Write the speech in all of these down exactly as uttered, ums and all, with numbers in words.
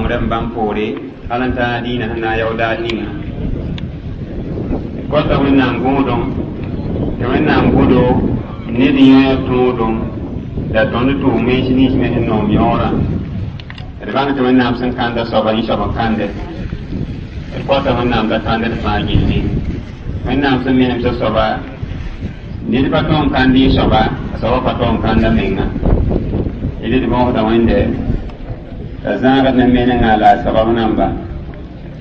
nongrem bãmb poore hal n taa dĩinã sẽn na n yaood ninga d kota wẽnnaam gõodem tɩ wẽnnaam gõdo ned yẽ tõodem la tõnd tʋʋm mens nins me sẽn noom yõorã d bãng tɩ wẽnnaam sẽn kãnda soaba yẽ soab n kãnde d kota wẽnnaam t'a kãnd d fãa gilli wẽnnaam sẽn menemsa soaba ned pa tõe n kãnd yẽ soaba a soaba pa tõe n kãnda menga d d bõosda wẽnde t'a zãagd ne menengã la a sabab namba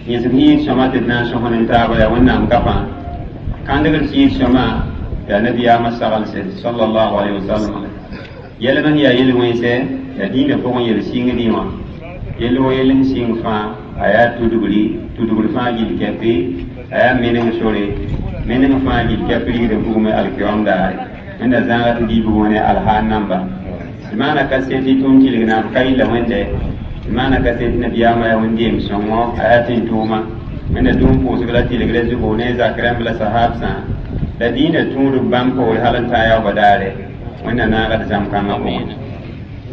yẽsg yĩig sõma tɩ d na n sõs ne taaba yaa wẽnnaam gapã kãndgd sɩɩg sõma yaa nabiyaamã sagense sallallahu alaihi wasallam yɛlm sẽn yaa yel-wẽnse yaa dĩinã pʋgẽ yel sɩngdẽ wã yell wo yell sẽn sɩng fãa a yaa tudgri tudgr fãa gill kɛpɩ a yaa meneng sore meneng fãa gill kɛp rigdã bugme alkiom daare wẽnda zãaga tɩ dɩ bugmã ne alhaan namba tɩ maana kaset tɩ tʋʋm tɩlg naam ka yilla wẽnde tɩ maana kaset nabiyaamã yaa wẽn-deem sõngo a yaa tẽn-tʋʋma wẽnda dũm pʋʋsg la tɩlgrã zugu ne zak rãmb la sahabsã la dĩinã tũudb bãmb poore hal n taa yaoobã daare wẽnda naagd zãm-kãngã pʋgẽ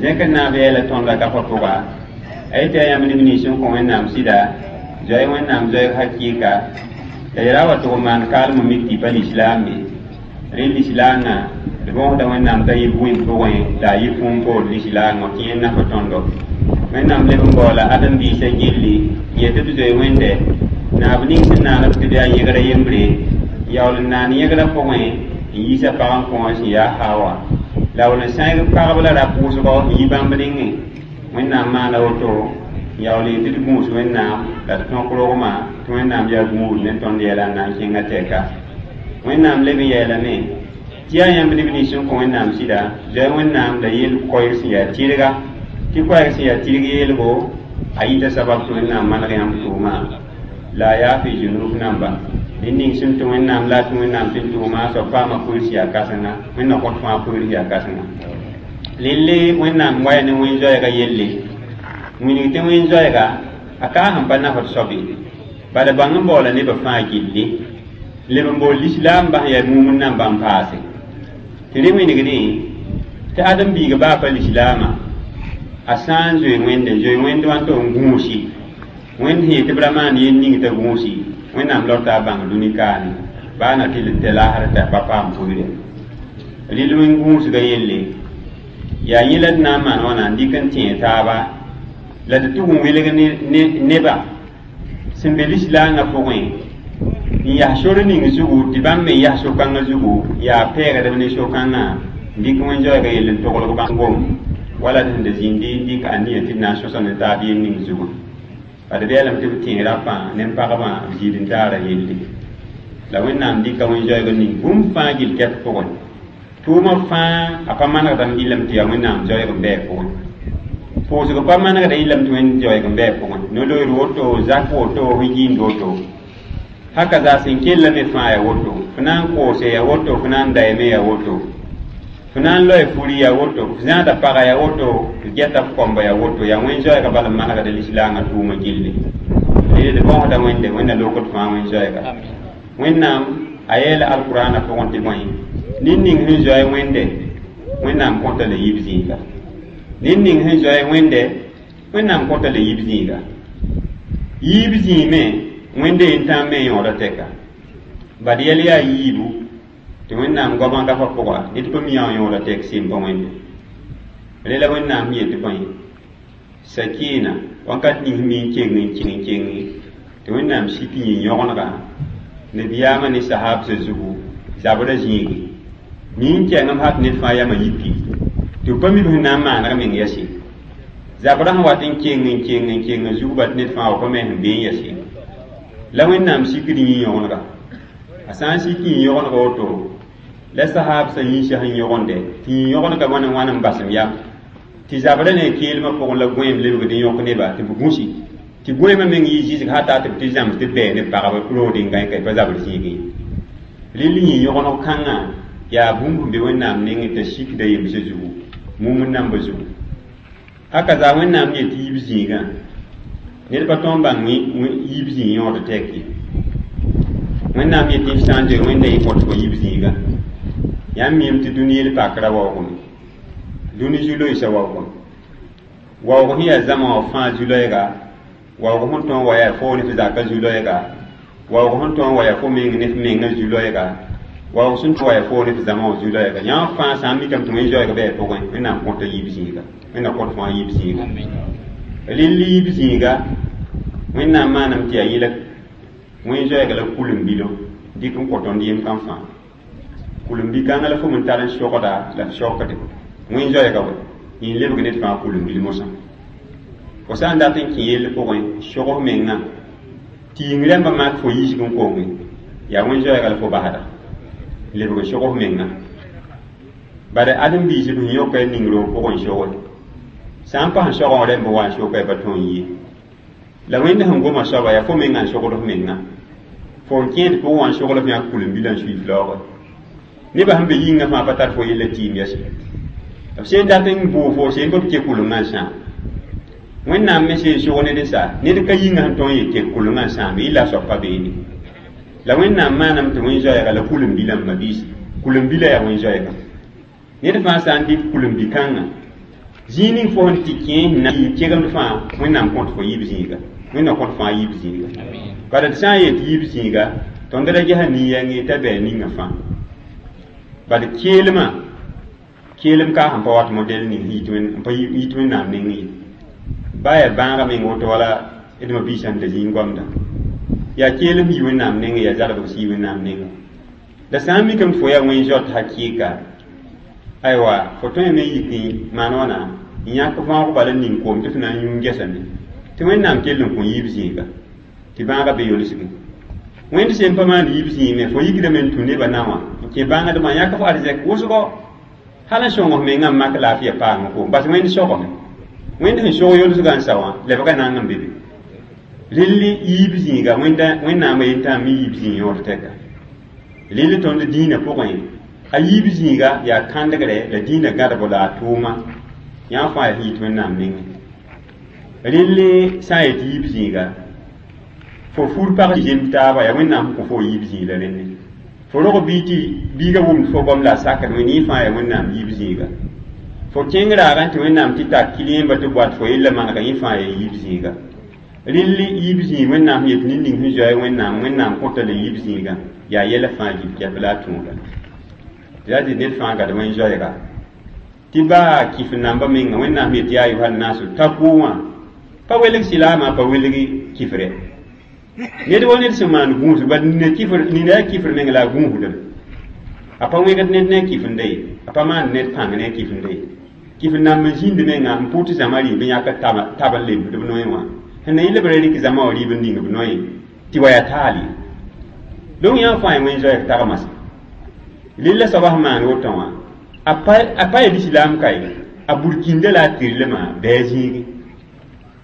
zẽkd naab yeela tõndã gapã pʋga a yetɩ yaa yãmb neb nins sẽn kõ wẽnnaam sɩda zoe wẽnnaam zoeeg hakɩɩka la yɛra wa tʋg n maan kaalem n mik tɩ pa lislaam ye rẽ lislaangã d bõosda wẽnnaam t'a yɩ bũim pʋgẽ la a yɩ kũum poor lislaangã tɩ yẽ naf tõndo wẽnnaam leb n baoola ãdem-biisã gilli n yetɩ b zoe wẽnde naab ning sẽn naanb tɩ b yaa yẽgrã yembre yaool n naan yẽgrã pʋgẽ n yiisa pag n kõ sẽn yaa hawa la wall n sãeg pagb la rap wʋsgo n yi bãmb nengẽ wẽnnaam maana woto n yaool yetɩ d gũus wẽnnaam la d tõk rogmã tɩ wẽnnaam yaa gũud ne tõnd yɛla n na n kẽngã tɛka wẽnnaam leb n yeelame tɩ yaa yãmb neb nins sẽn kõ wẽnnaam sɩda zoe wẽnnaam la yel koɛɛg sẽn yaa tɩrga tɩ koɛɛg sẽn yaa tɩrg yeelgo a yita sabab tɩ wẽnnaam maneg yãmb tʋʋma la a yaa fi zunub namba ned ning sẽn tũ wẽnnaam la a tũ wẽnnaam tɩ n tʋʋma a soab paama pʋɩr sẽn yaa kãsenga wẽnna kõt fãa pʋɩr sẽn yaa kãsenga lelle wẽnnaam waya ne wẽn-zoɛɛga yelle wilg tɩ wẽn-zoɛɛga a kaa sẽn pa nafd soab ye bala bãng n baoola nebã fãa gilli leb n bool lislaam bas yaa mumd nambã n paase tɩ rẽ wĩnigdẽ tɩ ãdem-biiga baa pa lislaamã a sã n zoe wẽnde n zoe wẽnd wã tɩ n gũusi wẽnd sẽn yetɩ b ra maan yel ning t'a gũusi wẽnnaam lao t'a bãng dũni kaane baa na tɩ tɩ laasr t'a pa paam pʋɩre rɩl wẽn gũusga yelle yaa yẽ la d na n maan wãna n dɩk n tẽeg taaba la tɩ tʋg n wilg neba sẽn be lislaangã pʋgẽ n yas sor ning zugu tɩ bãmb me yas so-kãngã zugu yaa pɛɛgdb ne so-kãngã n dɩk wẽn-zoɛɛga yell n toglg bãmb gom wala d sẽn da zĩndi n dɩk aniya tɩ d na n sõsa ne taab yel ning zugu bad b yeelame tɩ b tẽeg rapã ne pagmã b zĩid n taara yelle la wẽnnaam dɩka wẽn-zoɛɛg ning bũmb fãa gill kɛp pʋgẽ tʋʋmã fãa a pa manegdame yɩlame tɩ yaa wẽnnaam zoɛɛg n bɩ pʋgẽ pʋʋsg pa manegda yɩlame tɩ wẽnd zoɛɛg n bɩ pʋgẽ no-loeer woto zak woto sẽn yĩnd woto haka zaa sẽn kellame fãa yaa woto fo na n koose yaa woto fo na n dayame yaa woto fo na n loe furi yaa woto f zãada paga yaa woto d gɛta f kõmba yaa woto yaa wẽn-zoɛɛga bala n manegda lislaangã tʋʋmã gilli d d bõosda wẽnde wẽnna lokd fãa wẽn-zoɛɛga wẽnnaam a yeela alkurana pʋgẽ tɩ bõe ned ning sẽn zoe wẽnde wẽnnaam kõta la yib zĩiga ned ning sẽn zoe wẽnde wẽnnaam kõta la yib zĩiga yiib zĩime wẽnde n tãam me yõoda tɛka bad yɛl yaa yiibu tɩ wẽnnaam goamã gapã pʋga ned pa mi wã yõoda tɛk sem pa wẽnde rẽ la wẽnnaam yetɩ bõe sakina wãnkat ning sẽn mi n keng n keng n kenge tɩ wẽnnaam sik n yɩ yõgenega nabiyaamã ne sahabsã zugu zabrã zĩigi mi n kɛngem hat ned fãa yamã yipi tɩ b pa mi b sẽn na n maaneg meng yɛse zabrã sẽn wat n keng n keng n keng n zug bat ned fãa wa pa me sẽn bee n yɛse la wẽnnaam sikd yĩ yõgenega a sã n sik yĩ yõgenega woto la sahabsã yĩnsã sẽn yõgende tɩ yĩ yõgenega wãn n wãn n basem yam tɩ zabrã ne keelmã pʋgẽ la gõeem lebgd n yõk neba tɩ b gũsi tɩ gõeemã meng yɩ zɩsg hata tɩ b tɩ zãms tɩ b bɛɛ ne pagb roodẽ gãe ka pa zabr zĩigẽ rɩl yĩ yõgeneg kãngã yaa bũmb sẽn be wẽnnaam nengẽ t'a sikda yemsã zugu mumd nambã zugu haka zaa wẽnnaam yetɩ yiib zĩigã ned pa tõe n bãng yiib zĩig yõod tɛk ye wẽnnaam yetɩ f sã n zoe wẽnda yɩ kõt fo yiib zĩigã yãmb miime tɩ dũni yel pakra waoogame dũni zu-loeesã waoogame waoog sẽn yaa zãma wã fãa zu-loɛɛga Waoog sẽn tõe n wa yaa fo ne f zaka zu-loɛɛga. Waoog sẽn tõe n wa yaa fo meng ne f mengã zu-loɛɛga. Waoog sẽn tõe wa yaa fo ne f zãma wã zu-loɛɛga. Yã fãa sã n mikame tɩ wẽn-zoɛɛg bɩ a pʋgẽ, Wẽnnaam kõta yiib zĩiga. Wẽnnaam kõt fãa yiib zĩiga. Rɩl yiib zĩiga, Wẽnnaam maaname tɩ yaa yẽ la wẽn-zoɛɛga la kulim-bilo dɩk n kõ tõnd yem kam fãa. Kulim-bi-kãngã la fo me tar n sogda la f sokde. Wẽn-zoɛɛga wɛ, yẽ lebg ned fãa kulim-bil mosã. Fo sã n dat n kẽ yell pʋgẽ, sog f mengã, tɩ yĩng rãmbã mak fo yiisg n konge, yaa wẽn-zoɛɛga la fo basda. Lebg n sog f mengã. Bala ãdem-biis b sẽn yõka ning roog pʋgẽ n soge. Sã n pas n sogẽ rẽmb wa n soka pa tõe n ye. La Wẽnd sẽn goma soaba yaa fo mengã n sogd f mengã. Fo n kẽed pʋgẽ wã n sogl f yãk kulim-bilã n sui f laoogẽ. Nebã sẽn be yĩngã fãa pa tar fo yella tɩɩm yɛs. B sẽn dat n bʋʋg fo sẽn b ke kulemgã n sãam. Wẽnnaam me sẽn sog ned n sa, ned ka yĩngã sẽn tõe n yet tɩ kulemgã n sãam yɩla soab pa beene. La Wẽnnaam maaname tɩ wẽn-zoɛɛga la kulim-bilã m mabiisi. Kulim-bilã yaa wẽn-zoɛɛga. Ned fãa sã n dɩk kulim-bi-kãngã, zĩig ning fo sẽn tɩ kẽ sẽn na n kegemd fãa, Wẽnnaam kõt fo yiib zĩiga. Wẽnnaam kõt fãa yiib zĩiga. Bala d sã n yet yiib zĩiga, tõnd ra gesa nin-yɛng t'a bɩ a ninga fãa. Bala keelmã, keelem ka sẽn pa wat modɛl ning sẽn pa yit Wẽnnaam nengẽ ye. Ba yaa bãagã meng woto wala d ma-biisã sẽn da zĩig goamda. Yaa keelem yi Wẽnnaam nengẽ, yaa zalbg sɩ yi Wẽnnaam nengẽ. La sã n mikame tɩ fo yaa wẽn-zoat hakɩɩka, aywa fo tõe me n yik n maan wãna n yãk võog bala n ning koom tɩ f na n yũ n gɛsame tɩ Wẽnnaam kell n kõ yiib zĩiga tɩ bãagã be yolsge. Wẽnd sẽn pa maan yiib zĩig me, fo yikdame n tũ nebã na wã n kẽ bãngdmã yãk f arzɛk wʋsgo hal n sõng f mengã n mak laafɩya paam koom bas Wẽnd sogame. Wẽnd sẽn sog yolsgã n sa wã lebga nang n be be. Rɩl yiib zĩiga Wẽnnaamã yentã me yiib zĩig yõod tɛka. Rɩl tõnd dĩinã pʋgẽ, a yiib zĩiga yaa kãndgre la dĩinã gãdbo la a tʋʋma. Yã fãa yaa yit Wẽnnaam nengẽ. Rɩl sã n yet yiib zĩiga, fo fur pag zem taaba yaa Wẽnnaam sẽn kõ fo yiib zĩig la rẽnne. Fo rog bii tɩ biigã wʋmd fo goam la a sakd wẽnd yẽ fãa yaa Wẽnnaam yiib zĩiga. Fo kẽng raagã tɩ Wẽnnaam tɩ tak kilẽemba tɩ boat fo yella manega yẽ fãa yaa yiib zĩiga. Rɩl yiib zĩig Wẽnnaam sẽn yet ned ning sẽn zoa Wẽnnaam, Wẽnnaam kõta la yiib zĩigã yaa yɛla fãa gil kɛp la a tõoda. Tɩ la tɩ ned fãa gad wẽn-zoɛɛga. Tɩ baa kɩf namba menga Wẽnnaam yet yaa ayuha-nasu takʋ wã pa welg silaamã pa welg kifre. Ned wa ned sẽn maan gũus bal nina kifr nina yaa kifr meng la a gũusdame. A pa wẽgd ned ne a kifnda ye, a pa maan ned pãng ne a kifnda ye. Kifr namb n zĩnd menga n pʋʋt zãma rɩɩb n yãk tab n lemsd b noe wã. Sẽn na yɩl b ra rɩk zãma wã rɩɩb n ning b noe tɩ wa yaa taal ye. Donc yã fãa wẽn-zoɛɛg tagmase. Rɩla soaba sẽn maan woto wã, a pa yaa lislaam ka ye, a burkĩnda la a tɩrlmã bɩ a zĩigi.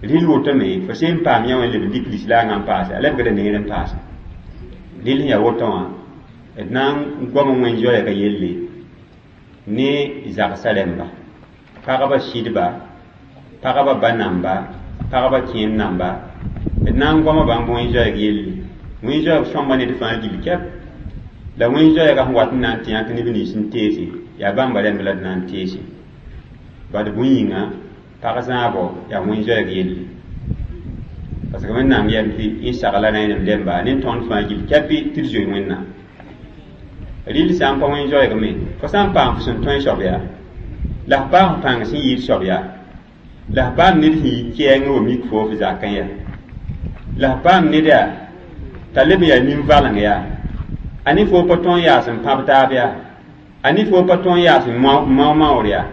Rɩl wotome fo sẽn paam yã wã leb n dɩk lislaangã n paase, a lebgda neer n paase. Rɩl sẽn yaa woto wã, d na n goam wẽn-zoɛɛgã yelle ne zagsã rẽmba, pagba sɩdba, pagba ba namba, pagba kẽem namba, d na n goama bãmb wẽn-zoɛɛg yelle. Wẽn-zoɛɛg sõmba ned fãa gil kɛp. La wẽn-zoɛɛgã sẽn wat n na n tɩ yãk neb nins n teese, yaa bãmba rẽmb la d na n teese. Bad bũn yĩnga, pag zãabɔ yaa wẽn-zoɛɛg yelle. Parce que Wẽnnaam yɛm tɩ yẽ sagla rẽenem rẽmba ne tõnd fãa gil kɛpɩ tɩ d zoe Wẽnnaam. Rɩl sã n pa wẽn-zoɛɛg me, fo sã n paam f sẽn tõe soab yaa, la f paam f pãng sẽn yɩɩd soab yaa, la f paam ned sẽn yi kɛɛngẽ wa mik fo f zakẽ yaa, la f paam ned yaa t'a leb n yaa nin-valeng yaa, a ne fo pa tõe n yaas n pãb taab yaa, a ne fo pa tõe n yaas n mao-maoor yaa,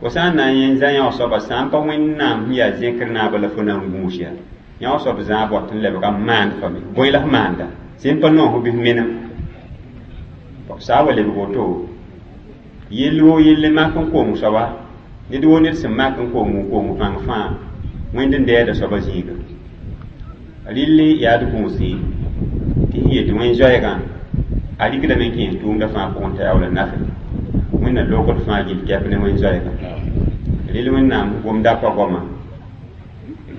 fo sã n na n yẽ zã yã soaba sã n pa Wẽnnaam sẽn yaa zẽkr naabã la fo na n gũus yaa, yã soab zãab wat n lebga n maand fa me, bõe la f maanda, sẽn pa noos f bɩ f menem. Saa wa lebg woto, yell woo yell mak n kong soaba, ned woo ned sẽn mak n kong n kong pãng fãa, Wẽnd n dɛɛda soaba zĩiga. Rɩl yaa d gũuse tɩ sẽn yet wẽn-zoɛɛgã, a rɩkdame n kẽes tʋʋmdã fãa pʋgẽ t'a yaa wala nafe. Wẽnna lokd fãa gil kɛp ne wẽn-zoɛɛga. Rɩl Wẽnnaam gomda pa goama,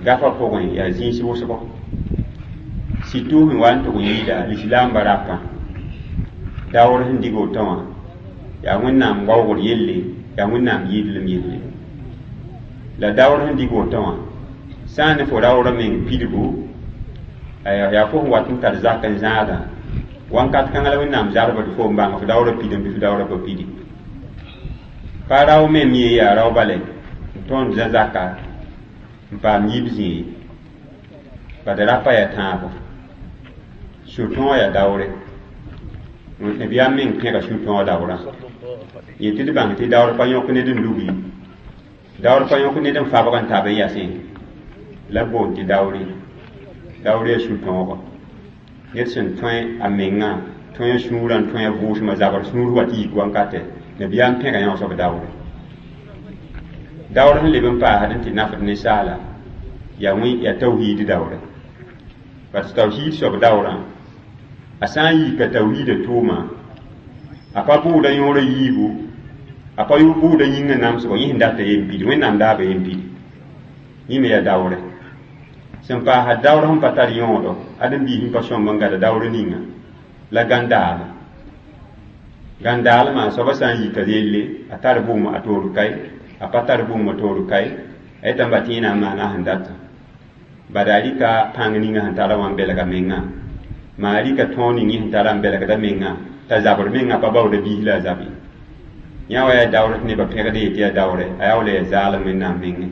gafã pʋgẽ yaa zĩis wʋsgo. Surtout sẽn wa n tʋg n yɩɩda lislaambã rapã, daoor sẽn dig woto wã, yaa Wẽnnaam waoogd yelle, yaa Wẽnnaam yɩɩdlem yelle. La daoor sẽn dig woto wã, Sã n ne fo raoorã meng pidgu yaa fo sẽn wat n tar zak n zãadã wãnkat kãngã la Wẽnnaam zarbd fo n bãng f daoorã pidem bɩ f daoorã pa pidi pa rao mem ye yaa rao bale n tõnd zã zaka n paam yib zĩig bad rapa yaa tãabo sũ-tõog yaa daoore nabiyaam meng pẽga sũ-tõog daoorã yẽ tɩ d bãng tɩ daoor pa yõk ned n lugi daoor pa yõk ned n fabg n tab n yasẽ la boond tɩ daoore daoore yaa sũ-tõogo ned sẽn tõe a mengã tõe a sũurã n tõe a vʋʋsmã zabr sũur wa tɩ yik wankatɛ nabiyaam pẽga yã soab daoore daoor sẽn leb n paasd n tɩ nafd ninsaala yaa wẽ yaa tawhiid daoore parce tawhiid soab daoorã a sã n yika tawhiida tʋʋma a pa bʋʋda yõora yiibu a pa bʋʋda yĩngã namsgo yẽ sẽn data yen pidi Wẽnnaam daaba yen pidi yẽ me yaa daoore sẽn paasd daoor sẽn pa tar yõodo ãdem-biis sẽn pa sõmb n gada daoor ninga la gãndaal gãndaalmã soabã sã n yika yelle a tar bʋʋm a toor kae a pa tar bũmb a toor kae a yetame ba tɩ yẽ na n maana sẽn data bada a rɩka pãng ninga sẽn tara wã n belga mengã maa rɩka tõog ning yẽ sẽn tara n belgda mengã t'a zabr mengã pa baooda biis la a zabe yã wa yaa daoor tɩ nebã pẽgd yetɩ yaa daoore a yaa wala yaa zaalem Wẽnnaam mengẽ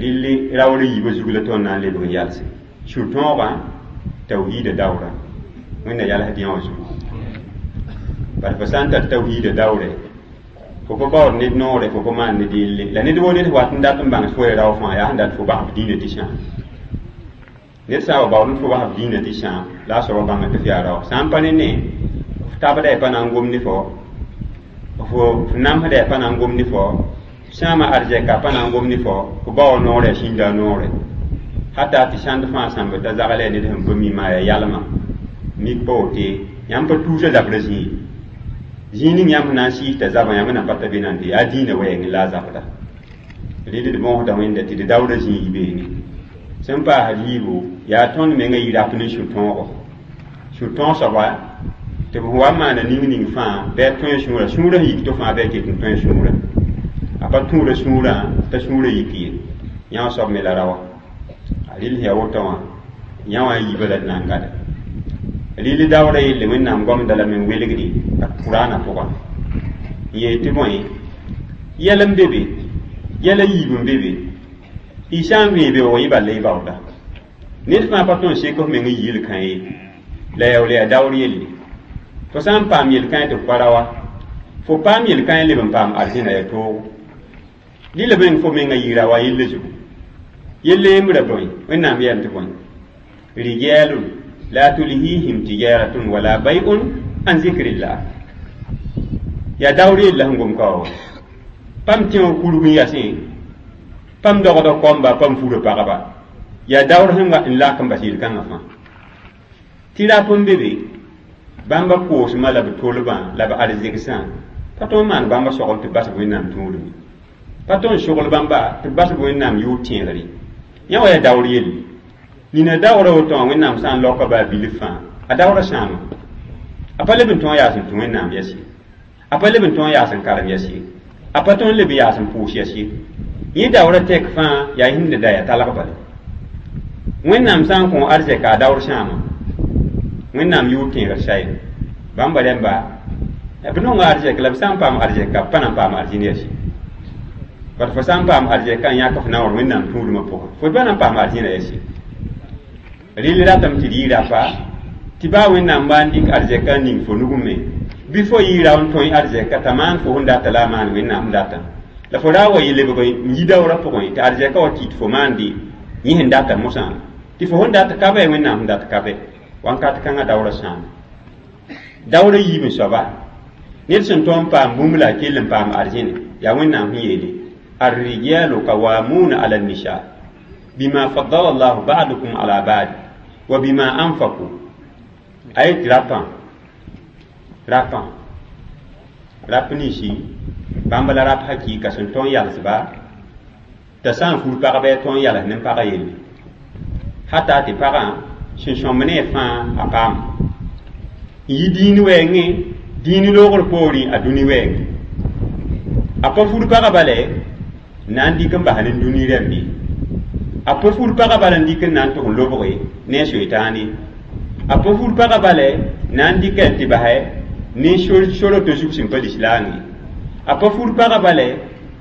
rɩlli raoor yiibã zug la tõnd na n lebg n yalse sũ-tõogã tawhiida daoorã Wẽnna yalsd yã wã zugu bala fo sã n tar tawhiida daoore fo pa baood ned noore fo pa maan ned yelle la ned woo ned wat n dat n bãng fo ya rao fãa yaa sẽn dat fo basf dĩinã tɩ sãam ned sã n wa baood n fo basf dĩinã tɩ sãam la a soaba bãng tɩ f yaa rao sã n pa ne ne f tabda y pa na n gom ne fo fo f namsda y pa na n gom ne fo sãama arzɛka pa na n gom ne fo fo baoor noorɛ sĩnda noorɛ hata tɩ sãnd fãa sãmb t'a zagl yaa ned sẽn pa mi maa yaa yalmã mik pa wote yãmb pa tuusa zabrã zĩig zĩig ning yãmb na n sɩɩs t'a zabã yãmb na pa ta be nan tɩ yaa dĩinã wɛɛngẽ la a zabda rɩl d bõosda Wẽnda tɩ d daoodã zĩig beene sẽn paasd yiibu yaa tõnd mengã yɩ rap ne sũ-tõogo sũ-tõog soaba tɩ b wa n maana ning ning fãa bɩ a tõe sũurã sũurã sẽn yik tɩ fãa bɩ a ket n tõe sũurã a pa tũuda sũurã t'a sũurã yik ye yã wã soab me la raoa a rɩl sẽn yaa woto wã yã wã yiibã la d na n gada rɩl daoorã yelle Wẽnnaam goamda lame n welgdi a Kuraanã pʋga n yeel tɩ bõe yɛl n be be yɛl a yiib n be be y sã n vẽe beoog yẽ bala y baooda ned fãa pa tõe n sek f meng n yi yel-kã ye la yaa wala yaa daoor yelle fo sã n paam yel-kãe tɩ f pa raoa fo paam yel-kãe leb n paam arzẽna yaa toogo rɩla meng fo mengã yɩ raoa yella zugu yelle yembra bõe Wẽnnaam yeelame tɩ bõe rijalun la tulhihim tijaratun wala bay'un an zikrillah yaa daoor yella sẽn gom ka wa pam tẽ wã kurg n yasẽ pam dogda koamba pam fura pagba yaa daoor sẽn n lak n bas yel-kãngã fãa tɩ rap n be be bãmba koosmã la b tolbã la b arzegsã pa tõe n maan bãmba sogl tɩ bas Wẽnnaam tũudme pa tõe n sogl bãmba tɩ bas Wẽnnaam yʋʋr tẽegre yã wa yaa daoor yelle nina daoorã woto wã Wẽnnaam sã n laoka baa bilf fãa a daoorã sãama a pa leb n tõog yaas n tũ Wẽnnaam yɛs ye a pa leb n tõog yaas n karem yɛs ye a pa tõe n leb n yaas n pʋʋs yɛs ye yẽ daoorã tɛk fãa yaa yĩnd da yaa talg bala Wẽnnaam sã n kõ arzɛka a daoor sãama Wẽnnaam yʋʋr tẽegr saye bãmba rẽmba b nonga arzɛk la b sã n paam arzɛka b pa na n paam arzĩn yɛs ye bad fo sã n paam arzɛka n yãk f naoor Wẽnnaam tũudmã pʋgẽ fo pa na n paam arzĩna yɛs ye rɩl ratame tɩ d yɩ rapa tɩ baa Wẽnnaam wa n dɩk arzɛka n ning fo nugẽ me bɩ fo yɩ rao n tõe arzɛka t'a maan fo sẽn data la a maan Wẽnnaam sẽn data la fo ra wa yɩ lebg n yi daoorã pʋgẽ tɩ arzɛka wa kɩt fo maande yẽ sẽn data mosã tɩ fo sẽn dat ka bɩ Wẽnnaam sẽn dat ka bɛ wãnkat kãngã daoorã sãama daoorã yiib n soaba ned sẽn tõe n paam bũmb la a kell n paam arzẽne yaa Wẽnnaam sẽn yeele الرجال قوامون على النساء بما فضل الله بعضكم على بعض وبما أنفقوا أي rapã rapã rap ninsi bãmb la rap hakɩɩka sẽn tõe n yalsba t'a sã n fur pagba yaa tõe n yals ne pagã yelle hata tɩ pagã sẽn sõmb ne fãa a paam n yi dĩin wɛɛngẽ dĩin loogr poorẽ a dũni wɛɛngẽ a pa fur pagã bala na n dɩk n bas ne dũni rãmbe A pa fur pagã bala n dɩk n na n tʋg n lobge ne a soetaane. A pa fur pagã bala na n dɩka n tɩ basɛ ne soroto zug sẽn pa lislaam ye. A pa fur pagã bala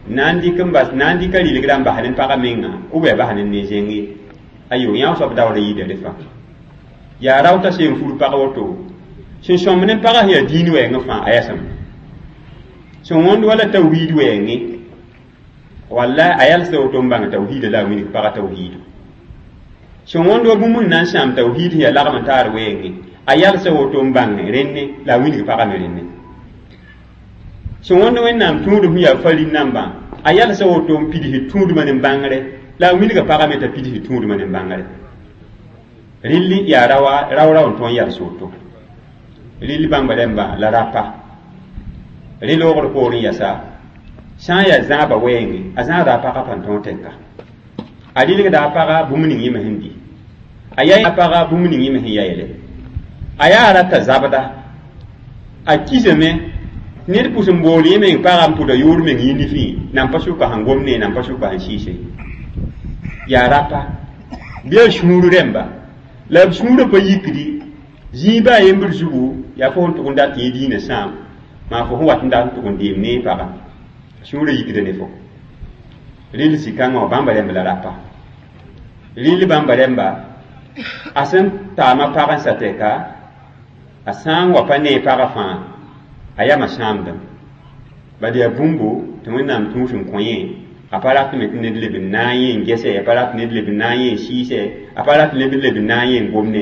na n dɩk n bas na n dɩka rɩlgrã n bas ne pagã menga ou bien a bas ne ne zẽng ye. Ayo, yã soab daoora yɩɩda re fãa. Yaa rao t'a seen fur pag woto sẽn sõmb ne pagã sẽn yaa dĩin wɛɛngẽ fãa a yɛsem sẽn wõnd wala tawhiid wɛɛngẽ walla a yalsda woto n bãng tawhiida la a wilg pagã tawhiidu sẽn wõnd wa bũmb n na n sãam tawhiid sẽn yaa lagm n taar wɛɛngẽ a yalsa woto n bãng rẽnne la a wilg pagã me rẽnne sẽn wõnd wẽnnaam tũudum sẽn yaa farin nambã a yalsa woto n pidsd tũudmã ne bãngre la a wilga pagã me t'a pidsd tũudmã ne bãngre rɩlli yaa rawa rao rao n tõe n yals woto rɩll bãmba rẽmba la rapa rẽ loogr poorẽ yasa sã n yaa zãaba wɛɛngẽ a zãada a pagã pa n tõog tɛka a rɩlgda a pagã bũmb ning yẽ me sẽn di a yaa a pagã bũmb ning yẽ me sẽn ya yɛlɛ a yaa rata zabda a kisame ned pʋs n bool yẽ meng pagã n pʋda yoor meng yĩnd fĩi nan pa sʋka sẽn gom ne nan pa sʋka sẽn sɩɩse yaa rapa bɩ a sũur rẽmba la b sũurã pa yikdi zĩig baa yembr zugu yaa fo sẽn tʋg n dat yẽ diinã sãam maa fo sẽn wat n dat n tʋg n deem ne pagã sũurã yikda ne fo rɩl zĩ-kãngã wã bãmba rẽmb la rapa rɩl bãmba rẽmba a sẽn taama pag n sa tɛka a sã n wa pa ne pagã fãa a yama sãamdem bad yaa bũmbo tɩ wẽnnaam tũus n kõ yẽ a pa rat me tɩ ned leb n na n yẽ n gɛsɛ a pa rat ned leb n na n yẽ n sɩɩsɛ a pa rat ned leb n na n yẽ n gomne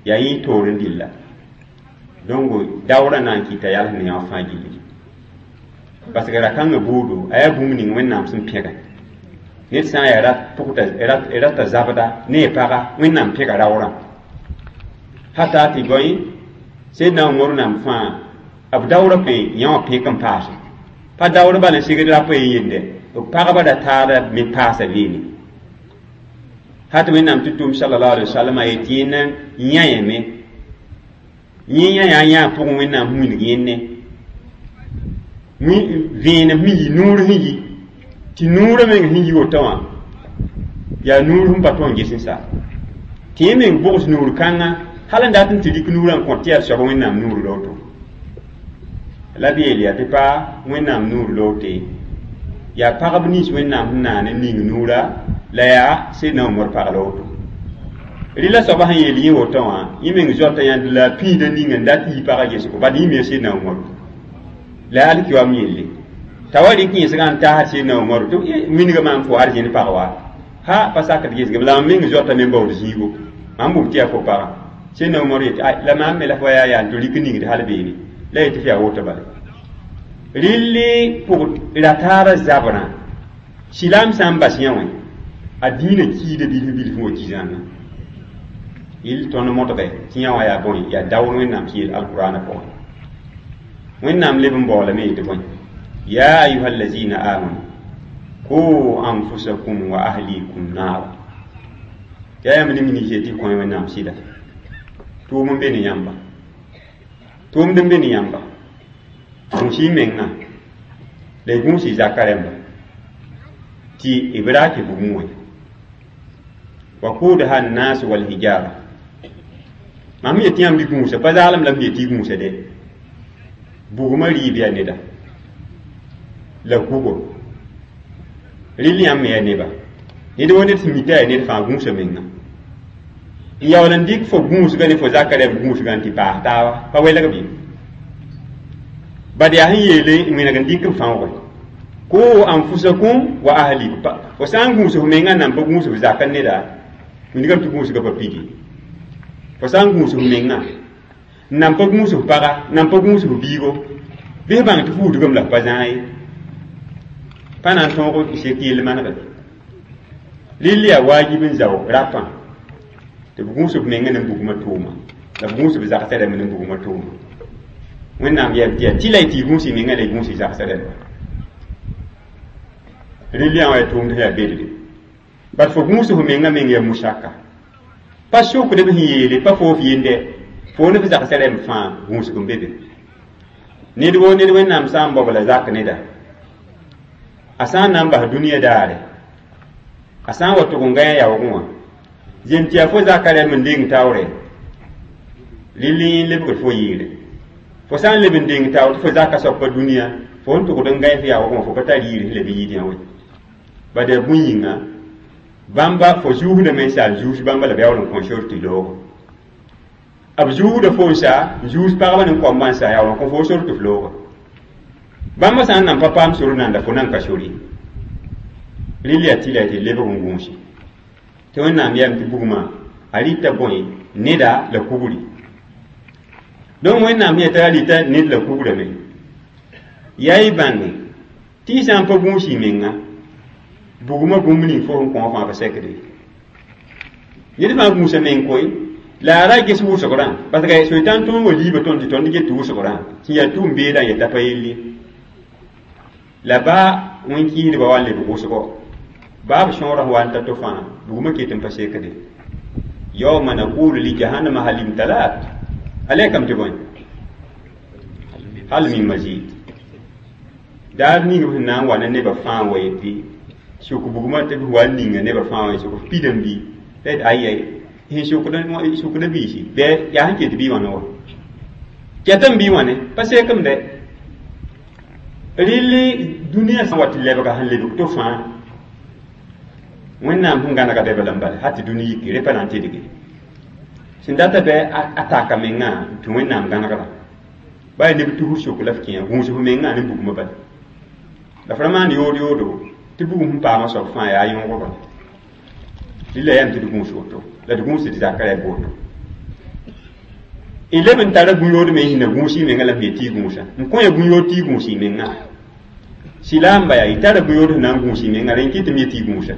yaa yẽ toor n dilla donc daoorã na n kɩta yals ne yã fãa gilli parce que ra-kãngã buudo a yaa bũmb ning wẽnnaam sẽn pẽgɛ ned sã n yaa rat pʋgta rata zabda ne a paga wẽnnaam pẽga raoorã hata tɩ bõe Seydna Umar nam fãa b daoorã pẽ yã wã pẽk n paase pa daoor bala n segd rapa ye yende b pagba ra taada me paasa beene hat wẽnnaam tɩ tʋm sallallahu alaihi wasallam a yetɩ yẽnna yãyame yẽ yã yaa yã pʋgẽ wẽnnaam wilg yẽnne vẽenem sẽn yi nuur sẽn yi tɩ nuurã meng sẽn yi woto wã yaa nuur sẽn pa tõe n ges n sa tɩ yẽ meng bʋgs nuur kãngã hal n dat n tɩ rɩk nuurã n kõ tɩ yaa soab wẽnnaam nuur loto la b yeel yaa tɩ pa wẽnnaam nuur loote yaa pagb nins wẽnnaam sẽn naan n ning nuurã la yaa Seydna Umar pag la woto rɩla soaba sẽn yeel yẽ woto wã yẽ meng zoata yãnd la a pĩida ning n dat yi pagã gesgo bad yẽ me Seydna Umar la yaa alkiwam yelle t'a wa rɩk yẽsgã n taasd Seydna Umar tɩ wingã maam fo arzẽn pag wa ha pa sakd gesgame la mam meng zoata me n baood zĩigo mam bʋm tɩ yaa fo pagã Seydna Umar yetɩ la maam me la fo yaa yaa n tɩ rɩk ningd hal beene la yetɩ f yaa woto bala rɩlli pʋg ra taaba zabrã silaam sã n bas yã wẽ a dĩinã kiida bilf bilf wa ki-zãnga yɩl tõnd modge tɩ yã wã yaa bõe yaa daoor wẽnnaam sẽn yeel alqurana pʋgẽ wẽnnaam leb n baoolame yetɩ bõe ya ayuha allazina amanu qu anfusakum wa ahlikum naara yaa yãmb ne minig tɩ kõ wẽnnaam sɩda tʋʋm n be ne yãmba tʋʋmd n be ne yãmba gũus y menga la y gũus y zaka rẽmba tɩ b ra tɩ bugum wẽ waqudaha annas walhijara mam yetɩ yãmb y gũusa pa zaalem la m yetɩ y gũusa de bugmã rɩɩb yaa neda la kugo rɩl yãmb me yaa neba ned wo ned sẽn mita yaa ned fãa gũusa menga n yaool n dɩk fo gũusga ne fo zaka rẽmb gũusgã n tɩ paas taaba pa welg bɩ bad yaa sẽn yeele wẽneg n dɩk n fãooge qu anfusakum wa ahlikum fo sã n gũus f menga n nan pa gũus f zaka neda wingame tɩ gũusga pa pidi fo sã n gũus f menga n nan pa gũus f paga n nan pa gũus f biigo bɩ f bãng tɩ fuudgame la f pa zãag ye pa na n tõog sek yell manegd rɩl yaa waajib n zao rapã tɩ b gũus b menga ne bugmã tʋʋma la b gũus b zagsã rẽmb ne bugmã tʋʋma wẽnnaam yɛm tɩ yaa tɩ la y tɩ y gũus y menga la y gũus y zagsã rẽmba rɩl yã wã yaa tʋʋmd sẽn yaa bedre bat fo gũus f menga meng yaa musaka pa sokd b sẽn yeele pa fo f yende fo ne f zagsã rẽmb fãa gũusg n be be ned woo ned wẽnnaam sã n bao la zak neda a sã n na n bas dũniyã daare A sã n wa tʋg n gã yaoogẽ wã zem tɩ yaa fo zaka rɛm n deng taoore rɩl n lebgd fo yɩɩre fo sã n leb n deng taoor tɩ fo zaka soab pa dũniyã fo n tʋgd n gã f yaoogẽ wã fo pa tar yɩɩr sẽn leb n yɩɩd yã we bad yaa bũn yĩnga bãmba fo zuusdame n sa n zuus bãmba la b yaool n kõ sor tɩ loogo b zuusda fo n sa n zuus pagba ne koamba n sa yaool n kõ fo sor tɩ f looga bãmba sã n nan pa paam sor nanda fo nan ka sor ye rɩl yaa tɩ la tɩ lebg n gũusi tɩ wẽnnaam yam tɩ bugmã a rɩta bõe neda la kugri donc wẽnnaam yeta a rɩta ned la kugrame yaa y bãnge tɩ y sã n pa gũus y menga bugmã bũmb ning fo sẽn kõ fãa pa sekde ned fãa gũusa meng koe la a ra ges wʋsgrã parce que soetãn tõnd wa liiba tõnd tɩ tõnd get wʋsgrã sẽn yaa tʋʋm beedã n yeta pa yell la baa wẽn-kɩɩsdbã wa n lebg wʋsgo baa b sõora sẽn wa n ta to fãa bugmã ket n pa sekde yawma naqulu li jahannama hal imtalat a kam tɩ bõe hal min mazid daar ning b sẽn na n wa ne nebã fãa wa yetɩ sʋk bugmã tɩ b wa n ninga nebã fãa wa sʋk pidame bɩ la yet ayai sẽn sʋkda biisi bɩ yaa sẽn ket bɩ wãna wa kɛtame bɩ wãne pa sekame dɛ rɩl dũniyã sã wa tɩ lebga sẽn lebg to fãa wẽnnaam sẽn gãnega bɛba la n bala hal tɩ dũni yike re pa na n tedge sẽn data bɩ a taka mengã tɩ wẽnnaam gãnegra baa neb tusr sok la f kẽ gũus f mengã ne bugmã bala la f ra maan yood yoodo tɩ bugum sẽn paamã soab fãa yaa yõogo bala rɩla yam tɩ d gũus woto la d gũus d zaka rɛb woto y leb n tara bũn-yood me sẽn na gũus y menga la m yet tɩ y gũusa n kõ ya bũn-yood tɩ y gũus y menga silaamba yaa y tara bũn-yood sẽn na n gũus y menga rẽ kɩ tɩ m yet tɩ y gũusa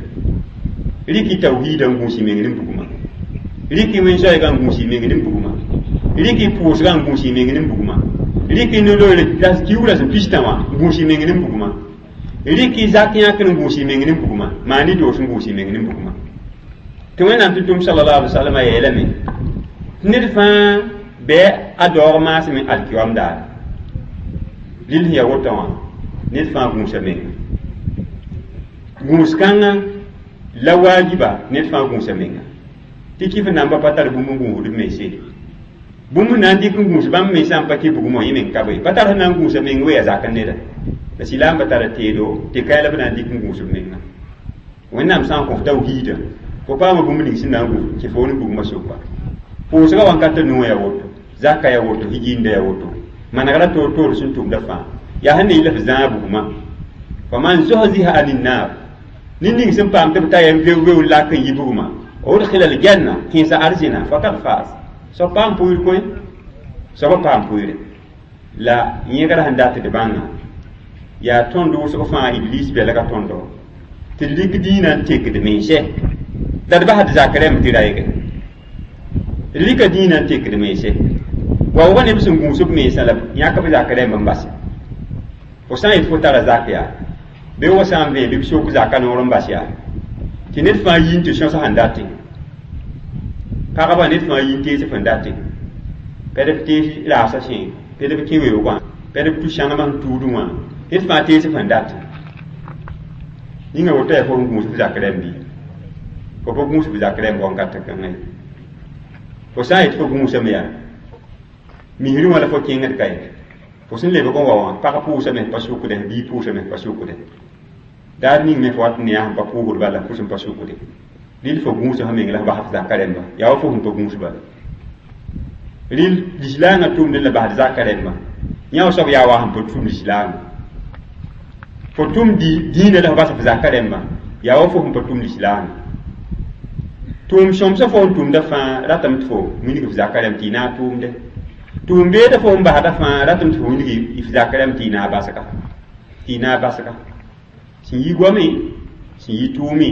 rɩk y tawhiida n gũus y meng ne bugmã rɩk y wẽn-zoɛɛga n gũus y meng ne bugmã rɩk y pʋʋsga n gũus y meng ne bugmã rɩk y no-loeere kiugrã sẽn pistã wã n gũus y meng ne bugmã rɩk y zak yãkr n gũus y meng ne bugmã maan y doos n gũus y meng ne bugmã tɩ wẽnnaam tɩ tʋm sallallahu alaihi wasallam a yeelame tɩ ned fãa bɩ a daoog maasme alkiyoam daare rɩl sẽn yaa woto wã ned fãa gũusa menga gũus kãngã la waajiba ned fãa gũusa menga tɩ kɩf namba pa tar bũmb n gũusd b mense bũmb na n dɩk n gũus bãmb mensã n pa kɩ bugmã yẽ meng ka be pa tar sẽn na n gũusa meng we yaa zak n neda la silaamba tara teedo tɩ kae la b na n dɩk n gũus b menga wẽnnaam sã n kõ f tawhiidã fo paama bũmb ning sẽn na n gũus tɩ fo ne bugmã soka pʋʋsgã wãnkatã nuwã yaa woto zaka yaa woto higinda yaa woto manegra toor toor sẽn tʋmda fãa yaa sẽn ne yɩl f zãag bugmã faman zuhziha anin nar ned ning sẽn paam tɩ b ta yam veo veo lak n yi bugmã udkhila aljanna kẽesa arzẽna fakad faz soab paam pʋɩɩr koe soabã paam pʋɩɩre la yẽgra sẽn dat d bãnga yaa tõnd wʋsg fãa iblis bɛlga tõndo tɩ d rɩk dĩinã n tekd mense la d basd zak rɛmb tɩ raeege d rɩka dĩinã n tekd mense wa wa neb sẽn gũus b mensã la yãk b zak rɛmb n base fo sã n yet fo tara zak yaa bɩ wa sã n vẽ bɩ b sok zaka noor n bas yaa tɩ ned fãa yi n tɩ sõs sẽn date pagba ned fãa yi n tees sẽn date pɛd b tees raasã sẽ pɛd b kẽ weoogã pɛd b tu sãnemã sẽn tuudẽ wã ned fãa tees sẽn date yĩnga woto yaa fo sẽn gũus b zak rɛmb bɩ fo pa gũus b zak rɛmb wãnkat kãngã ye fo sã n yet fo gũusame yaa misrẽ wã la fo kẽngd ka ye fo sẽn lebg n wa wã pag pʋʋsame pa sʋkde bii pʋʋsame pa sʋkde daar ning me fo wat ne yaa sẽn pa pʋʋsd bala fo sẽn pa sʋkde rɩl fo gũusa fo meng la f bas f zaka rɛmba yaa wa fo sẽn pa gũus bala rɩl lislaangã tʋmd la basd zaka rɛmba yã wa soab yaa wa sẽn pa tʋm lislaangã fo tʋm dĩinã la f bas f zaka rɛmba yaa wa fo sẽn pa tʋm lislaangã tʋʋm sõmsã fo n tʋmda fãa ratame tɩ fo wilg f zaka rɛmb tɩ y naag tʋʋmde tʋʋm beeda fo n basda fãa ratame tɩ fo wilg f zaka rɛmb tɩ y naag basga tɩ y naag basga sẽn yi goame sẽn yi tʋʋme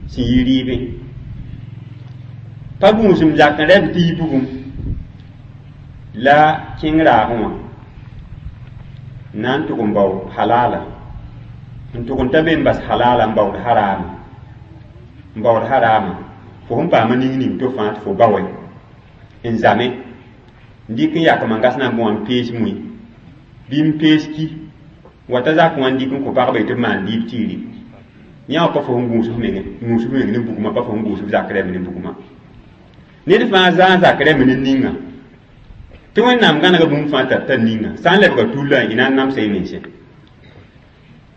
sẽn yi rɩɩbẽ pa gũusem zak n rɛb tɩ yi bugum la kẽng raagẽ wã na n tʋg n bao halala n tʋg n ta be n bas halala n baood harama n baood harama fo sẽn paama ning ning to fãa tɩ fo baoe n zame n dɩk n yak mangas na n bõ wã n pees mui bɩ n pees ki wata zak wã n dɩk n kõ pagba tɩ b maan liib tiiri Yã wã pa fo sẽn gũus f menge, gũus f meng ne bugmã, pa fo sẽn gũus f zak rɛmb ne bugmã. Ned fãa zaa n zak rɛmb ne ninga tɩ Wẽnnaam gãnega bũmb fãa t'a tar ninga sã n lebga tullã, y na n namsa y mensẽ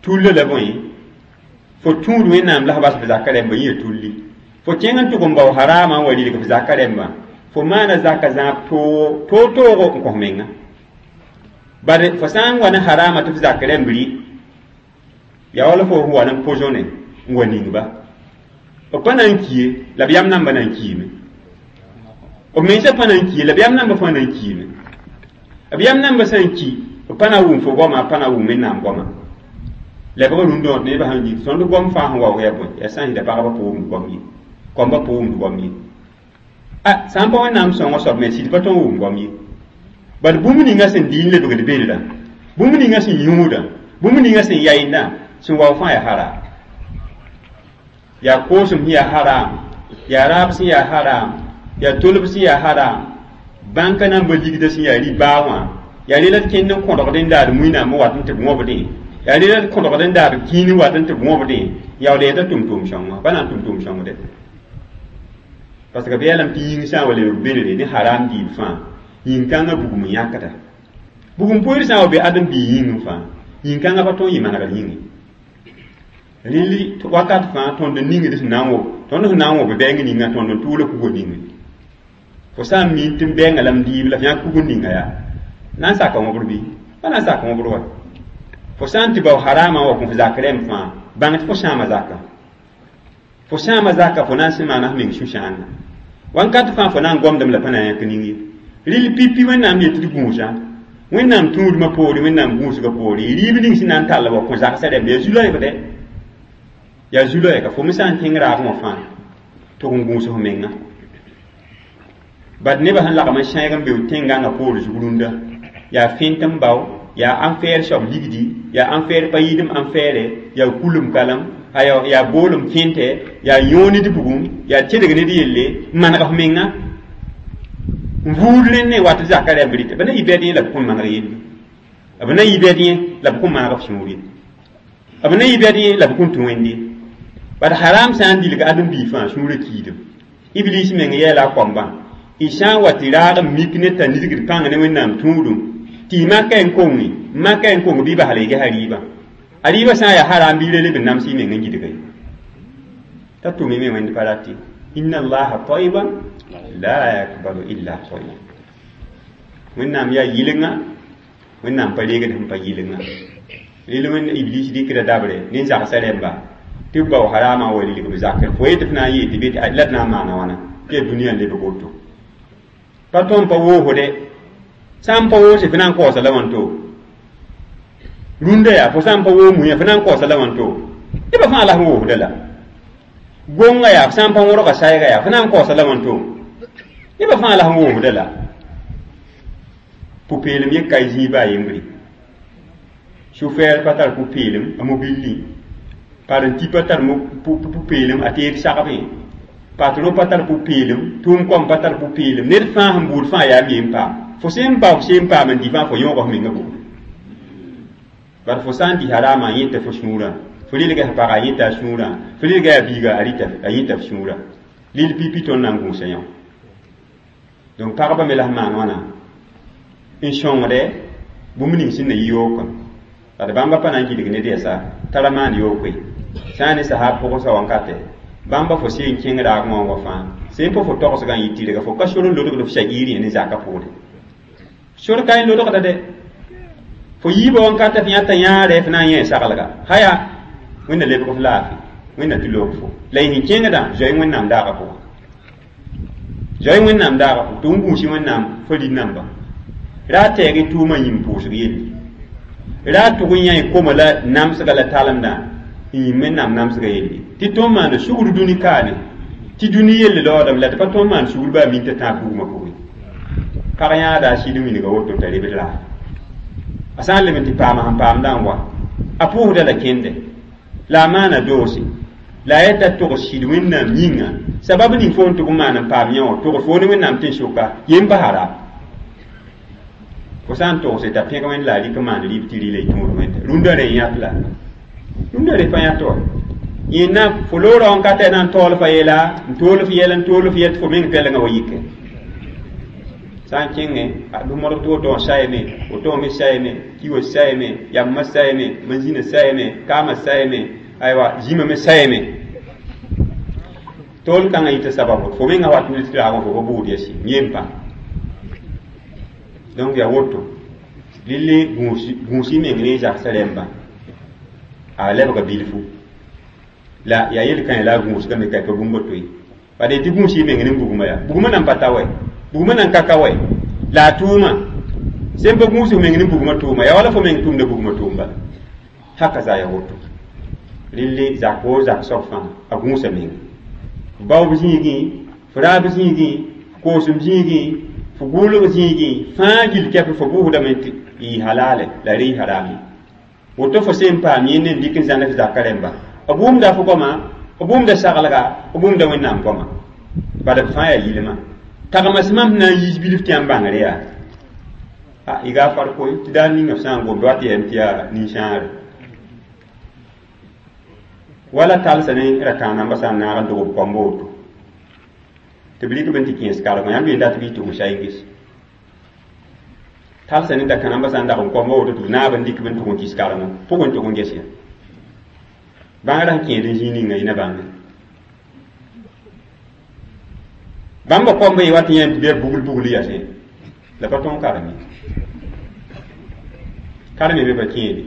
tullã la bõe. Fo tũud Wẽnnaam la f bas f zaka rɛmbã yẽ tulli. Fo kẽng n tʋg n bao harama n wa rilg f zaka rɛmbã, fo maana zaka zãab toog toog-toogo n kõ menga. Bare fo sã n wa ne harama tɩ f zak rɛmb rɩ, yaa wala fo wa ne poisonné n wa ning ba, b pa na n kie la b yam namba na n kiime. B mensã pa na n kie la b yam namba fãa na n kiime. B yam namba sã n ki, b pa na wʋm fo goama, pa na wʋm Wẽnnaam goama. Lebg rũndã wã nebã sẽn yik tõnd gom fãa sẽn waoog yaa bõe? Yaa sã n yɩla pagba pa wʋmd goam ye, kɔmbã pa wʋmd goam ye. A sã n pa Wẽnnaam sõngã soab me sɩd pa tõe n wʋm goam ye. Bad bũmb ninga sẽn dɩ n lebgd beelrã, bũmb ninga sẽn yũudã, bũmb ninga sẽn yaeendã, sẽn waoog fãa yaa haram. Yaa koosem sẽn yaa haram, yaa raab sẽn yaa haram, yaa tolb sẽn yaa haram, bãnka namba ligda sẽn yaa ribaa wã, yaa rela d kẽnd n kõdgd n daad muinam n wat n tɩ b wõbdẽ, yaa rela d kõdgd n daad kĩin n wat n tɩ b wõbdẽ, yaool yeta tʋm-tʋʋm sõngo pa na n tʋm tʋʋm sõngde, parce que b yeelame tɩ yĩng sã n wa lebg belre ne haram diib fãa, yĩn-kãngã bugum n yãkda. Bugum poeer sã n wa be ãdem-biig yĩngẽ fãa, yĩn-kãngã pa tõe n yɩ manegr yĩnge. Rɩl wakat fãa tõnd n ningd sẽn na n wʋb, tõnd sẽn na n wõb bɛɛng ninga, tõnd n tʋʋla kugo ninge. Fo sã n miin tɩ n bɛɛngã la m diib la f yãk kug ninga yaa na n saka wõbr bɩ pa na n sak wõbr wa. Fo sã n tɩ bao harama wa kõ f zak rɛm fãa, bãng tɩ fo sãama zaka, fo sãama zaka, fo na n sẽn maana f meng sũ-sãanga wãnkat fãa fo na n gomdame la pa na n yãk ning ye. Rɩl pipi Wẽnnaam yet tɩ d gũusa Wẽnnaam tũudmã poore, Wẽnnaam gũusgã poore, rɩɩb ning sẽn na n tall wa kõ zagsã rɛmba yaa zu-loɛɛgdɛ, yaa zu-loɛɛga. Fo me sã n kẽng raagẽ wã fãa tʋg n gũus f menga. Bad nebã sẽn lagm n sẽeg n be tẽn-gãngã poor zug rũndã yaa fẽnt n bao, yaa ãnfɛɛr soab ligdi, yaa ãnfɛɛr pa yɩɩdem ãnfɛɛrɛ, yaa kulem kalem, yaa boolem fẽntɛ, yaa yõo ned bugum, yaa tedg ned yelle n maneg f menga n vuud rẽnd n wat zaka rɛmb rɩtɛ. B na yɩ bɛd yẽ la b kõn maneg yelle, b na yɩ bɛd yẽ la b kõn maneg f sũur ye, b na yɩ bɛd yẽ la b kõn tũ Wẽnd ye. Bad haram sã n dilg ãdem-biig fãa sũurã kiidem. Iblis meng yɛɛla a koambã y sã n wa tɩ raag n mik ne t'a nisgd pãng ne Wẽnnaam tũudum tɩ y maka n konge, maka n kong bɩ basla y gesa rɩɩbã. A rɩɩbã sã n yaa haram bɩ re leb n nams y meng n gɩdga ye t'a tʋm me Wẽnd pa rat. Inna allaha tayyiban la yakbalu illa tayyib. Wẽnnaam yaa yɩlenga, Wẽnnaam pa reegd sẽn pa yɩlenga. Rel Wẽnd Iblis dɩkda dabre ne zagsã rɛmba tɩ b bao harama wa rilg b zakr. Fo yetɩ f na n yee tɩ be la d na n maana wãna tɩ yaa dũniyã n lebg woto pa tõnd pa woosde. Sã n pa woose, f na n kaoosa la wãnto rũndã yaa fo sã n pa woog muyã, f na n kaoosa la wãnto. Nebã fãa la sẽn woosda la gõnga yaa f sã n pa wõrga saɛɛga yaa f na n kaoosa la wãnto. Nebã fãa la sẽn woosda la pʋ-peelem yẽ ka zĩig baa yembre. Sufɛɛr pa tar pʋ-peelem a mobilli, parenti pa tar pʋ-peelem a teed sagbe, patron pa tar pʋ-peelem, tʋʋm kõm pa tar pʋ-peelem. Ned fãa sẽn buud fãa yaa m yem paam. Fo sẽn bao, sẽn paam n dɩ fãa, fo yõoga f menga bugum. Bad fo sã n dɩ harama, a yẽta fo sũurã, fo rilga f paga, a yẽta a sũurã, fo rilga a biiga, a yẽta f sũurã. Lil pipi tõnd na n gũusa yõ. Donc pagba me la sẽn maan wãna n sõngdɛ bũmb ning sẽn na yɩ yookã. Ad bãmba pa na n gilg ned yɛsa tara maan yook ye sã n ne sahab pʋgsa wãnkatɛ bãmba fo seen kẽng raag wã wa fãa sẽn pa fo togsgã n yɩ tɩrga fo ka sor n lodgd f sha'iir yẽ ne zakã pʋgre sor ka n lodgda dɛ. Fo yiibã wãnkatɛ f yãta yãare f na n yẽ saglga haya Wẽnna lebg f laafɩ, Wẽnna tɩ loog fo la y sẽn kẽngdã zoe Wẽnnaam daagã pʋgã, zoe Wẽnnaam daagã pʋgã tɩ n gũusi Wẽnnaam fo rɩ-namba ra tɛɛg y tʋʋmã yĩm pʋʋsg yelle ra tʋg n yã y koma la namsga la talemdã n yĩm Wẽnnaam namsga yelle tɩ tõnd maan sugr dũni kaane tɩ dũni yelle laoodame la tɩ pa tõnd maan sugr baa min t'a tãag bugmã pʋgẽ. Pag yãada a sɩd n wilga woto t'a rebd raag a sã n leb n tɩ paama sẽn paamdã n wa a pʋʋsda la kẽnde la a maana doose la a yeta tʋgs sɩd Wẽnnaam yĩnga sabab ning fo n tʋg n maan n paam yã wã tʋgs fo ne Wẽnnaam tɩ n soka yem pa hara fo sã n togse t'a pẽg Wẽnd la a rɩk n maan rɩɩb tɩ rɩla y tũud Wẽnda rũndã rẽ yãt la rũndã rẽ pa yãt wa. Yẽnna fo loora n ka tɩ na n taool fa yeela n tool f yɛl n tool f yɛl tɩ fo meng pɛlengã wa yike sã n kẽngẽ dʋmodg tɩ woto wã sayame woto wã me sayame kiwã sayame yambã sayame manzĩnã sayame kaamã sayame aywa zĩmã me sayame tool kãngã yita sababu fo mengã wat ne tɩ raagã fo pa buud yɛsi yem pa donc yaa woto lille gũus y meng ne zagsã rẽmbã a lebga bilfu la yaa yel-kãe la a gũusgame ka pa bũmb to ye bad tɩ gũus y meng ne bugmã yaa bugmã nan pa ta wɛ bugmã nan ka ka wɛ la a tʋʋmã sẽn pa gũus f meng ne bugmã tʋʋma yaa wala fo meng tʋmda bugmã tʋʋm bala haka za ya woto rɩlle zak woo zak soab fãa a gũusa meng f baoob zĩigẽ f raab zĩigẽ f koosem zĩigẽ f gʋʋlg zĩigẽ fãa gill kɛp fo bʋʋsdame tɩ yɩ halale la rɩ harame woto fo sẽn paam yẽnd n dɩk n zãnd f zakã rẽmba b wʋmda fo goama b wʋmda saglga b wʋmda wẽnnaam goama bad b fãa yaa yilmã tagma sẽm na n yiis bilf tɩ yãmb bãngr yaa a y gaa farkoe tɩ daar ninga f sã n gomd wat yɛm tɩ yaa nin-sãagre wala talsa ne ra-kãanambã sã n naag n dog b koamba woto tɩ b rɩk b n tɩ kẽes karengã yãmb yenda tɩ bɩ tʋg n saɩnges talsa ne da-kãnambã sã n dag n koamba woto tɩ b naab n dɩk b n tʋg n kis karengã pʋgẽ tʋg n ges ya bãngrã sẽn kẽed n zĩig ninga yĩna bãnge bãmba koamba yẽ wat yãmb tɩ bɩ bugl bugl yasẽ la pa tõog karem ye karem be pa kẽede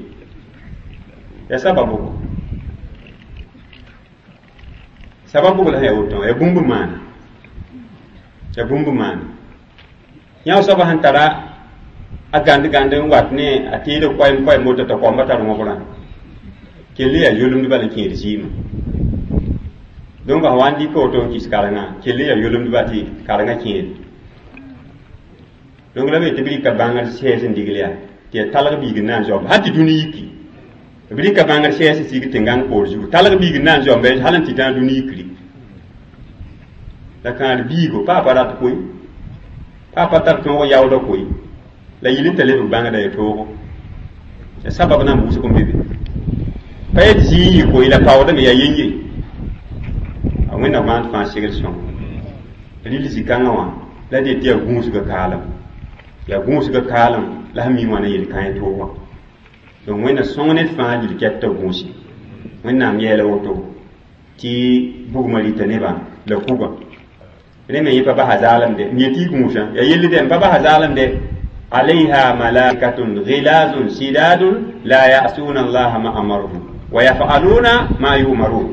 yaa sababu sababu la sẽn yaa woto yaa bũmb maana yaa bũmb maana yã soaba sẽn tara a gãnd gãnd n wat ne a teed koɛɛm koɛɛm woto t'a koamba tar wõbrã kell yaa yolemd bala n kẽed zɩɩmã donc a wa n dɩka woto n kis karengã kell yaa yolemdba tɩ karengã kẽede donc la be tɩ b rɩka bãngr sɛɛs n digl yaa tɩ yaa talg biig n na n zaoomba sã tɩ dũni yiki b rɩka bãngr sɛɛs n sig tẽn-gãng poor zugu talg biig n na n zaoomba hal n tɩ tã dũni yikri la kãar biigo pa pa rat koe pa pa tar tõog yaoodã koe la yɩl n t'a lebg bãngda ya toogo ya sabab na n buusg n be be pa yet zĩig yɩ koe la paoodame yaa yen-ye a wẽnnaam maand fãa segl sõng rɩl zĩ-kãngã wã la d yet tɩ yaa gũusga kaalem yaa gũusga kaalem la sẽn mi wãna yel-kãe toogã donc wẽnna sõng ned fãa gill kɛp t'a gũusi wẽnnaam yɛɛla woto tɩ bugmã rɩta nebã la kugã rẽ me yẽ pa basa zaalemde n yetɩ y gũusã yaa yell dɛ n pa basa zaalemde alayha malaikatun ghilazun sidadun la yasuna allaha ma amaruhum wa yafaluna ma yumarun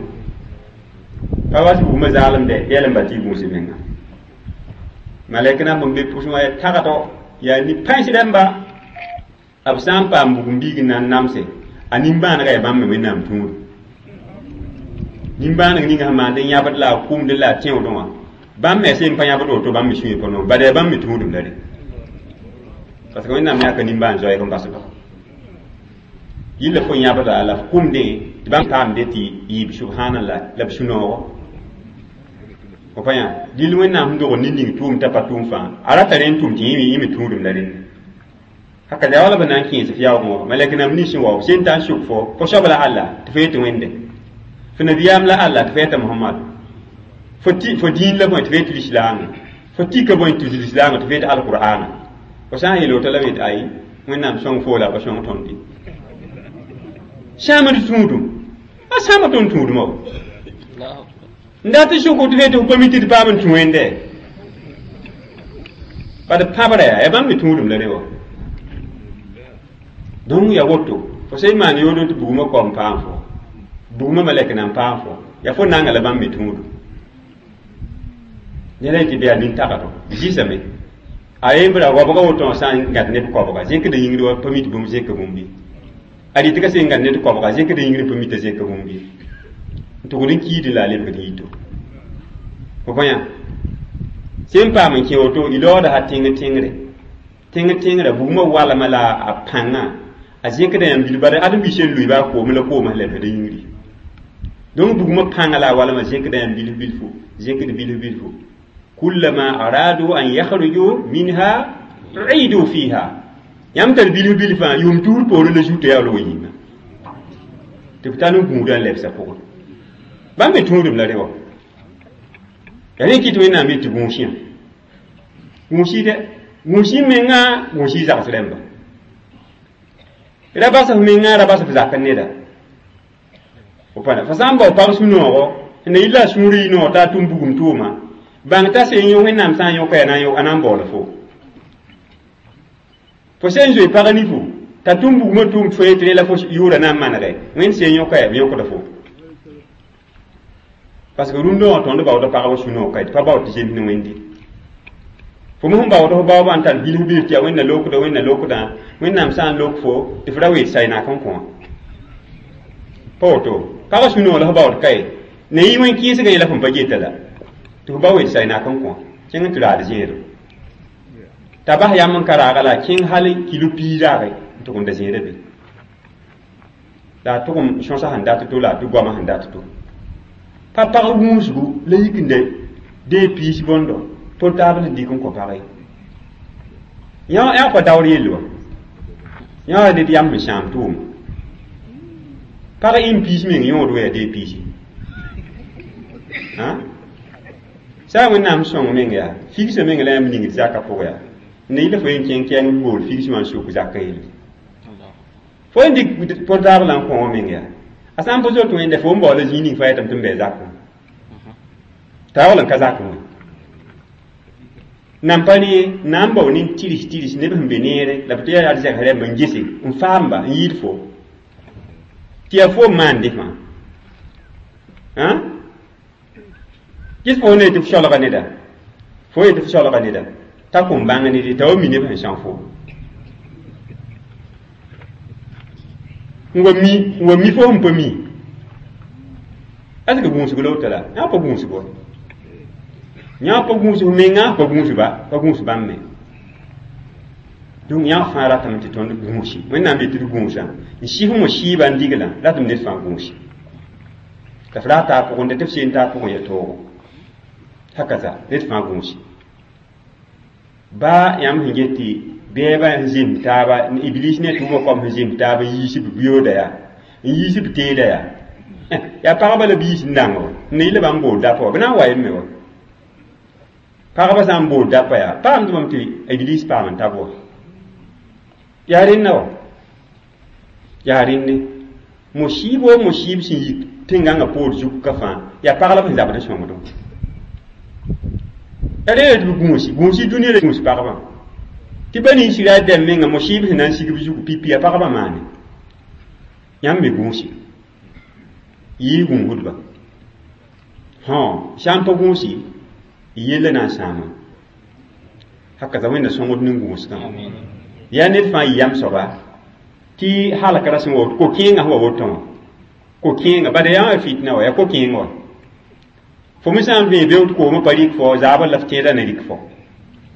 pa was bugmã zaalemde yɛl n ba tɩ y gũusi menga malɛk na n be pʋsẽ wã yaa tagdɔ yaa ni-pãens rãmba b sã n paam bugum biig n na n namse a nimbãanega yaa bãmb me wẽnnaam tũud nimbãaneg ninga sẽn maand n yãbd la a kʋmd la a tẽodẽ wã bãmb me sẽn pa yãbd woto bãmb me sũyã pa noor bad yaa bãmb me tũudum la re parce que wẽnnaam yãka nimbãan zoɛɛg n basba yilla fo yãbda la f kʋmdẽ tɩ bãmb paamde tɩ yɩɩb subhanallah la b sũ-noogo fo pa yã dɩl wẽnnaam sẽn dog nin-ning tʋʋm t'a pa tʋʋm fãa a rata rẽnd tʋm tɩ yẽ me tũudum la rẽnd haka yaa wala b na n kẽes f yaoogẽ wã malɛk nam nins sẽn wa f sẽn ta n sʋk fo fo soab la alla tɩ fo yetɩ wẽnde fo nabiyaam la alla tɩ fo yeta mohamad fo fo dĩin la bõe tɩ fo yetɩ lislaame fo tika bõe tɩ lislaame tɩ fo yetɩ alqur'ana fo sã n yeel woto la b yetɩ ayi wẽnnaam sõng fo la a pa sõng tõnd ye sãamd tũudum a sãama tõnd tũudumã wa n dat n sʋk tɩ f yetɩ f pa mi tɩ d paam n tũ wẽnde bad pãbra yaa yaa bãmb me tũudum la rẽ wa donc ya woto fo sẽn maan yoodem tɩ bugmã kaom paam fo bugmã malɛk na n paam fo yaa fo nanga la bãmb me tũudum ned a yetɩ bɩ yaa nin-tagdo zɩsame a yembra goabga woto wã sã n gãd neb koabga zẽkda yĩngr wa pa mi tɩ bũmb zẽka bũmb ye a rɩt ka sẽn gãd ned koabga zẽkda yĩngr pa mi t'a zẽka bũmb ye n tʋgd n kiidẽ la a lebgd yito fo pa yã sẽn paam n kẽ woto y laooda sa tẽng tẽngre tẽng tẽngrã bugmã walma la a pãngã a zẽkda yãmb bil bad ãdem-bi sẽn lʋɩ baa koom la koomã sẽn lebsd yĩngri donc bugmã pãngã la a walma zẽkda yãmb bilf bilfu zẽkd bilf bilfu kullama aradu an yakhruju minha uidu fiha yãmb tar bilf bilfã yʋʋm tuur poorẽ la zuta yaa wa yĩnga tɩ b tar n gũudã n lebsa pʋgẽ Bãmb me tũudum la re wa. Yaa rẽ kɩt Wẽnnaam yet tɩ gũusẽ. Gũus-y dɛ. Gũus-y menga, gũus-y zags rẽmba. Ra bas f menga, ra bas f zak neda. Fo pa fo sã n bao pag sũ-noogo, sẽn na yɩ la a sũur yɩ noog t'a a tʋm bugum tʋʋma, bãng t'a sẽn yõ Wẽnnaam sã n yõka yaa a na n baoola fo. Fo sẽn zoe pag nifu, t'a tʋm bugmã tʋʋm tɩ fo yetɩ rẽ la fo yʋʋra na n manege, Wẽnd sẽn yõka yaa b yõkda fo. Parce que rũndã wã tõnd baooda pagba sũ-noog ka tɩ pa baood tɩ zems ne Wẽnde. Fo me sẽn baood f baoobã n tar bilf bilf tɩ yaa Wẽnna lokda, Wẽnna lokdã, Wẽnnaam sã n lok fo tɩ f ra wee saynak n kõ. Pa woto, pagã sũ-noog la f baood kae, ne yɩ wẽn kɩɩsgã yẽla fõn pa geta la, tɩ f ba wee saynak n kõ, kẽng n tɩ raad zẽedo. T'a bas yam n ka raaga la a kẽng hal kilo piig raage n tʋg n da zẽeda be. La a tʋgem sõsa sẽn dat to la a tʋ goamã sẽn dat to. Pa pag wũusgu la yik n dee piis bõndo portable n dɩk n kõ pag ye. Yã pa daoor yell wa. Yã ned yam sẽn sãam tʋʋma. Pag ɩn piis meng yõod wa yaa dee piisi. Sã n Wẽnnaam sõng meng yaa, figsã meng la yãmb ningd zakã pʋgã yaa. Ne yɩla fo yen kẽng kɛɛng bool figs wã n suk zakã yelle. Fo yen dɩk portable n kõ wã meng yaa. A sã n pa zoet Wẽnde fo n baoola zĩig ning fãa yetame tɩ n bɩ zakẽ. T'a yaool n ka zakẽ wã. Nan pa ne na n bao nin tirs tirs neb sẽn be neere la b tɩ yaa zɛgs rẽmb n gese n faamba n yɩɩd fo. Tɩ yaa fo n maande fãa. Ges fo ne tɩ f solga neda. Fo ye tɩ f solga neda. T'a kõn bãng ned t'a wa mi neb sẽn são fo. N wa mi, n wa mi fo sẽn pa mi. Est-ce que gũusg la woto la? Yã pa gũusg wa. Yã pa gũusg menga, pa gũus ba, pa gũus bãmb me. Donc yã fãa ratame tɩ tõnd gũusi. Wẽnnaam yetɩ d gũusã. N sɩf mo-sɩɩbã n diglã, ratame ned fãa gũusi. La f raa taa pʋgẽ tɩ f seen taa pʋgẽ yaa toogo. Hakaza, ned fãa gũusi. Baa yãmb sẽn get tɩ bɛɛbã n zems taaba, Iblis ne tʋʋmã koam sẽn zems taaba n yiis b biyooda yaa, n yiis b teeda yaa. Yaa pagba la b yiis n dãng wa, n na yɩ la bãmb bool dapa wa, b na n wa yem me wa. Pagba sã n bool dapa yaa, paamdbame tɩ Iblis paam n tab wa. Yaa rẽnna wa. Yaa rẽnne. Mo-sɩɩb wa mo-sɩɩb sẽn yik tẽn-gãngã poor zug ka fãa, yaa pag la b sẽn zabd n sõngdẽ. Yaa rẽ tɩ b gũusi, gũusi dũniyã la gũus pagbã. Tɩ ba ninsra dɛm menga mo-sɩɩb sẽn na n sig b zug pipi yaa pagbã maane. Yãmb me gũusi. Yɩɩ gũusdba. Hõ, sã n pa gũusi, yella na n sãama. Haka Wẽnna sõngd ne gũusgã. Yaa ned fãa yɩ yam soaba tɩ halkra sẽn wa ko-kẽengã sẽn wa woto wã. Ko-kẽengã, bala yaa wã fitna wa, yaa ko-kẽeng wa. Fo me sã n vẽe beood koomã pa rɩk fo, zaabr la f tẽedã na rɩk fo.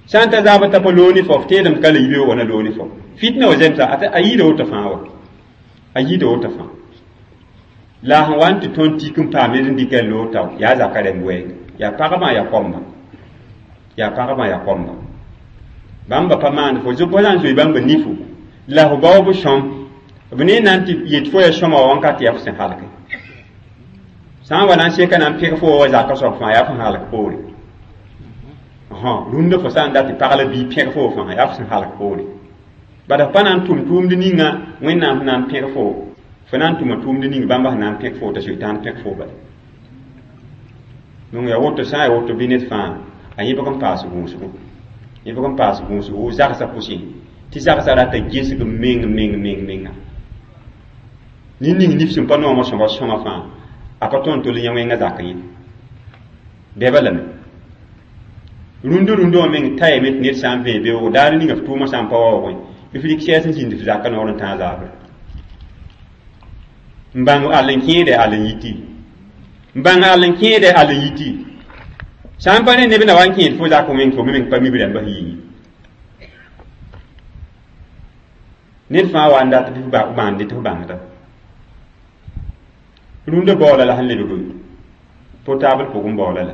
Sã n ta zaabr t'a pa loog ne fo, f tẽedame ka la yibeoogã na loog ne fo. Fitna wa zemsa, a yɩɩda woto fãa wa. A yɩɩda woto fãa. La sẽn wa n tɩ tõnd tik n paam ned n dɩka n loog tao, yaa zaka rẽmb wɛɛng. Yaa pagbã yaa kombã. Yaa pagbã yaa kombã. Bãmba pa maand fo, fo sã n zoe bãmba nifu, la fo baoob sõm, b ne na n tɩ yet fo yaa sõma wa wãnkat yaa f sẽn halke. Sã n wa na n seka na n pẽg fo wa zakã soab fãa yaa f sẽn halk poore. Rũndã fo sã n dat tɩ pag la bii pẽg fo fãa yaa f sẽn halk poore. Bala f pa na n tʋm tʋʋmd ninga Wẽnnaam sẽn na n pẽg fo, fo na n tʋma tʋʋmd ning bãmba sẽn na n pẽg fo t'a Sʋtãan pẽg fo bala. Donc yaa woto sã n yaa woto bɩ ned fãa a yẽbg n paas gũusgo. Yẽbg n paas gũusgo zagsã pʋsẽ tɩ zagsã rata gesg meng meng meng menga. Ned ning nif sẽn pa noomã sõma sõma fãa a pa tõnd tol yã wẽngã zakã ye. Bɛba lame. Rũndã rũndã wã meng tayame tɩ ned sã n vẽe beoogo daar ninga f tʋʋmã sã n pa waoogẽ bɩ f rɩk sɛɛs n zĩnd f zakã noor n tãag zaabre. N bãng all n kẽede all n yiti. N bãng all n kẽede all n yiti. Sã n pa ne neb na wa n kẽed fo zakã wẽng fo me meng pa mi b rãmbã sẽn yɩ. Ned fãa wa n dat bɩ f bãande tɩ f bãngda. Rũndã baoola la sẽn lebg portable pʋgẽ baoola la.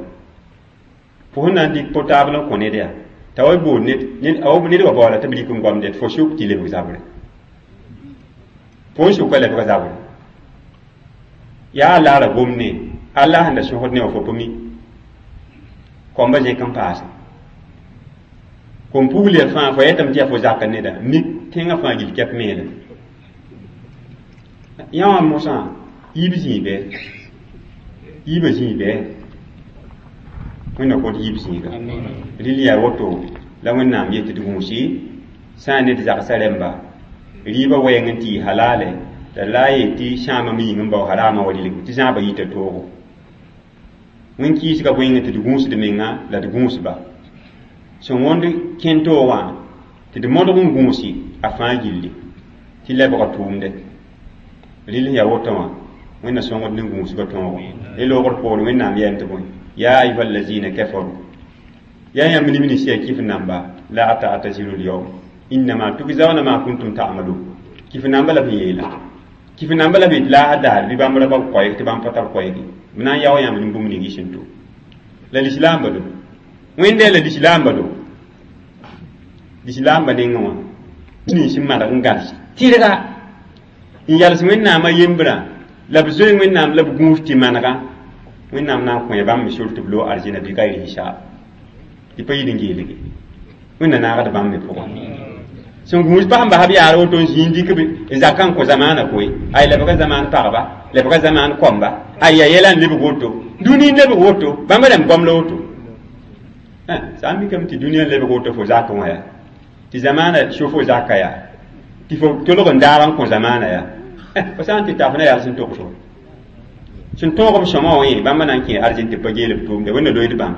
Fo sẽn na n dɩk portable n kõ ned yaa, t'a wa bool ned, ned wa baoola tɩ b rɩk n goamd fo sʋk tɩ lebg zabre. Fo n sʋka lebg zabre. Yaa a laara gomne, Allah sẽn da sõsd ne wã fo pa mi kõmba zẽk n paase kom pugl ya fãa fo yetame tɩ yaa fo zakr neda mik tẽngã fãa gill kɛp meelem yã wã mosã yiib zĩig bɩ yiibã zĩig bɩ wẽnna kõt yiib zĩiga rɩl yaa woto la wẽnnaam yet tɩ d gũusi sã n ne d zagsã rẽmba rɩɩbã wɛɛng n tɩ yɩ halale la la a yet tɩ sãamã me yĩng n bao harama wa rɩlg tɩ zãabã yita toogo wẽn-kɩɩsgã bõeng tɩ d gũusd menga la d gũusba sẽn wõnd kẽn toog wã tɩ d modg n gũusi a fãa gilli tɩ lebga tʋʋmde rɩl sẽn yaa woto wã wẽnna sõngd ne gũusgã tõogo ne loogr poore wẽnnaam yɛɛm tɩ bõe ya ayuha allazina kafaru ya yãmb neb nins yaa kɩf namba la ta'taziru lyawm innama tugzauna ma kuntum ta'malun kɩf namba la b yeela kɩf namba la b yet laasã daar bɩ bãmb ra ba koɛɛg tɩ bãmb pa tar koɛɛge b na n yao yãmb ne bũmb ning y sẽn to la lislaamba do wẽnde la lislaamba do lislaamba nengẽ wã nins n maneg n gãls tɩrga n yals wẽnnaamã yembrã la b zoe wẽnnaam la b gũus tɩ manega wẽnnaam na n kõ bãmb me sor tɩ b loog arzẽna bɩ gayr hisaab tɩ pa yid n geelge wẽnna naagd bãmb me pʋgã sẽn gũus pa sẽn bas b yaar woto n zĩig dɩk n zakã n kõ zamaanã koe ay lebga zamaan pagba lebga zamaan kõmba ay ya yɛla n lebg woto dũni n lebg woto bãmb rãmb goam la woto sã n mikame tɩ dũniyã n lebg woto fo zakẽ wã yaa tɩ zamaanã so fo zaka yaa tɩ fo tolg n daag n kõ zamaanã yaa fo sã n tɩ ta fo na yals n togsgo sẽn tõog b sõma wã yẽ bãmba na n kẽ arzẽn tɩ pa geel b tʋʋmde wẽnna loeed bãmb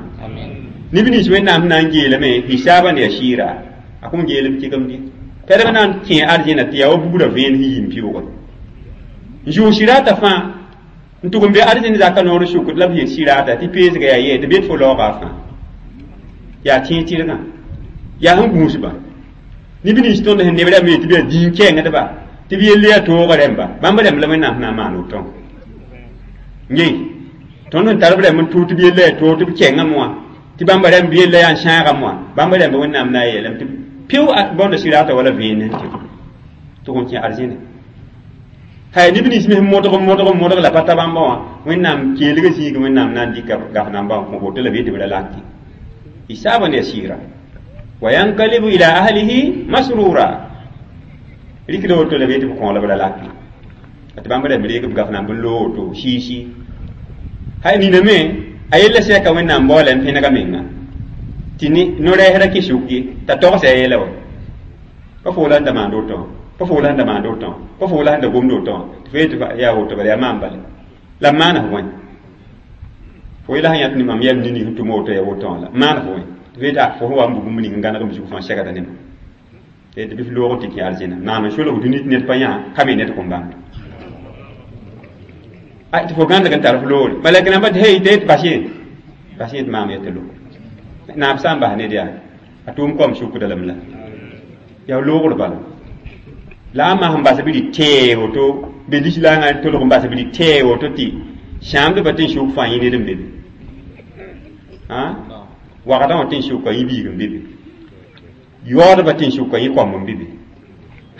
neb nins wẽnnaam sẽn na n geelame hisaabã ne yaa sɩɩra a kõn geel b tɩgemde tɛdb na n kẽ arzẽna tɩ yaa wa bugrã vẽen sẽn yim pɩʋʋge n zʋʋg sɩrata fãa n tʋg n be arzẽn zaka noor sʋkd la b yet sɩrata tɩ peesga yaa yɛ tɩ bet fo laooga fãa yaa tẽeg tɩrgã yaa sẽn gũusba neb nins tõnd sẽn neb rãmb yet tɩ b yaa dĩin kɛɛngdba tɩ b yell yaa toogã rẽmba bãmb rãmb la wẽnnaam sẽn na n maan woto ye tõnd sẽn tar b rãmb n tʋʋg tɩ b yella yaa toog tɩ b kɛngame wã tɩ bãmba rãmb yella yaa n sãagame wã bãmb rãmba wẽnnaam na n yeelame tɩ pɩʋ bõnda sɩrata wala vẽen n tɩ tʋg n kẽ arzẽne hay neb nins me sẽn modg n modg n modg la pa ta bãmba wã wẽnnaam keelgã zĩig wẽnnaam na n dɩka gaf namba n kõ woto la b yet tɩ b ra laki hisaban yasira wa yankalibu ila ahlihi masrura rikda woto la b yet tɩ b kõ la b ra laki tɩ bãmb rãmb reeg b gaf namb n loog woto siisi hay nina me a yella sɛka wẽnnaam baoola n pẽnega menga tɩ no-rɛɛsrã kɩ sʋk ye t'a togsã a yeela wa pa fo la n da maand woto wã pa fo la sẽn da maand woto wã pa fo la sẽn da gomd woto wã tɩ fo yet tɩ yaa woto bala yaa maan bale la b maana f wẽn fo yela sẽn yãt ne mam yɛm nini sẽn tʋm woto yaa woto wã la maana f wẽn tɩ fo yet fo sẽn wa n bug bũmb ning n gãneg m zug fãa segda ne ma tɩ bɩ f loog n tɩ kẽ arzẽna maam n solg dũni tɩ ned pa yã ka me ned kõn bãmb tɩ fo gãndg n tar f loore malɛk namba tɩ hey tɩ yet bas yẽ bas yẽ tɩ maam yetɩ lo naab sã n bas ned yaa a tʋʋm kom sʋkda lame la yaa loogr bala la a masẽn bas b rɩ tɛɛ woto be lislaangã tolg n bas b rɩ tɛɛ woto tɩ sãamdbã tɩ n sʋk fãa yẽ ned n be be wagdã wã tɩ n sʋka yẽ biig n be be yaoodbã tɩ n sʋka yẽ koamb n be be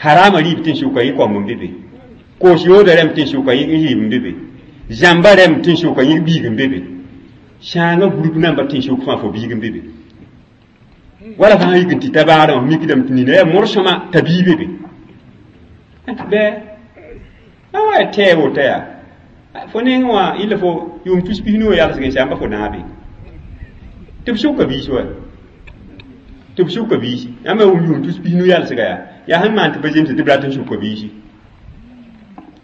harama rɩɩb tɩ n sʋka yẽ koamb n be be koos yooda rãmb tɩ n sʋka yẽ rɩɩb n be be zãmba rãmb tɩ n sʋka yẽ biig n be be sãangã group namba tɩ n sʋk fãa fo biig n be be wala fãa yik n tɩ ta baadã wã mikdame tɩ nina yaa morsõma t'a bii be be bɩ a wa yaa tɛɛ woto yaa fo neng wã yɩla fo yʋʋm tus pis-nu wã yalsg n sãmba fo naabe tɩ b sʋka biis wa tɩ b sʋka biisi yãmb yaa yʋʋm tus pis-nu yalsga yaa yaa sẽn maan tɩ pa zemse tɩ b rat n sʋka biisi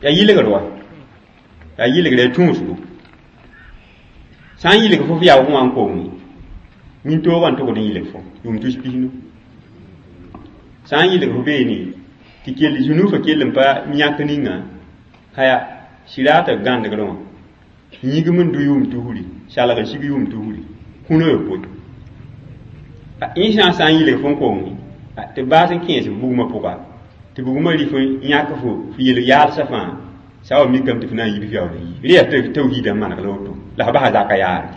yaa yɩlgr wa yaa yɩlgr yaa tũusgo sã n yɩlg fo f yaoog wã n kong min-toogã n togd n yɩlg fo yʋʋm tus pis-nu sã n yɩlg fo beene tɩ kell zũnuufã kell n pa yãk ninga haya sɩraata gãndgrẽ wã yĩgm n dʋ yʋʋm tusri salg n sig yʋʋm tusri kũnã yopoe yẽ sã n sã n yɩlg fo n kong tɩ baas n kẽes bugmã pʋga tɩ bugmã rɩ fo yãk fo f yel yaalsã fãa sã wa mikame tɩ f na n yib f yaool n yi rẽ yaa tawhiidã n maneg la woto la f basa zaka yaare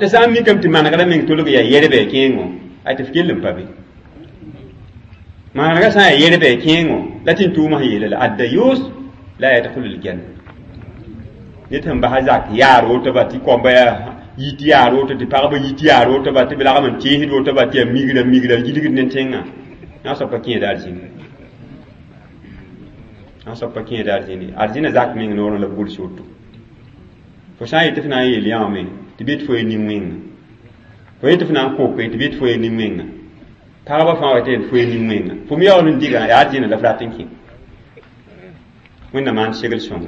la sã n mikame tɩ manegrã meng tolg yaa yɛrbɛ kẽengo ay tɩ f kell n pa be manegã sã n yaa yɛrbɛ kẽengo la tɩ n tʋʋmã sẽn yeela la addayus la yadkhulu ljanna ned sẽn basa zak yaar woto ba tɩ koamba yaa yit yaar woto tɩ pagba yit yaar woto ba tɩ b lagm n teesd woto ba tɩ yaa migra migra gilgd ne tẽngã yã soab pa kẽeda arzĩna yã soab pa kẽeda arzĩna arzĩna zak meng noorẽ la b gʋls woto fo sã n yet tɩ f na n yeel yãame tɩ bɩ tɩ fo ye nin-wẽnga fo yet tɩ f na n koke tɩ bɩ tɩ fo ye nin-wẽnga pagba fãa wa tɩ fo ye nin-wẽnga fo me yaool n diga yaa arzĩna la f rat n kẽ wẽnnaam maan segl sõngo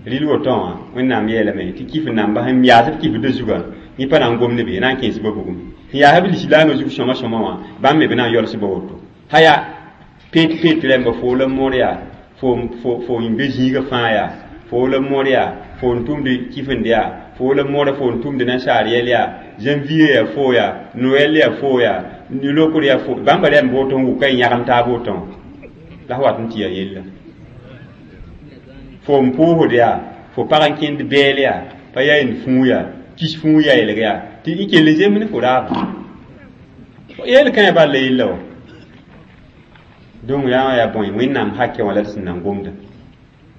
rɩl woto wã wẽnnaam yeelame tɩ kif namba sẽn yaas b kifdã zugã yẽ pa na n gomd be na n kẽes ba bugum sẽn yaas b lislaamã zug sõma sõma wã bãmb me b na n yols ba woto haya pet pet rẽmba fo la moor yaa fo fo n be zĩigã fãa yaa fo la moor yaa fo n tʋmd kifend yaa fo la moora fo n tʋmd nasaar yɛl yaa janvier yaa fo yaa noɛl yaa fo yaa lokr yaa fo bãmba rẽmb woto n wʋka n yãgem taab woto la f wat n tɩ yaa yella fo n pʋʋsd yaa fo pag n kẽnd bɛɛl yaa pa yaa n fũu yaa kis fũu yaelg yaa tɩ y kell zemb ne fo raaba yeel kãe bal la yella wa donc yaa yaa bõe wẽnnaam hakɛ wã la d sẽn na n gomda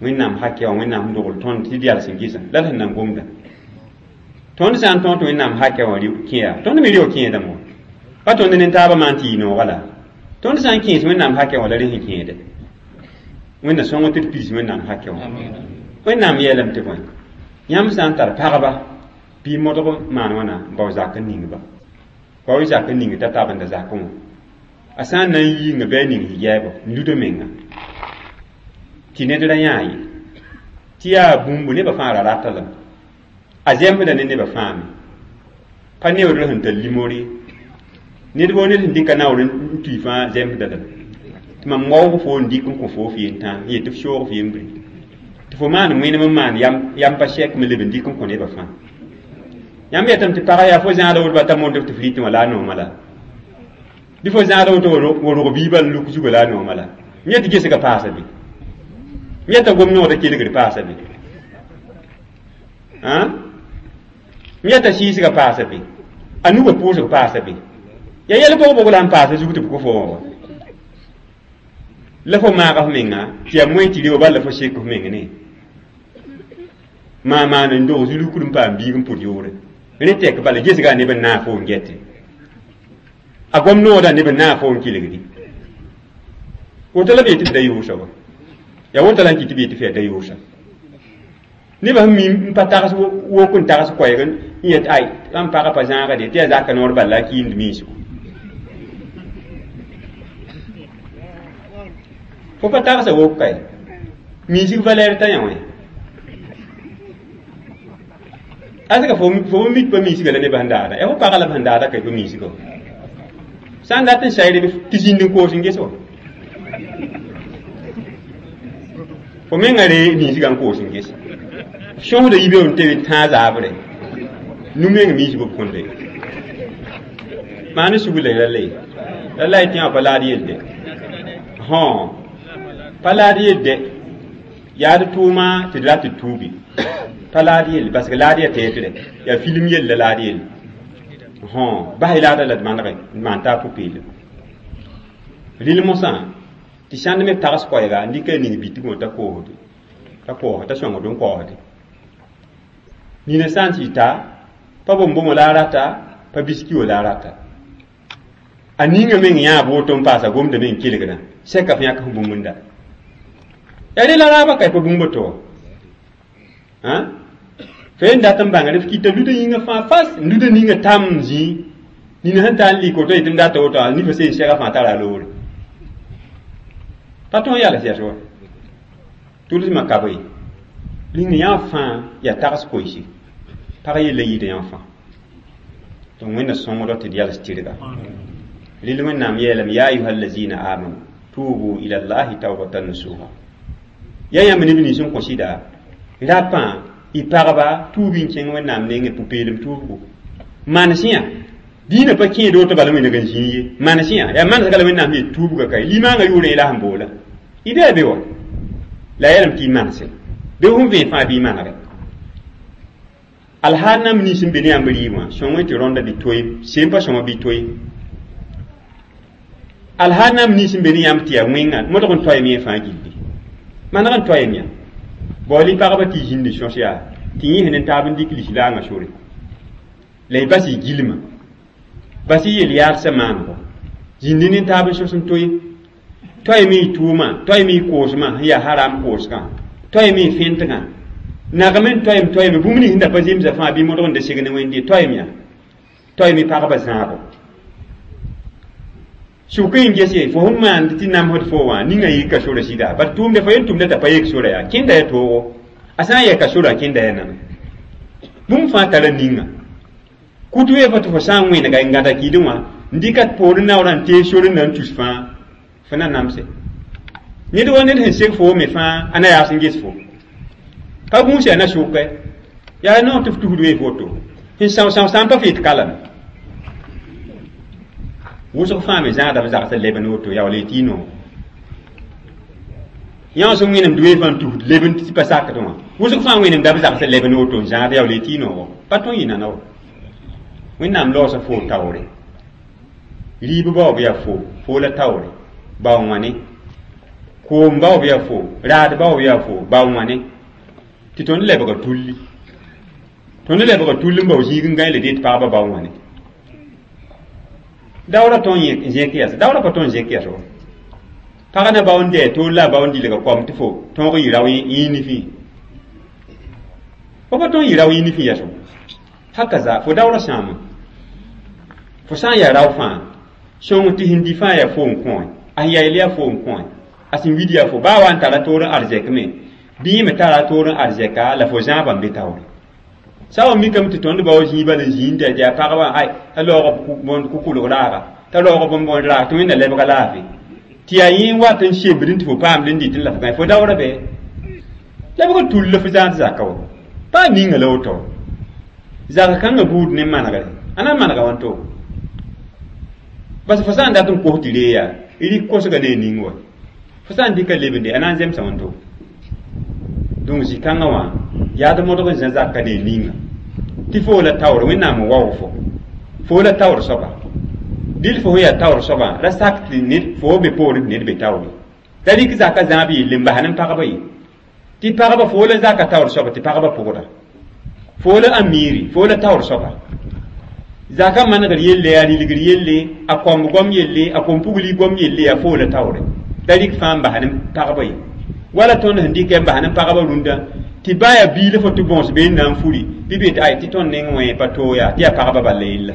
wẽnnaam hakɛ wã wẽnnaam sẽn dogl tõnd tɩ d yals n gɩsã la d sẽn na n gomda tõnd sã n tõog tɩ wẽnnaam hakɛ wã kẽ yaa tõnd me reo kẽedame wã pa tõnd ne taabã maan tɩ yɩ nooga la tõnd sã n kẽes wẽnnaam hakɛ wã la rẽ sẽn kẽede wẽnna sõng tɩ d piis wẽnnaam hakɛ wã wẽnnaam yeelame tɩ bõe yãmb sã n tar pagba bɩ modg maan wãna n bao zak n ning ba bao zak n ning t'a tabenda zakẽ wã a sã n na n yiinga bɩ a ning higɛɛbɔ n luda menga tɩ ned ra yãa ye tɩ yaa bũmbu nebã fãa ra rata lame a zẽmbda ne nebã fãa me pa neoodr sẽn tar limor ye ned woo ned sẽn dɩka naoor n tui fãa zẽmbda lame tɩ mam waoog fo n dɩk n kõ fo f yen-tãa n yet tɩ f soog f yembre tɩ fo maan wẽnem n maan yam pa sɛk me leb n dɩk n kõ nebã fãa yãmb yetame tɩ pagã yaa fo zãada woto ba ta moond tɩ f rɩtẽ wã la a nooma la bɩ fo zãada woto wa rog biibã n luk zugã la a nooma la m yet tɩ gesga paasa be m yeta gom noogda kelgd paasa be m yeta sɩɩsga paasa be a nugã pʋʋsg paasa be yaa yɛl bog-bog la n paasa zug tɩ b kõ fo wã wa la fo maaga f menga tɩ yaa moẽ tɩ reo bal la fo sek f meng ne maa maan n dog zulukd n paam biig n pʋd yoore rẽ tɛk bala gesga neb n naag fo n gɛte a gom noodã neb n naag fo n kelgdi woto la b yetɩ f da yʋʋsa wa yaa woto la n kɩ tɩ b yetɩ f yaa da yʋʋsa nebã sẽn mi n pa tags wok n tags koɛɛg n yet ay ãmb pagã pa zãagde tɩ yaa zaka noor bal la a kiimd miisgo fo pa tagsa wok kae miisg valɛɛr t'a yã wã asga fo fo mik pa miisga la nebã sẽn daada yaa fo pagã la b sẽn daada ka pa miisga sã n dat n sayre tɩ zĩnd n koos n ges wa fo menga ree miisgã n koos n ges sõsda yibe n tɩ tãag zaabre nu-meng miisg b kõnde maan sugla la le la la y tɩ wã pa laad yelde hõ pa laad yelde yaa d tʋʋma tɩ d rat tɩ tuubi pa laad yelle parce que laad yaa tɛɛtrɛ yaa film yell la laad yelle hõ bas y laada la d manege n maan taa pʋ-peelem rɩl mosã tɩ sãnd me tags koɛɛga n dɩka ning bitg wã t'a koosde t'a koos t'a sõngd n kaoosde nina sã n tɩ ta pa bõn-bõmɔ la a rata pa biski wã la a rata a ninga meng yãab woto n paasa gomda meng kelgdã sɛka f yãk f bũmb n da yaa rẽ la raabã ka pa bũmb to wã fo n dat n bãngr f kɩta luda yĩngã fãa fas n luda ninga tam n zĩ nina sẽn tar n lɩk woto yetɩ n data woto a nifa seen sɛga fãa tara a loore pa tõog yals yɛs wa tʋlsmã ka bɩ ling yã fãa yaa tags koeese pag yella yɩɩda yã fãa donc wẽnna sõngdɔ tɩ d yals tɩrga rɩl wẽnnaam yeelame ya ayuha allazina amanu tubu ila llahi taubatan nasuha yaa yãmb neb nins n kõ sɩda rapã y pagba tuub n kẽng wẽnnaam nengẽ pʋ-peelem tuubgo manes yã dĩinã pa kẽed woto bala wẽneg n zĩig ye manes yã yaa manesga la wẽnnaam yet tuubga ka limãangã yʋʋrẽ la sẽn boola y bɩ a be wa la yeelame tɩ y manese be sẽn vẽ fãa bɩ y manege alhaal nam nins n be ne yãmb rɩɩb wã sõng tɩ rõnda bɩ toe sem pa sõma bɩ toe alhaal nam nins n be ne yãmb tɩ yaa wẽnga modg n toeem yẽ fãa gilli maneg n toeem yã baool y pagba tɩ y zĩnd sõs yaa Tɩ yẽ sẽn taab n dɩk lislaangã sore la y bas y gilma bas y yel-yaalsã maanego zĩndi ne taab n sos n toe toeeme y tʋʋmã toeeme y koosmã sẽn yaa haram koosgã toeeme y fẽntgã nagem n toeem toeeme bũmb nins sẽn da pa zemsa fãa bɩ modg n da seg ne wẽnde toeem yaa toeeme pagba zãabo sʋk n gese fo sẽn maand tɩ namsd fo wã ninga yika sora sɩda bat tʋʋmda fo yen tʋmda t'a pa yek sora yaa kẽnda ya toogo a sã n yɛka sora kẽnda ya nana bũmb fãa tara ninga kut wee fo tɩ fo sã n wẽnega n gãda kɩɩdẽ wã n dɩka poorẽ naoorã n tees sor n na n tus fãa fo na namse ned wa ned sẽn seg fo me fãa a na yaas n ges fo pa gũus yaa na sʋkɛ yaa noor tɩ f tusd wee foto sẽn são são sã n pa fɩ tɩ kalame wʋsg fãa me zãada b zagsã leb n woto yaa wala y tɩ y noog yã sẽn wẽnemd wee fãa n tusd leb n tɩ pa sakd wã wʋsg fãa wẽnemda b zagsã leb n woto n zãad yaa wala y tɩ y noogo pa tõe n yɩ nana wa wẽnnaam laoosã foo taoore rɩɩb baoob yaa fo foo la taoore bao wãne koom baoob yaa fo raad baoob yaa fo bao wãne tɩ tõnd lebga tulli tõnd lebga tulli n bao zĩig n gãe la dee tɩ pagba bao wãne daoora tõn n zẽk yɛs daoora pa tõn zẽk yɛs wa pag na bao n dɛɛ toor la a bao n dilga koam tɩ fo tõog n yɩ rao yẽ nifẽ fo pa tõn yɩ rao yẽ nifẽ yɛs hakaza fo daoora sãama fo sã n yaa rao fãa sõng tɩ sẽn di fãa yaa fo n kõ a sẽn yayl yaa fo n kõ a sẽn wid yaa fo baa wa n tara toor n arzɛk me bɩ yẽ me tara toor n arzɛka la fo zãabã n be taoore sã wa mikame tɩ tõnd bao zĩig bal n zĩnd yaa pagba ay t'a laoog kʋkʋlg raaga t'a laoog bõn-bõn raag tɩ wẽnna lebga laafɩ tɩ yaa yẽ n wat n sembd tɩ fo paamd n dɩt n la fo gãe fo daoora bɩ lebg tull la fo zãad zaka wa pa ninga la woto zak kãngã buud ne manegre a na n manega wãnto bas fo sã n dat n kos tɩ ree yaa rɩk kosga ne a ning wa fo sã n dɩka lebende a na n zemsa wãnto donc zĩ-kãngã wã yaad modg n zã zaka ne a ninga tɩ foo la taoor wẽnnaam n waoog fo foo la taoor soaba dɩl fo sẽn yaa taoor soabã ra sak tɩ ned fo be poorẽ tɩ ned be taoore t'a rɩk zaka zãab yelle n bas ne pagba ye tɩ pagba fo la zaka taoor soaba tɩ pagba pʋgda fo la amiiri fo la taoor soaba zaka manegr yelle a rilgr yelle a kõmb gom yelle a kom-pugli gom yelle yaa fo la taoore t'a rɩk fãa n bas ne pagba ye wala tõnd sẽn dɩkɛ n bas ne pagba rũndã tɩ baa yaa biila fo tɩ bõos bee n na n furi bɩ be tɩ ay tɩ tõnd neng wẽ pa toog yaa tɩ yaa pagba bal la yella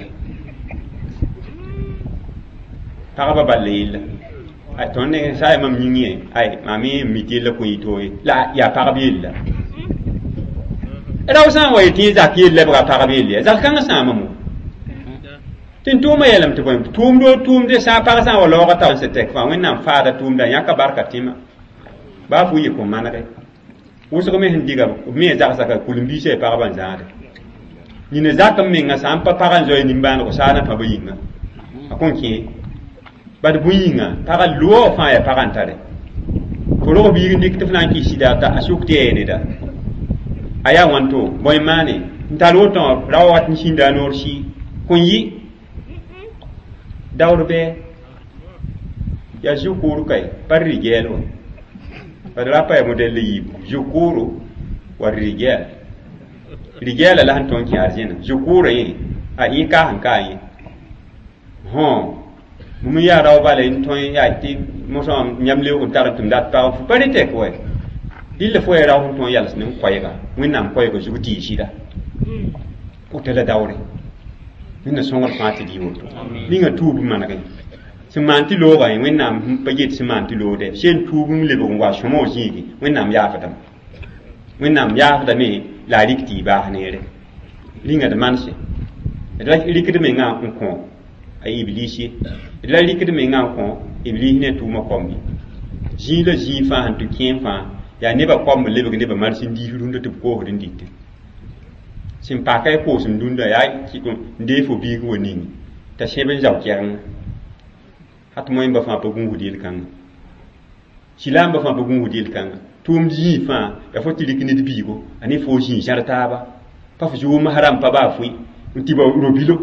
pagba bal la yella ay tõnd neng sã yaa mam yĩng ye ay mam me n mi tɩ yella kõ yɩ toog ye la yaa pagb yella rao sã n wa yetɩ yẽ zak yell lebga pagb yell ya zak kãngã sãamame tɩ n tʋʋmã yeelame tɩ bõe tʋʋmdo tʋʋmde sã pag sã n wa laoogã tao n sẽn tɛk fãa wẽnnaam faada tʋʋmda yãka barka tẽma baa fo yɩ kõ manege wʋsg me sẽn diga b me zagsã ka kul-n-biisã yaa pagba n zãade nina zak n menga sã n pa pag n zoe nimbãanego saana pãba yĩnga a kõn kẽ bad bũn yĩnga pagã loog fãa yaa pagã n tare fo rog biig n dɩk tɩ f na n kɩs sɩda t'a sʋk tɩ yaa neda a yaa wãnto bõe maane n tar woto wã ra wat n sĩnda a noor sɩ kõn yɩ daoor bɩ yaa zukuru kay pa rigɛl wa bad ra pa ya modɛl yiibu zukuru wa rigɛl rigɛla la sẽn tõnd kẽ arzẽna zukura yẽ a yẽ ka sẽn ka yẽ hõ bũmb yaa rao bala n tõe yaa tɩ mosã yãmb leoog n tar n tʋm dat pag fo pa rẽ tɛk wa dɩlla fo ya rao sẽn tõe n yals ne koɛɛga wẽnnaam koɛɛga zug tɩ yɩ sɩda kota la daoore wẽnna sõngr fãa tɩ d yɩ woto ninga tuub n manegẽ sẽn maan tɩ loogã yẽ wẽnnaam pa yet sẽn maan tɩ loogdɛ sẽn tuub n lebg n wa sõma wã zĩigi wẽnnaam yaafdame wẽnnaam yaafdame la a rɩk tɩ y baas neere rĩnga d manse d ra rɩkd mengã n kõ a iblis ye d ra rɩkd mengã n kõ iblis ne tʋʋmã kombi zĩig la zĩig fãa sẽn tɩ kẽem fãa yaa nebã komb lebg nebã mars n diis rũndã tɩ b koosd n dɩtẽ sẽn paka y koosem dũndã yaa n dee fo biig wa ningi t'a sẽb n zao kɛgengã hat moẽmba fãa pa gũusd yel-kãngã silaamba fãa pa gũusd yel-kãngã tʋʋmd zĩig fãa yaa fo tɩ rɩk ned biigo a ne fo zĩig zãr taaba pa fo zʋʋm haram pa baa fʋɩ n tɩ ba robilo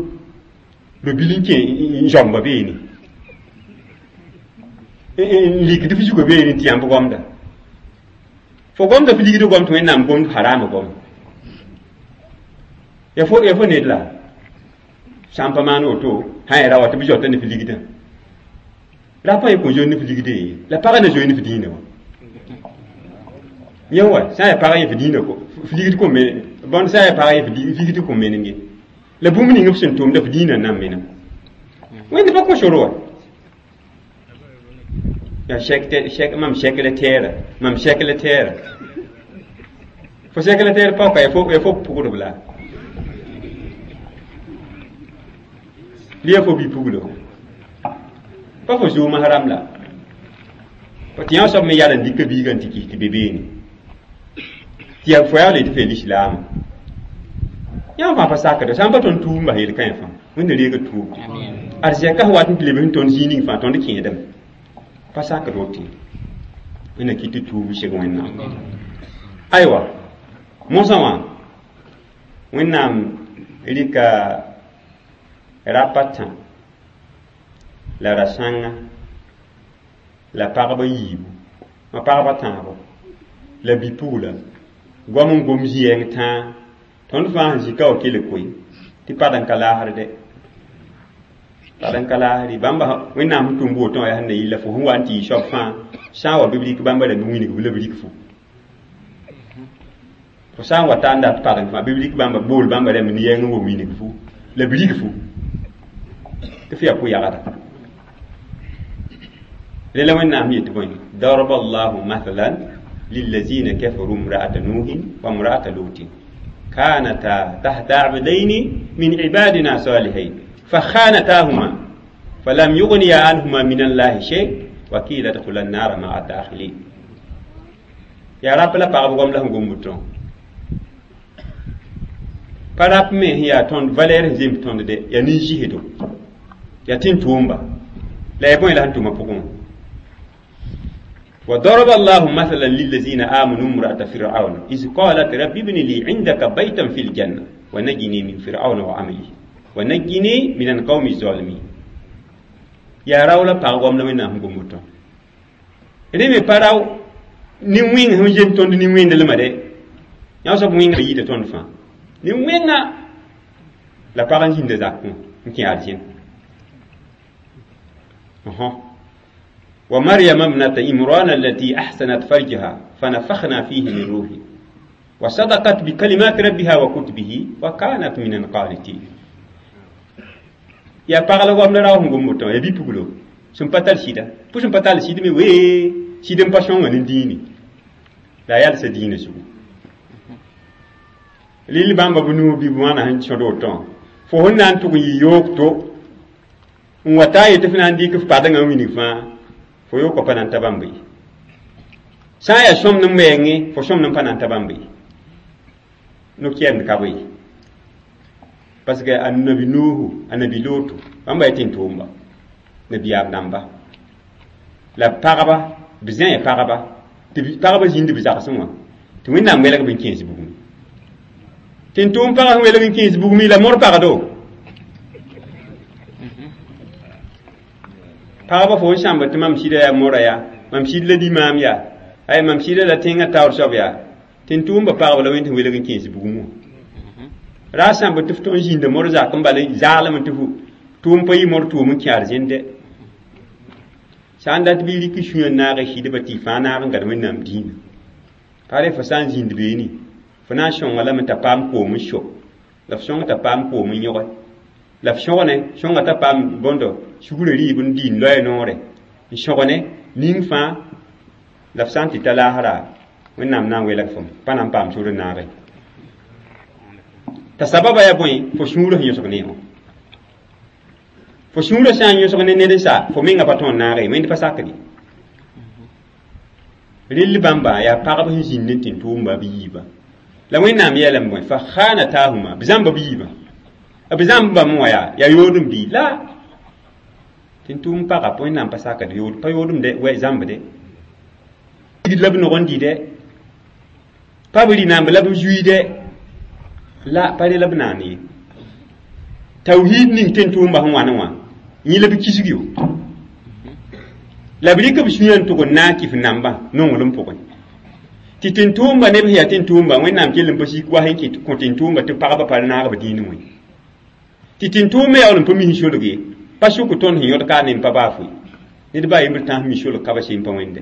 robil n kẽ n zãmba beene n likd f zugã beene tɩ yãmb gomda fo gomda f ligd gom tɩ wẽnnaam gomd harama gom Ya fo ya fo ned la sã n pa maan woto sã ya ra wa tɩ b zoata ne f ligdã ra pa yẽ kõ zoe ne f ligdẽ ye la pagã na zoe ne f dĩinã wã yẽ wa sã n yaa pagã yẽ f dĩinã f ligd kõ me bõnd sã n yaa pagã yẽ f ligd kõ menem ye la bũmb ning b sẽn tʋmda f dĩinã n na n menem wẽnd pa kõ sor wa yaa sɛk sɛk mam sɛkretɛɛra mam sɛkretɛɛra fo sɛkretɛɛr paoka ya fo ya fo pugdb la lia fo bi-puglo pa fo zooma haram la tɩ yã soab me yaa n dɩka biigã n tɩ kis tɩ be beene tɩ yaa fo yaa le tɩ f yaa lislaama yã fãa pa sakda sã n pa tõnd tuub n bas yel-kãe fãa wẽnda reega tuub ad zɛka sẽn wat n tɩ leb sẽn tõnd zĩig ning fãa tõnd kẽedame pa sakd woto wẽnna kɩt tɩ tuub seg wẽnnaam aywa mosã wã wẽnnaam rɩka rapa tã la ra-sãnga la pagba yiibu ma pagba tãabo la bi-pugla goam n gom zĩ-yɛng tãa tõnd fãa sẽn zĩ ka wa kell koe tɩ pad n ka laasd pad n ka laasd bãmba wẽnnaam sẽn tʋm woto wã yaa sẽn na yɩl la fo sẽn wa n tɩ yɩ soab fãa sã n wa bɩ b rɩk bãmba rãmb wĩnigb la b rɩk fo fo sã n wa ta n dat padeng fãa bɩ b rɩk bãmba bool bãmba rãmb ne yɛng n wa wĩnig fo la b rig fo tɩ f yaa pʋ-yagda rela wẽnnaam yetɩ bõe daraba allahu mathalan lilazina kafaru imra'ata nuhin wa imra'ata lutin kanata tahta abdaini min ibadina salihin fakhanatahuma falam yughniya anhuma min allahi shay wa qila adkhula an-nara ma'a ad-dakhilin ya rap la pagb goam la sẽn gom wotõ pa rap me sẽn yaa tõnd valɛɛr sẽn zemb tõnd de yaa nin-zɩsdo yaa tɩ n tʋʋmba la yaa bõe la sẽn tʋmã pʋgẽ وضرب الله مثلا للذين آمنوا امرأة فرعون إذ قالت رب ابن لي عندك بيتا في الجنة ونجني من فرعون وعمله ونجني من القوم الظالمين يا راولا باغوم لمن نام غوموتو ريمي باراو ni wẽng sẽn zem tõnd nin-wẽndelmã de yã soab wẽnga yɩɩda tõnd fãa nin-wẽnga la pag n zĩnda zakẽ n kẽ arzẽn ومريم ابنة إمران التي أحسنت فرجها فنفخنا فيه من روحي وصدقت بكلمات ربها وكتبه وكانت من القانتين يا pag la goam la rao sẽn gom woto ya bi-puglo sẽn pa tar sɩda pʋ sẽn pa tar sɩd me wee sɩd n pa sõnga ne dĩini la a yalsa dĩinã zugu lil bãmba b nuu bɩ wãna sẽn sõd woto fo sẽn na n tʋg n yɩ yoog to n wa taa yetɩ f na n dɩk f padengã n wilg fãa fo yookã pa na n ta bãmb ye sã n yaa sõmd n wɛɛngẽ fo sõmd n pa na n ta bãmb ye no-kɛɛmd ka bɩ ye parce que a nabi nuuhu a nabi looto bãmba yaa tẽn-tʋʋmba nabiyaam dãmba la pagba b zẽe pagba tɩ pagba zĩnd b zagsẽ wã tɩ wẽnnaam welg b n kẽes bugmẽ tẽn-tʋʋm pagã sẽn welg n kẽes bugmẽ la mor pagdo pagba fo n sãmb tɩ mam sɩda yaa mora yaa mam sɩd la limaam yaa ay mam sɩda la tẽngã taoor soab yaa tẽn-tʋʋmba pagba la wẽnd sẽn welg n kẽes bugum wã ra sãmb tɩ f tõe n zĩnda mor zak n bal zaalem tɩ fu tʋʋm pa yɩ mor tʋʋm n kẽ arzẽnde sã n dat bɩ rɩk sũyã n naag sɩdba tɩ y fãa naag n gad wẽnnaam dĩinã pa re fo sã n zĩnd beene fo na n sõnga lame t'a paam koom n so la f sõng t'a paam koom n yõge la f sõgne sõnga t'a paam bõndo sugrã rɩɩb n dɩ n loɛɛ noore n sõgne ning fãa la f sã n tɩ ta laasra wẽnnaam na n welg fom pa na n paam sor n naage t'a sababa yaa bõe fo sũurã sẽn yõsg ne wã fo sũurã sã n yõsg ne ned n sa fo menga pa tõe n naage ye wẽnd pa sakd ye rell bãmba yaa pagb sẽn zĩnd n tẽn-tʋʋmba b yiibã la wẽnnaam yeelame bõe fa khanatahuma b zãmba b yiibã b zãmbame wã yaa yaa yoodem bɩ la tẽn-tʋʋm pagã wẽnnaam pa sakd yood pa yoodem de wɛ zãmbde la b nog n dɩ dɛ pa b rɩ-naamb la b zuii dɛ la pa re la b naan ye tawhid ning tẽn-tʋʋmba sẽn wãne wã yẽ la b kisg yo la b rɩk b sũyã n tʋg n na n kɩf nambã nonglem pʋgẽ Tɩ tẽn-tʋʋmba neb sẽn yaa tẽn-tʋʋmba Wẽnnaam kell n pa sik wa sẽn kɩt kõ tẽn-tʋʋmba tɩ pagba pa naag b dĩinẽ wẽ. Tɩ tẽn-tʋʋm me yaool n pa mis n solg ye, pa sʋk tõnd sẽn yõd ka ne n pa baa foe. Ned baa yembr tãs mi solg ka ba seen pa wẽnde.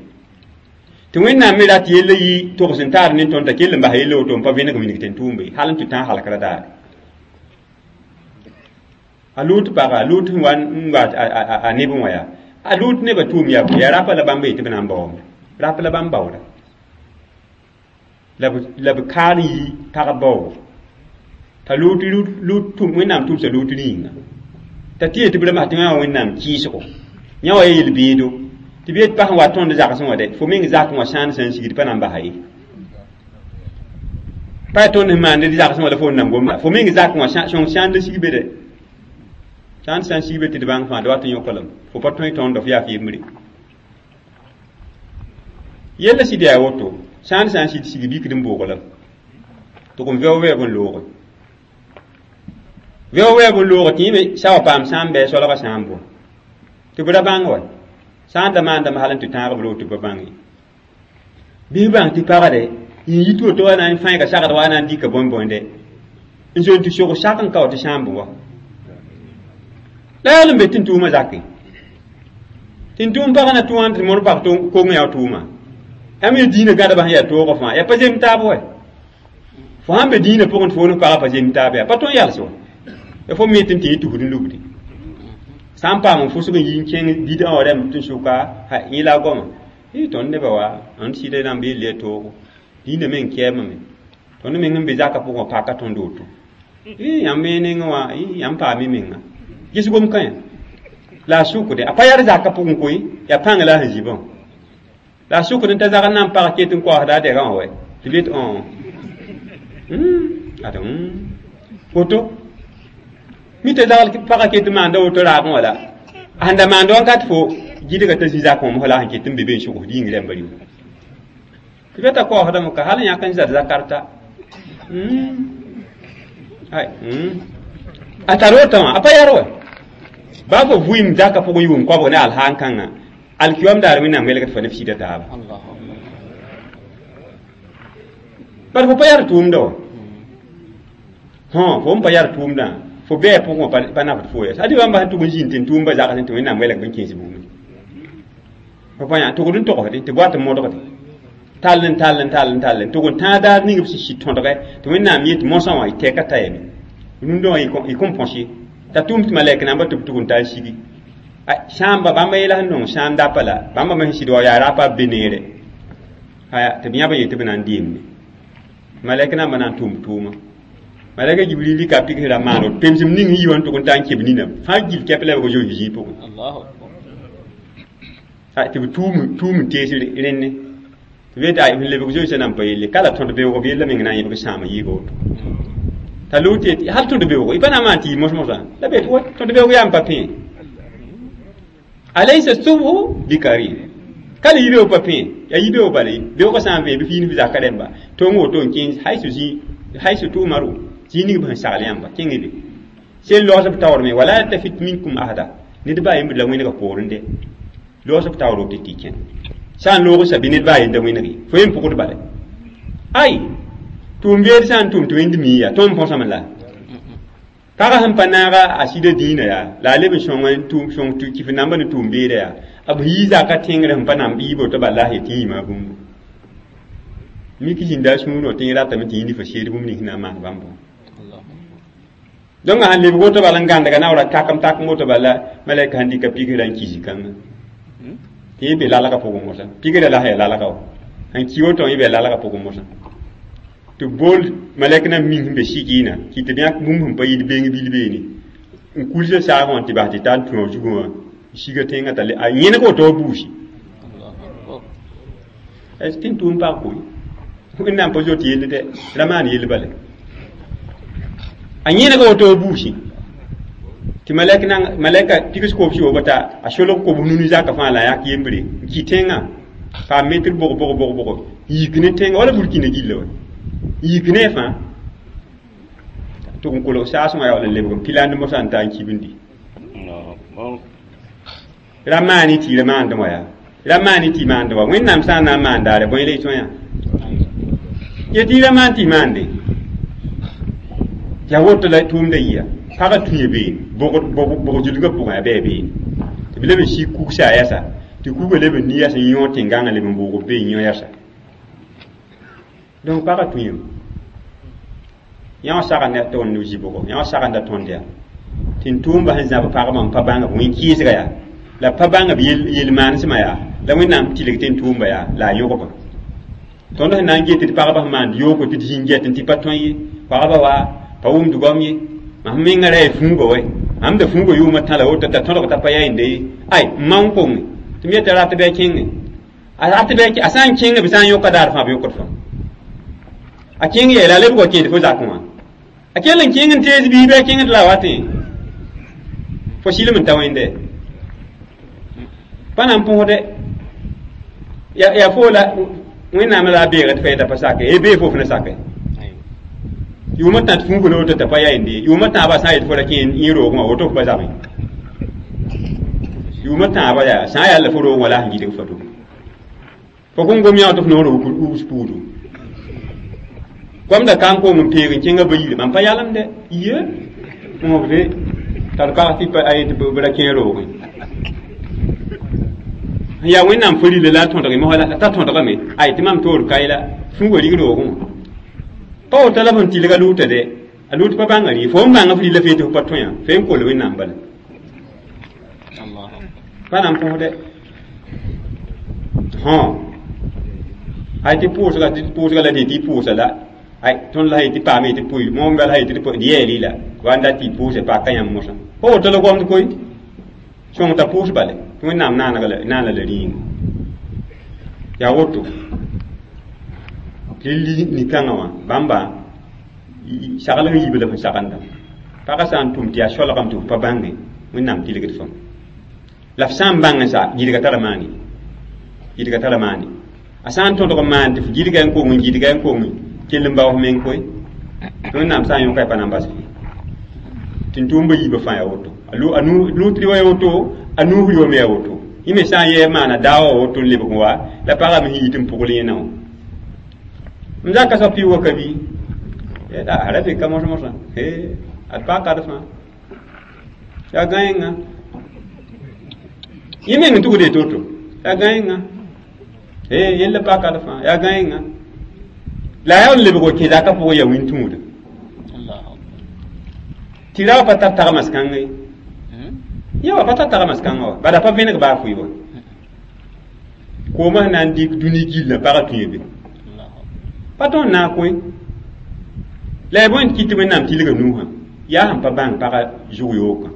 Tɩ Wẽnnaam me rat yella yɩ togs n taar ne tõnd t'a kell n bas yella woto n pa vẽneg wilg tẽn-tʋʋmba ye, hal n tɩ tãag halkra daare. A Lut paga, a Lut sẽn wa n wa a neb wã yaa, a Lut nebã tʋʋm yaa bõe, yaa rapa la bãmb yetɩ b na n baoome. Rap la bãmb baooda. La b la b kaar yi pagb baoogo. T'a Lut Lut tʋm Wẽnnaam tʋmsa Lut rĩinga. T'a tɩ yetɩ b ra masã tɩ wã Wẽnnaam kɩɩsgo. Yã wa yel-beedo. Tɩ b yet pa sẽn wa tõnd zagsẽ wã dɛ, fo meng zakẽ wã sãan sã n sigd pa na n basa ye. Pa yaa tõnd sẽn maand d zagsẽ wã la fo n nan gomda. Fo meng zakẽ wã sõng sãan la sig be dɛ. Sãn sã n sig be tɩ d bãng fãa d wat n yõk lame. Fo pa tõe tõndo f yaa f yembre. Yella sɩd yaa woto, sãn sã n sɩd sig bikd n boog lame. Tɩ kom vɛoog wɛɛg n looge. Vɛoog wɛɛg n looge tɩ yẽ sa wa paam sã n bɩ soalgã sã n bɔ. Tɩ b ra bãng wa. Sã n da maandame hal n tɩ tãag b roog tɩ b pa bãng ye. Bɩ bãng tɩ pagde n yit woto wa na n fãiga sagd wa na n dɩka bõe-bõende. N zoe n tɩ sog sak n ka wa tɩ sãamb wa. La yaool n be tẽn-tʋʋmã zake. Tẽn-tʋʋm pagã na tʋ wã tɩ mõr pag kong yaa tʋʋma. Yãmb ye dĩinã gãdbã sẽn yaa toogã fãa, yaa pa zem taab wa. Fo sãn be dĩinã pʋgẽ tɩ fo ne pagã pa zem taab yaa, pa tõe n yals wa. Ya fo me tɩ n tɩ yẽ tusd n lubdi. Sã n paam n fʋsg n yi n kẽng bidã wã rãmb tɩ n sʋka, ha yẽ la a goama. Ɩ tõnd nebã wa, ãnd sɩda rãmb yell yaa toogo. Dĩinã meng kɛɛmame. Tõnd meng n be zakã pʋgẽ wã paka tõnd woto. Ɩ yãmb me nengẽ wã, yãmb paam y menga. Ges gom kã la a sʋkde a pa yaa zakã pʋgẽ koe, yaa pãng la a sẽn zibã. La a sʋkd n ta zagr na n pag ket n koasda a dɛgã wã wɛ. Tɩ b yet õ. Ad woto. Mi t'a zagl pagã ket n maanda woto raagẽ wã la. A sẽn da maand wãnkat fo gɩdga t'a zĩ zakẽ wã mosã la a sẽn ket n be be n sʋgsd yĩng rãmba rɩ. Tɩ b t'a koasdame ka hal n yãk n zad zakarta. Ay, a tar wotã wã, a pa yar wa. Baa fo vʋɩɩm zakã pʋgẽ yʋʋm koabg ne alhaan kãngã, alkiyom daar Wẽnnaam welgd fo ne f sɩda taaba. Bala fo pa yar tʋʋmda wa. Hõ, fo n pa yar tʋʋmdã, fo bɛɛ pʋgẽ wã pa nafd fo ya. Ade bãmba sẽn tʋg n zĩnd tẽn-tʋʋmba zagsẽ tɩ Wẽnnaam welg b n kẽes bũmb. Fo pa yã tʋgd n togsde tɩ b wat n modgde. Tall n tall n tall n tall n tʋg n tãag daar ning b sẽn sɩd tõdgɛ tɩ Wẽnnaam yet mosã wã y tɛka t'a yame. Rũndã wã y kõn põs ye. T'a tʋm tɩ malɛk namba tɩ b tʋg n ta n sigi. Sãamba bãmba yɛla sẽn nong sãam dapa la, bãmba me sẽn sɩd wa yaa rapa b be neere. Aya tɩ b yãb n yet tɩ b na n deemde. Malɛk namba na n tʋm tʋʋma. Malɛka Jibril rɩka pɩgs ra maan woto pemsem ning sẽn yi wã n tʋg n ta n keb nina fãa gil kɛp la b zoe zĩig pʋgẽ. Tɩ b tʋʋm tʋʋm n tees rẽnne. Tɩ b yetɩ ay sẽn lebg zoeesã nan pa yelle ka la tõd beoog b yella meng na n yẽbg sãam n yɩɩg woto. T'a Lut yetɩ hal tõd beoogo y pa na n maan tɩ yɩ mos-mosã la b yetɩ wa tõd beoog yaa n pa pẽ. Alaysa subhu bikarib. Ka la yibeoog pa pẽ, yaa yibeoog bala beoogã sã n vẽ bɩ fiin f zaka rẽmba tong woto n kẽes haysu zĩ haysu tu'maru zĩ ning b sẽn sagl yãmba kẽng be. Sel logs b taoor me wala yaltafit minkum ahada ned baa yembd la wẽnega poorẽ dɛ. Logs b taoor woto tɩ y kẽn. Sã n loog n sa bɩ ned baa yenda wẽnege fo yem pʋgd bala. Ay tʋʋm beed sã n tʋm tɩ wẽnd mii yaa tõnd põsame la. Pagã sẽn pa naaga a sɩda dĩinã yaa la a leb n sõng n tʋm sõng tɩ kɩf namba ne tʋʋm beeda yaa b yii zaka tẽngrẽ sẽn pa nan bɩɩb woto bala la yetɩ yĩma bũmbu. Mik zĩnda a sũurẽ tɩ yẽ ratame tɩ yẽ fa seed bũmb nins na n maan bãmb. Donc a sãn lebg woto bala n gãndga naoora takem takem woto bala malɛka sẽn dɩka pigrã n ki zĩ-kãngã. Tɩ yẽ be lalgã pʋgẽ mosã. Pigrã la sã yaa lalga wa. Sẽn ki woto yẽ be lalgã pʋgẽ mosã. Tɩ bool malɛk na ming sẽn be sigɩɩna kɩ tɩ b yãk bũmb sẽn pa yɩl beng bil beene n kulsa saagã wã tɩ bas tɩ tar n tũ a zugẽ wã n siga tẽngã t'a a yẽneg woto wa buusi. Tẽn-tʋʋm pag koe. Wẽnnaam pa zoet yell dɛ, ra maan yell bala. A yẽnega woto wa buusi. Tɩ malɛk nan malɛka pigs kobs yoobã t'a a solg kobs nunu zakã fãa la a yãk yembre n kɩ tẽngã paam metr bog bog bog bog yik ne tẽngã wala burkina gilla wa. Yik ne fãa tʋg n kolg saasẽ wã yaool n lebg n piland mosã n ta n kibndi. Ra maan y tɩ ra maandẽ wã yaa. Ra maan y tɩ maandẽ wa. Wẽnnaam sã n na n maan daare bõe la y tõe yã. Yetɩ ra maan tɩ y maande yaa woto la tʋʋmda yia pagã tũya beene bog zulgã pʋgẽ a bɩ beene tɩ b leb n sik kugsa a yɛsa tɩ kuga leb n ni yɛs n yõ tẽn-gãngã leb n bʋʋg b be n yõ yɛsa donc pagã tũyame yã wã sagenda tõnd zibgo yã wã sagenda tõnd yaa tɩ n tʋʋmba sẽn zãb pagba n pa bãng b wẽn-kɩɩsga yaa la pa bãng b yel-maanesmã yaa la wẽnnaam tilg tɩ n tʋʋmba yaa la a yõgba tõnd sẽn na n get tɩ pagba sẽn maand yooko tɩ d zĩng get tɩ pa tõe ye pagba wa pa wʋmd goam ye mam mengã ra yaa fũuga wɛ mam da fũuga yʋʋmã tã la woto t'a tõdg t'a pa yaa ye ay n ma n konge tɩ m yeta rat bɩ a kẽnge a rat bɩ a sã n kẽnge b sã n yõka daar fãa b yõkd fãa a kẽng yeela a lebg wa kẽed fo zakẽ wã a kell n kẽng n tees bii bɩ a kẽngd la a watẽ fo silem n ta wẽnde pa na n põsde yaa fo la wẽnnaam la a beegd fa yeta pa sake e bee fo f na sake yʋʋmã tã tɩ fũuga la woto t'a pa yaa yende yʋʋmã tãabã sã n yet fo ra kẽ yẽ roogẽ wã woto f pa zabẽ yʋʋmã tãabã yaa sã n yaa la fo roog wã la a sẽn gilg fa to fo kõn gom yã tɩ f noor wus puudu goamda ka n kong n peeg n kẽngã ba yire mam pa yalemde ye mõsde tar pag tɩ pa yetɩ b ra kẽ roogẽ yaa wẽnnaam fo rila la a tõdge mosã la t'a tõdgame ay tɩ mam toor kae la fũuga rig roogẽ wã pa woto la f n tilg a lʋʋta dɛ a lʋʋt pa bãnga rɩ fo n bãnga f rila fee tɩ f pa tõe fe n kol wẽnnaam bala pa na n põsdɛ hõ ay tɩ pʋʋsga tɩ pʋʋsga la tɩ tɩ pʋʋsa la ay tõnd la tɩ paame tɩ pʋɩ moom bala tɩ d yɛɛli la wa n dat tɩ pʋʋse paka yãmb mosã pa woto la goamd koy sõng t'a pʋʋs bale tɩ wẽnnaam naanega naana la rĩinga yaa woto tɩ nin-kãngã wã bãmba saglg n yiib la fẽn sagenda pagã sã n tʋm tɩ yaa soalgame tɩ f pa bãnge wẽnnaam tilgd fãa la f sã n bãng n sa gilga tara maane gilga tara maane a sã n tõdg n maan tɩ f gilga n kong n gilga n kong kell n bao f meng koe tɩ wẽnnaam sã n yõka y pa na n bas f ye tɩ n tʋʋmba yiibã fãa yaa woto a lʋʋtr wa yaa woto a nuusr wame yaa woto yẽ me sã n yɛɛ maana daawa woto n lebg wa la pagame sẽn yit n pʋgl yẽna wã m zaka soab tɩ y wa ka bi a ra be ka mos mosã ad paag kad fãa yaa gãenga yẽ meng n tugd ye to-to yaa gãenga yella paag kad fãa yaa gãenga la a yaa n lebg wa kẽ zakã pʋgẽ yaa wĩn-tũuda tɩ ra wa pa tar tagmas kãnga ye yã wa pa tar tagmas kãngã wa bala pa vẽneg baa fʋɩ wa koomã sẽn na n dɩk dũni gillã pagã tũya be pa tõnd naag koe la ya bõe tɩ kɩt tɩ wẽnnaam tilga nuusã yaa sẽn pa bãng pagã zʋg yookã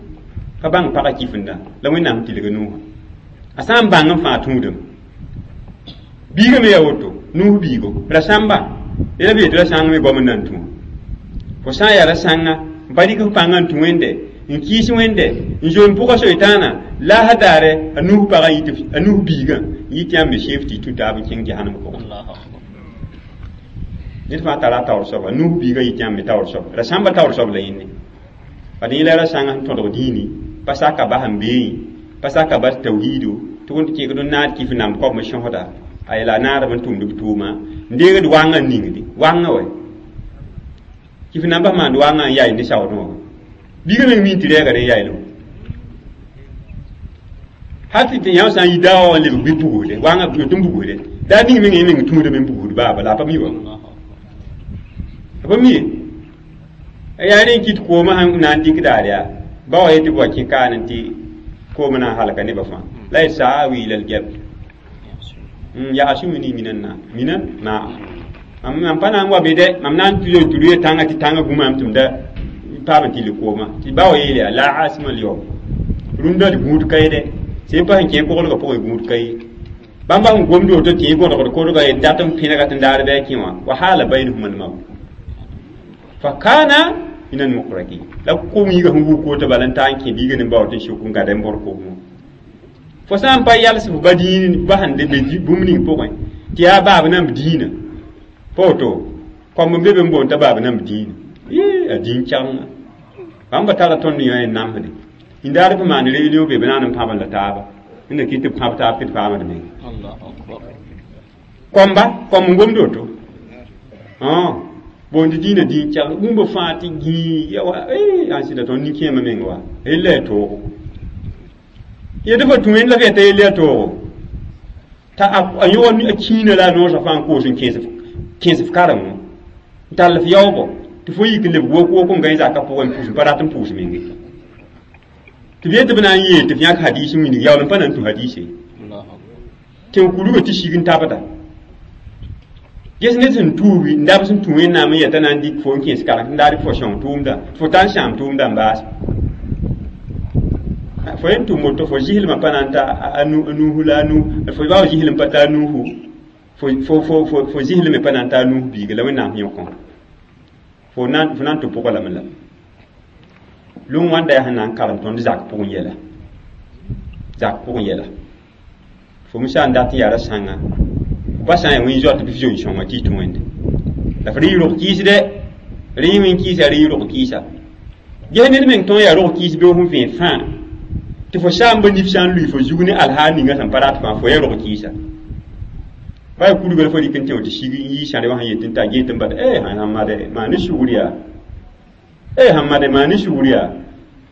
pa bãng pagã kifenda la wẽnnaam sẽn tilga nuusã a sã n bãng n fãa tũudame biigã me yaa woto nuus biigo ra sãmba la b yetɩ ra sãng me goam n na n tũ fo sã n yaa ra sãnga n pa dɩk f pãngã n tũ wẽnde n kɩɩs wẽnde n zoe n pʋga soitaana la a daare a nuus pagã a nuus biigã n yɩ tɩ yãmb me sef tɩ y tũ taab n kẽng jahanam pʋgẽ ned fãa tara a taoor soaba nuus biigã yɩ tɩ yãmb me taoor soaba ra sãmba taoor soab la yẽnne bad yẽ la ra sãngã sẽn tõdg dĩini pa saka bas n beẽ pa saka bas tawhiido tɩ wẽnd kẽegd n naad kɩf namb koabm sõsda ay la naadb n tʋmd b tʋʋma n deegd wãngã n ningdi wãngã wɛ kɩf nambã maand wãngã n yaay ne saoodẽ wã biigã meng min tɩ rɛɛga rẽ yaaylo hal tɩ yã sã n yi daawa wã n lebg bɩ bugsde wãngã tɩ n bugsde daa ning meng yẽ meng tũudame n bugsd baaba la a pa mi wa a pa mi ye yaa rẽ n kɩt koomã sẽn na n dɩk daar yaa ba wa yetɩ b wa kẽ kaan tɩ koomã na n halka nebã fãa la y saa wiila l gɛb yaa sũmini minan na minan ma mam pa na n wa be dɛ mam na n tɩ tɩ rʋya tãngã tɩ tãngã gũmam tɩ m da paam n tɩ koomã tɩ ba wa yeel yaa la asima lyawm rũndã d gũud ka ye dɛ sẽn pa sẽn kẽ koglgã pʋgẽ gũud ka ye bãmba sẽn gomd woto tɩ yẽ gõdgd kodga ye dat n pẽnega tɩ n daar bɩ a kẽ wã wa haala baynahuma lmawt fa kana min almuqrakin la kom yiga sẽn wuk woto bala n taa n kẽ biiga ne bao tɩ n sʋk n gada n bõr koomẽ fo sã n pa yals f ba dĩin ba sẽn be bũmb ning pʋgẽ tɩ yaa baab namb dĩinã pa woto kõmb n be be n boond t'a baab namb dĩinã a dĩin kɛgenga bãmba tara tõnd yõ n namsde indaar b maan réunion be b naan n pãb la taaba n na kɩt tɩ b pãb taab tɩ d paamd meng kõmba kõmb n gomd woto Ah boond dĩinã dĩin kell bũmb fãa tɩ gĩi ya wa eh ãn sɩda tõnd nin-kẽemã meng wa yella yaa toogo yetɩ fo tũ wẽnd la f yeta yell yaa toogo t'a a yõg a kĩinã la a noosã fãa n koos n kẽes kẽes f kareng wã n tall f yaoobɔ tɩ fo yik n lebg wok wok n gãe zakã pʋgẽ n pʋs n pa rat n pʋʋs menge tɩ b yet tɩ b na n yeel tɩ f yãk hadiis n wilg yaool n pa na n tũ hadiise tẽn kurgã tɩ sig n tabda ges ned sẽn tuugi n dabs n tũ wẽnnaam n yeta na n dɩk fo n kẽes kareng n daar fo sõng tʋʋmda fo tar n sãam tʋʋmda n baas fo yen tʋm woto fo zɩslmã pa na n ta a nuhu la a nu fo bao zɩslem pa ta a nuhu fo fo fo fo fo zɩslme pa na n ta a nuhu biiga la wẽnnaam yõkõ fo na fo na n tɩ pʋgã lame la lũng wãnda yaa sẽn na n karem tõnd zak pʋgẽ yɛla zak pʋgẽ yɛla fo me sã n dat n yaa ra-sãnga pa sã n yaa wẽn zoat bɩ f zoe sõnga tɩ y tũ wẽnde la f rɩ y rog kɩɩsdɛ rɩ y wẽn kɩɩsa rɩ y rog kɩɩsa ges ned meng tõog yaa rog kɩɩs beoog sẽn vẽe fãa tɩ fo saamba nif sã n lʋɩ fo zug ne alhaal ninga sẽn pa rat fãa fo yaa rog kɩɩsa pa yaa kurga la fo rɩk n tẽ tɩ sig n yɩ sãre wã sẽn yet n t'a get n bad eh sãn made maa ne sugr yaa eh sãn made maa ne sugr yaa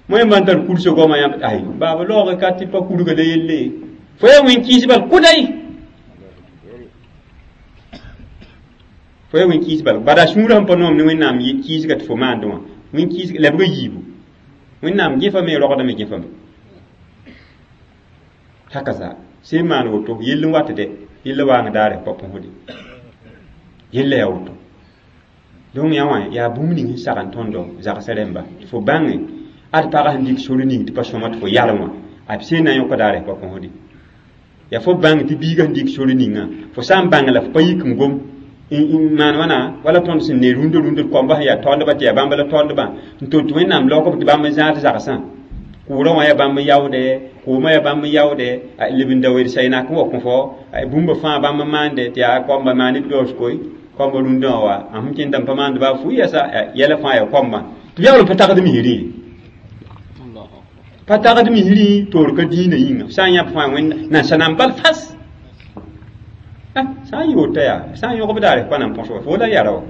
moẽ n tar kursa goamã yãmb ay baaba laoog ka tɩ pa kurga la yelle fo yaa wẽn kɩɩs bal kʋday fo yaa wẽn kɩɩs bal bada sũurã sẽn pa noom ne wẽnnaam kɩɩsga tɩ fo maandẽ wã wẽn kɩɩs lebga yiibu wẽnnaam gẽfame rogdame gẽfame haka sẽn maan woto yell n wat dɛ yella waang daare pa põsde yella yaa woto donc yã wã yaa bũmb ning sẽn sag n tõndo zagsã rẽmba tɩ fo bãnge ad pagã sẽn dɩk sor ning tɩ pa sõma tɩ fo yalem wã a b sẽn na n yõka daare pa põsde yaa fo bãng tɩ biigã sẽn dɩk sor ningã fo sã n bãng la fo pa yik n gom n maan wãna wala tõnd sẽn ne rũndã rũndã koamba sẽn yaa taoondbã tɩ yaa bãmb la taoondbã n tʋm tɩ wẽnnaam laoog tɩ bãmb n zãad zagsã kʋʋrã wã yaa bãmb n yaoode koomã yaa bãmb n yaoode leb n da wed saynak n wa kõ fo bũmba fãa bãmb n maande tɩ yaa koamba maane b daoos koe koamba rũndã wã wa a sẽn kẽndame pa maand baa fu yɛsa yɛla fãa yaa koambã tɩ b yaool n pa tagd misrẽ pa tagd misrẽ toor ka dĩinã yĩnga sã n yãb fãa wẽnd nansã-nãmb bal fas sã n yɩ woto yaa sã n yõgb daare pa na n põs wa fo la yara wa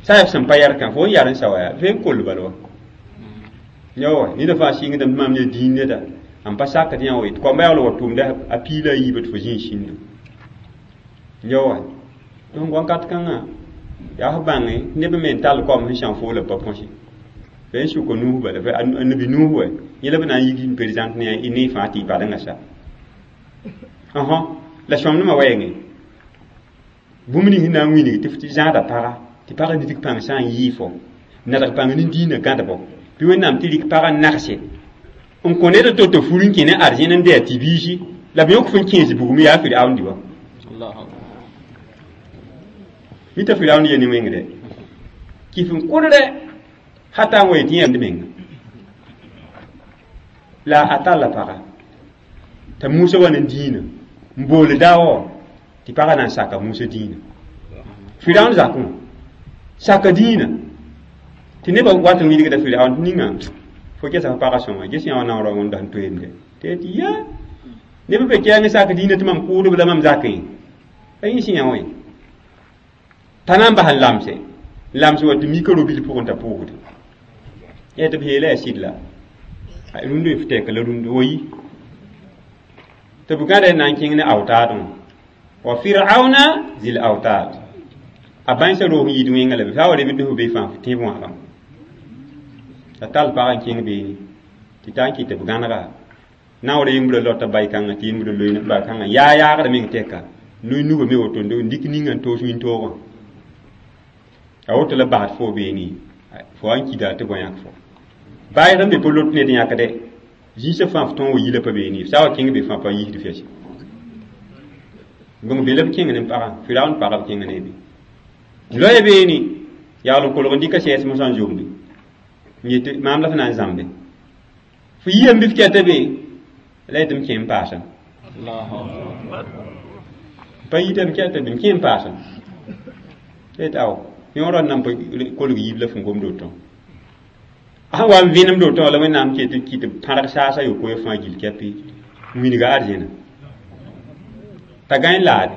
sã n yaa sẽn pa yɛr kã fo n yar n sa wa yaa fo n koll bal wa yawa ned fãa sɩngdame tɩ maam ne dĩin neda n pa sakd yã wa tɩ koamba yaool wa tʋʋmda a piila a yiibã tɩ fo zĩ n sĩndo yawa donc wãnkat kãngã yaa f bãnge neb me n tall koam sẽn sãn foola pa põse fa n sʋka nuus bala a nabi nuus wa yẽ la b na n yik n présente ne ne fãa tɩ y badengã sa ɔhɔ la sõmdmã wɛɛngẽ bũmb ning sẽn na n wilg tɩ f tɩ zãada paga tɩ pagã nidg pãng sã n yɩɩ fo nadg pãng ne dĩinã gãdbo bɩ wẽnnaam tɩ rɩk pagã nagse n kõ ned to tɩ fur n kẽ ne arzẽn n dɩ a tɩ-biisi la b yõk fo n kẽes bugum yaa Firaun wa mi t'a Firaun ye ne wẽngre kɩf n kʋdrɛ hata n wa yetɩ yãmb menga la a talla paga t'a Musa wa ne dĩinã n boole daawã tɩ pagã na n saka Musa dĩinã Firaun zakẽ wã saka dĩinã tɩ nebã wat n wilgda Firaun tɩ ninga fo gesa fo pagã sõma ges yã wã naoorã wẽnda sẽn toeemde tɩ tɩ ya neb be kɛɛng sak dĩinã tɩ mam kʋʋdb la mam zakẽ a yẽ sẽn yã wã t'a na n bas n lamse lamse wa tɩ mika ro-bil pʋgẽ t'a pʋʋsde yaa tɩ b yeela yaa sɩd la rũndã f tɛk la rũndã wa yi tɩ b gãda n na n kẽng ne awtaadẽ wa firauna zil awtad a bãensã roog n yid wẽnga la be fa wa rebd f be fãa f tẽeb wãbã t'a tall pagã n kẽng beene tɩ taa n kɩt tɩ b gãnega naoor yembrã lota bay-kãngã tɩ yembrã loe ba-kãngã yaa yaagdã meng tɛka noy nuga me woto n dɩk ninga n toos wĩntoogã a woto la basd fo beene fo wa n kida tɩ bõe yãk fo baayg n be pa lot ned yãkde zĩisã fãa f tõog wa yila pa beene sã wa kẽng be fãa pa yiisd fɛs bõng be la b kẽng ne pagã Firaun pagã b kẽng ne be loya beene yaool n kolg n dɩka sɛɛs mosã n zomde n yetɩ maam la f na n zãmbe fo yiyame bɩ f kɛta be la yetɩ m kẽ n paasem pa yitame kɛta be m kẽ n paasem yetɩ ao yõorã n nan pa kolg yiib la f n gomd woto a sẽn wa n vẽnemd woto la wẽnnaam ket tɩ kɩt pãrg saasa yopoe fãa gill kɛpɩ n wilga arzẽna t'a gãe n laade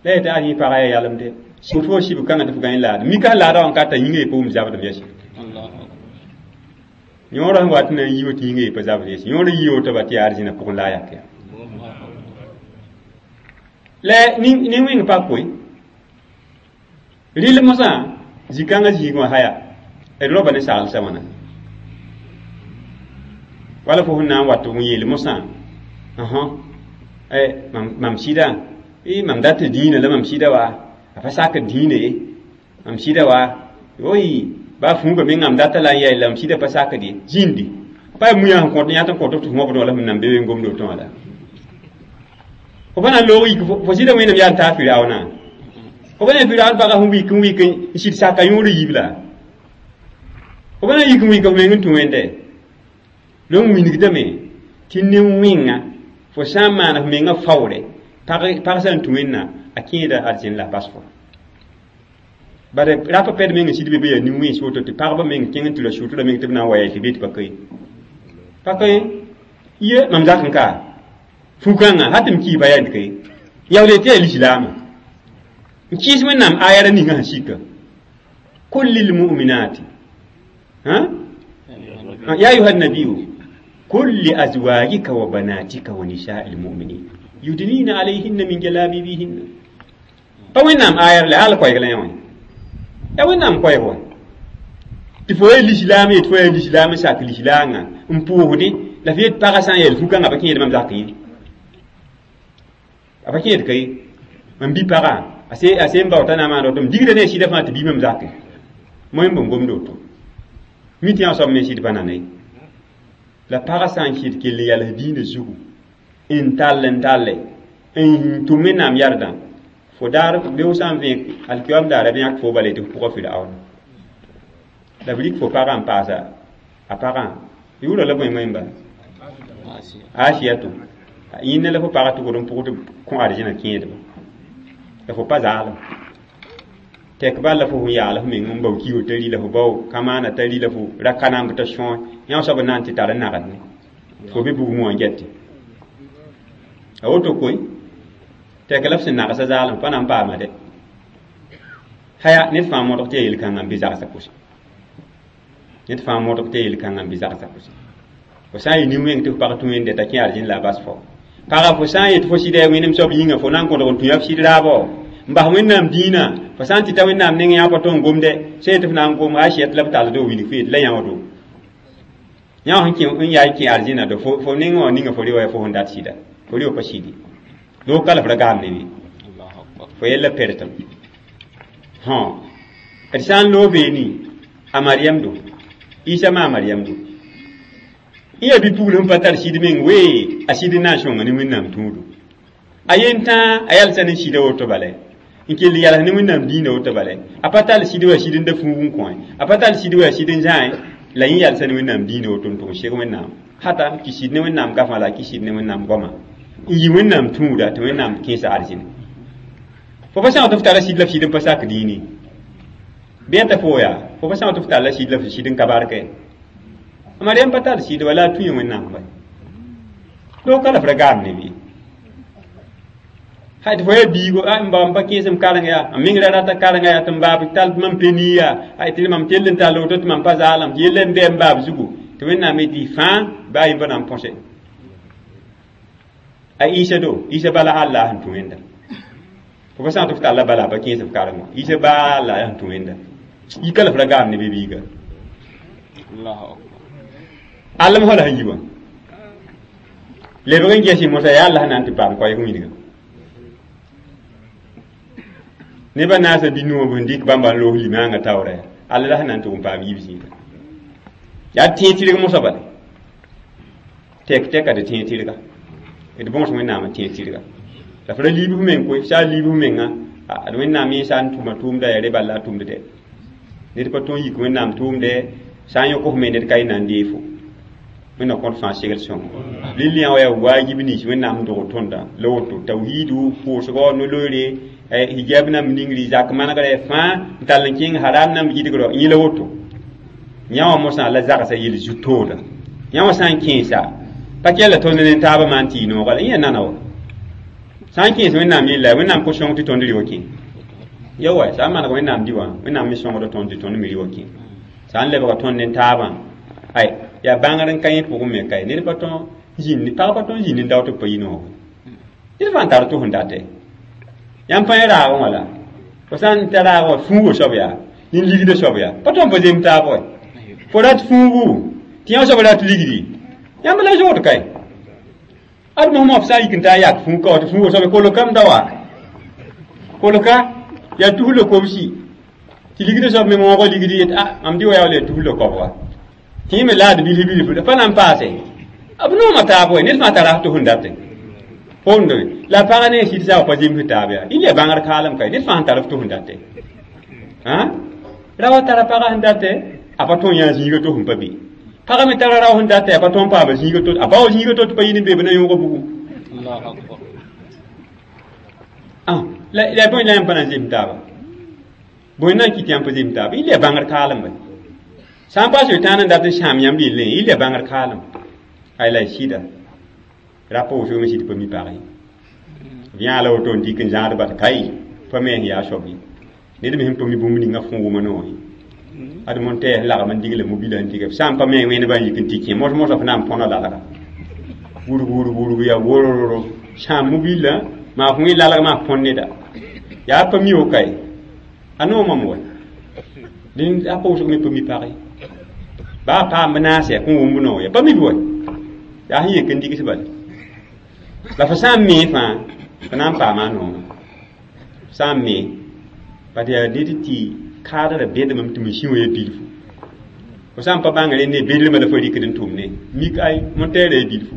la yetɩ a yẽ pagã yaa yalemde Fo sib kãngã tɩ f gãe laad mika laada wã n ka t'a yĩngã pa wʋm zabdem yɛs yõorã sẽn wat n na n yi woto yĩngã pa zabd yɛs yõor n yi woto ba tɩ yaa arzĩna pʋgẽ la a yak ya la nin-wẽng pa koe rɩl mosã zĩ-kãngã zĩig wã haya d roba ne saglsã wãna wala fo sẽn na n wat n yeel mosã mam sɩda mam dat dĩinã la mam sɩda wa a pa sakd dĩinã ye mam sɩda wa oy ba fuuga mengã m data la n yaa la m sɩda pa sakd ye zĩndi pa yaa muyã sẽn kõt yã tɩ n kõt tɩ f mobd wã la f nan be n gomd woto wã la fo pa na n loog yik fo sɩda wẽnnaam yaa n taa Firaoona fo pa na Firaoon pagã sẽn wik n wik n sɩd saka yõor yiib la fo pa na n yik n wik f meng n tũ wẽnde lon wilgdame tɩ nin-wẽnga fo sã n maan f mengã faoore pag sã n tũ wẽnna a kẽeda arzẽn la a bas fo bare rapa pɛd meng n sɩd be be yaa nin-wẽns woto tɩ pagba meng kẽng n tɩ ra sʋʋtra meng tɩ b na n wa yaa tɩ be tɩ pa ka ye pa ka ye ye mam zak n ka fu-kãngã ha tɩ m kiiba yaa ka ye yaool tɩ yaa lislaama n kɩɩs wẽnnaam ayara ninga sẽn sika kul lilmuminati ya ayuha nabiyu قل لأزواجك وبناتك ونساء المؤمنين يدنين عليهن من جلابيبهن فوين آير لا على كوي لا يوين ya wẽnnaam koɛɛg wa tɩ fo yaa lislaam yet fo yaa lislaam n sak lislaangã n pʋʋsdẽ la f yet pagã sã n yɛl fu-kãngã pa kẽed mam zak ye a pa kẽed ka ye mam bi pagã a sẽn bao t'a na n maana woto m digda ne a sɩda fãa tɩ bii mam zake moẽ n bõn gomd woto mi tɩ yã soab me sɩd pa nana ye la pagã sã n kɩt kell n yals diinã zugu n tall n talle n tʋm wẽnnaam yardã fo daar beo sã n vẽeg alkiyoam daara bɩ yãk fo bala tɩ f pʋgã Firaoon la b rik fo pagã n paasa a pagã yʋʋra la bõe wẽmba Asiyatu yĩnna la fo pagã tʋgd n pʋgd kõ arzẽna kẽedba la fo pa zaalem tɛk bal la fo sẽn yaal f meng n bao kiio t'a ri la fo bao kamaana t'a ri la fo ra ka namb t'a sõe yã soab n na n tɩ tar n nagd ne fo be bugmẽ wã n gɛtɩ a woto koe tɛk la f sẽn nagsa zaalem pa na n paama dɛ haya ned fãa modg tɩ yaa yel-kãngã n bɩ zagsã pʋsẽ ned fãa modg tɩ yaa yel-kãngã n bɩ zagsã pʋsẽ fo sã n yɩ nin-wẽng tɩ f pag tũ wẽnde t'a kẽ arzẽn la a bas fo pagã fo sã n yet fo sɩda yaa wẽnem soab yĩnga fo na n kõdg n tũ yaa f sɩd raabɔ n bas wẽnnaam dĩinã fo sã n tɩ ta wẽnnaam neng yã pa tõe n gomdɛ sã yetɩ f na n gom a sɛt la b talldo wilg fo yet la yãodo yã sẽn kẽ n yaa n kẽ arzẽna do fo neng wã ninga fo rewa yaa fo sẽn dat sɩda fo rewa pa sɩdi loog ka la f ra gaam ne be fo yella pertem hõ d sã n loog beeni a Mariam do Isa ma a Mariam do n yaa bi-pugl sẽn pa tar sɩd meng wee a sɩd n na n sõnga ne wẽnnaam tũudu a yen tãa a yalsa ne sɩda woto bala n kell yals ne wẽnnaam dĩinã woto bala a pa tall sɩd wa sɩd n da fuug n kõ a pa tall sɩd wa sɩd n zãe la yẽ yalsa ne wẽnnaam dĩinã woto n tʋg n seg wẽnnaam hata n kɩ sɩd ne wẽnnaam gafã la a kɩ sɩd ne wẽnnaam goama n yi wẽnnaam tũuda tɩ wẽnnaam kẽesa arzẽne fo pa sã tɩ f tara sɩd la f sɩd n pa sak dĩini bɩ yaa t'a fo yaa fo pa sã tɩ f talla sɩd la f sɩd n ka barkɛ Mariam pa tar sɩd wala a tũ yẽ wẽnnaam ba loog ka la f ra gaam ne bɩ hay tɩ fo yaa biigo a n ba m pa kẽesem kareng yaa m meng ra rata karenga yaa tɩ m baab tall tɩ mam penii yaa ay tɩ mam tell n tall woto tɩ mam pa zaalem tɩ yella n bɩ m baab zugu tɩ wẽnnaam yetɩ fãa baa a yĩmba na n põse a Isa do Isa bala Allah sẽn tũ wẽnda fo pa sã tɩ f talla bala a pa kẽes f kareng wã Isa baa Allah sẽn tũ wẽnda yika la f ra gaam ne be biiga alem fo la sẽn yi wã lebg n ges mosã yaa Allah na n tɩ paam koɛɛg wilga nebã naasã bi-nuwã sẽn dɩk bãmba n loog limaangã taoora yaa alla la sẽn na n tʋg n paam yiib zĩiga yaa tẽeg tɩrg mosã bala tɛk tɛka d tẽeg tɩrga d bõos wẽnnaam n tẽeg tɩrga la f ra liib f meng koe sã n liib f mengã d wẽnnaam yẽ sã n tʋma tʋʋmda yaa re bala la a tʋmd dɛ ned pa tõe n yik wẽnnaam tʋʋmdɛ sã n yõk f me ned ka y na n dee fo wẽnnaam kõt fãa segl sõngo lill yã wa yaa waajib nins wẽnnaam n dog tõnda la woto tawhiidu pʋʋsgɔ no-loeere hijab nam ningri zak manegrɛ fãa n tall n kẽng haram nam yidgrɔ yẽ la woto yã wã mosã la zagsã yel zu-tooda yã wã sã n kẽesa pa kɛla tõnd ne taabã maan tɩ y nooga la yẽ nana wa sã n kẽes wẽnnaam yella wẽnnaam kos sõng tɩ tõnd rɩ wa kẽ Ya wa sã n maneg Wẽnnaam dɩ wã, Wẽnnaam me sõngda tõnd tɩ tõnd me rɩ wa kẽ. Sã n lebga tõnd ne taabã, ay yaa bãngr n ka yẽ pʋgẽ me ka ye. Ned pa tõe zĩnd, pag pa tõe n zĩnd n dao tɩ b pa yi noogo. Ned fãa n tar tʋs n date. Yãmb pa yẽ raagẽ wã la. Fo sã n ta raag wã fuugo soab yaa, nin-ligdã soab yaa. Pa tõe n pa zem taab wa. Fo rat fuugu, tɩ yã soab rat ligdi. Yãmb la zood kae. Ad mosmã f sã n yik n taa yak fuug ka wa tɩ fuugo soab kolkame da wa. Kolka yaa tus la kobsi. Tɩ ligdã soab me wõoga ligdi yet a mam dɩ wa yaa wala yaa tus la kobga. Tɩ yẽ me laad bilf bilf pa na n paase. B nooma taab wa, ned fãa tara tʋs n date. Fondo la pagã ne sɩd saag pa zems taab yaa. Y le bãngr kaalem kae, ned fãa sẽn tar f tʋs n date. Hã? Raoã tara pagã sẽn date, a pa tõe n yã zĩiga to sẽn pa be. Pagã me tara rao sẽn date, a pa tõe n paama zĩiga to, a bao zĩiga to tɩ pa yɩ ne be b na yõoga bugum. Allahu akbar. Ah, la la bõe la yãmb pa na n zems taaba? Bõe na n kɩt yãmb pa zems taaba? Y le bãngr kaalem ba. Sã n paas tãan n dat n sãam yãmb yellẽ, y le bãngr kaalem. Ay la y sɩda. Rapa woto me sɩd pa mi pag ye. B yãa la woto n dɩk n zãad bal kai, pa me sẽn yaa soab ye. Ned me sẽn pa mi bũmb ninga fõo wʋma noor ye. Ad mon tɛɛs lagm n digla mobila n diga. Sã n pa me wẽnd n yik n tɩ kẽ mos-mosã f na n põna lalga. Wurg wurg wurg yaa wororo. Sãam mobila maa f wẽ lalg maa f põn neda. Yaa pa mi wo kae. A noomame wa. Dẽnd a pa wʋsg me pa mi pag ye. Baa paam b naase kõn wʋmb noor ya. Pa mi b wa. Yaa sẽn yek n digs bala. La fo sã n mee fãa, fo na n paama a noomã. Sã n mee, bat yaa ned tɩ kaadrã bedmame tɩ masĩ wã ya bilfu. Fo sã n pa bãng rẽnd ne bedrmã la fo rɩkd n tʋm ne. Mik ay, montɛɛrã ya bilfu.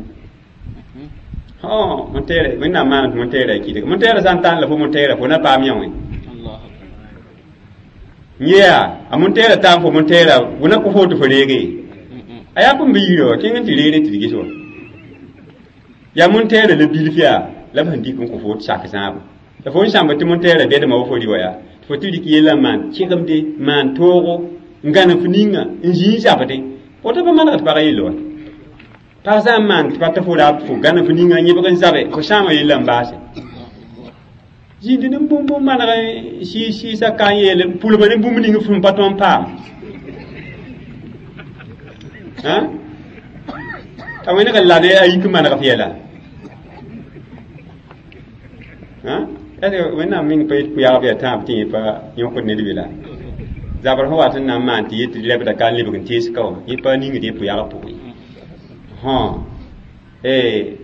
Hõ, montɛɛrã, Wẽnnaam maana tɩ montɛɛrã ya kɩdg. Montɛɛrã sã n tãn la fo montɛɛrã, fo na paam yã wẽ. Allahu akbar. Yea, a montɛɛrã taam fo montɛɛrã, wʋna kõ fo tɩ fo reege. A yaa bũmb yirã wã, kẽng n tɩ reere tɩ d ges wã. Yaa montɛɛrã la bilf yaa, la b sẽn dɩk n kõ fo tɩ sak zãabo. La fo n sãmba tɩ montɛɛrã bedmã wa fo rɩ wa yaa, tɩ fo tɩ rɩk yellã n maan kẽgemde, maan toogo, n gãnem f ninga, n zĩ n zabdẽ. Woto pa manegd pagã yell wa. Pag sã n maan tɩ pa tɩ fo raab fo gãnem f ninga n yẽbg n zabe, fo sãama yellã n baase. Zĩndi ne bũmb n maneg sɩɩs-sɩɩsã ka n yeel pulma ne bũmb ning f sẽn pa tõe n paam. Hã? T'a wẽneg n lade a yik n maneg f yɛla. Hã? Est-ce Wẽnnaam meng pa yet pʋyagb yaa tãab tɩ yẽ pa yõkd ned be la? Zabr sẽn wat n na n maan tɩ yet tɩ lebda ka n lebg n tees ka wã, yẽ pa ningd yẽ pʋyagb pʋgẽ. Hõ. Eh,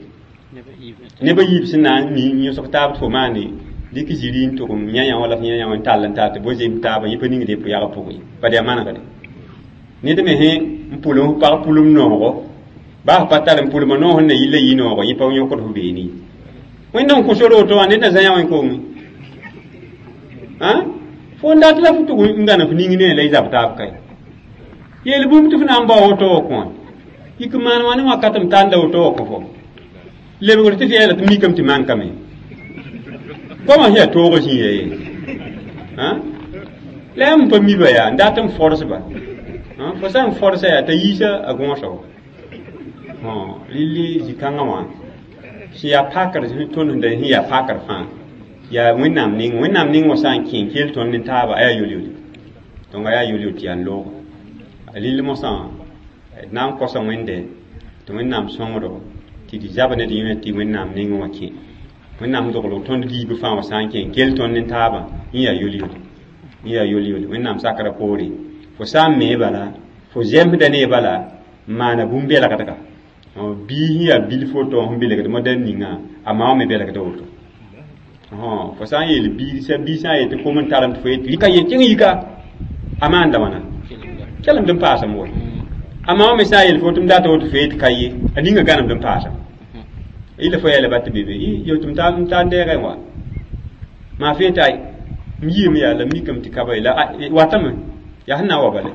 neb a yiib sẽn na n mi yõsg taab tɩ fo maane dɩk ziri n tʋgem yã-yã wã la f yã-yã wã n tall n tar tɩ bo zem taabã, yẽ pa ningd yẽ pʋyagb pʋgẽ. Bad yaa manegde. Ned me sẽn n pʋlem f pag pʋlem noogo, baa f pa tar n pʋlma noog sẽn na yɩl la yɩ noogo, yẽ pa yõkd f beene ye. Wẽnnaam kõ sor woto wã ned na zã yã wẽ kongẽ. Hã? Fo n dat la f tʋg n gãnem f ning ne la y zab taab kae. Yeel bũmb tɩ f na n bao woto wã kõ. Yik n maan wã ne wakat m tanda woto wã kõ fo. Lebgr tɩ f yeela tɩ mikame tɩ mankame. Goamã sẽn yaa toogã zĩiga ye. Hã? La yãmb pa mi ba yaa, n dat n fors ba. Fo sã n forsa yaa t'a yiisa a gõosa wa. Hõ, rɩlli zĩ-kãngã wã sẽn yaa pakr tõnd sẽn da sẽn yaa pakr fãa yaa Wẽnnaam ning. Wẽnnaam ning wã sã n kẽ n kell tõnd ne taaba, a yaa yol-yole. Donc a yaa yol-yol tɩ yaa n looga. Rɩll mosã d na n kosa Wẽnde tɩ Wẽnnaam sõngdo tɩ d zab ne d yẽ tɩ Wẽnnaam ning wã kẽ. Wẽnnaam dogl tõnd liib fãa wã sã n kẽ n kell tõnd ne taabã, yẽ yaa yol-yole. Yẽ yaa yol-yole. Wẽnnaam sakra poore. Fo sã n mee bala, fo zemsda ne bala, n maana bũmb-belgdga. Bii sẽn yaa bilf woto sẽn belgd modɛl ninga, a ma wã me belgda woto. Fo sã n yeel biig sã bii sã n yet tɩ kom n tarem tɩ fo yet rɩka ye kẽng yika, a maanda wãna? Kelemd n paasame wa. A ma wã me sã n yeel fo tɩ m data woto fo yet ka ye, a ninga gãnemd n paasame. Yɩla fo yeela ba tɩ be be, yo tɩ m ta n deegẽ wa. Maa fee tɩ ay, m yiime yaa la m mikame tɩ ka ba ye la watame, yaa sẽn na n wa bale.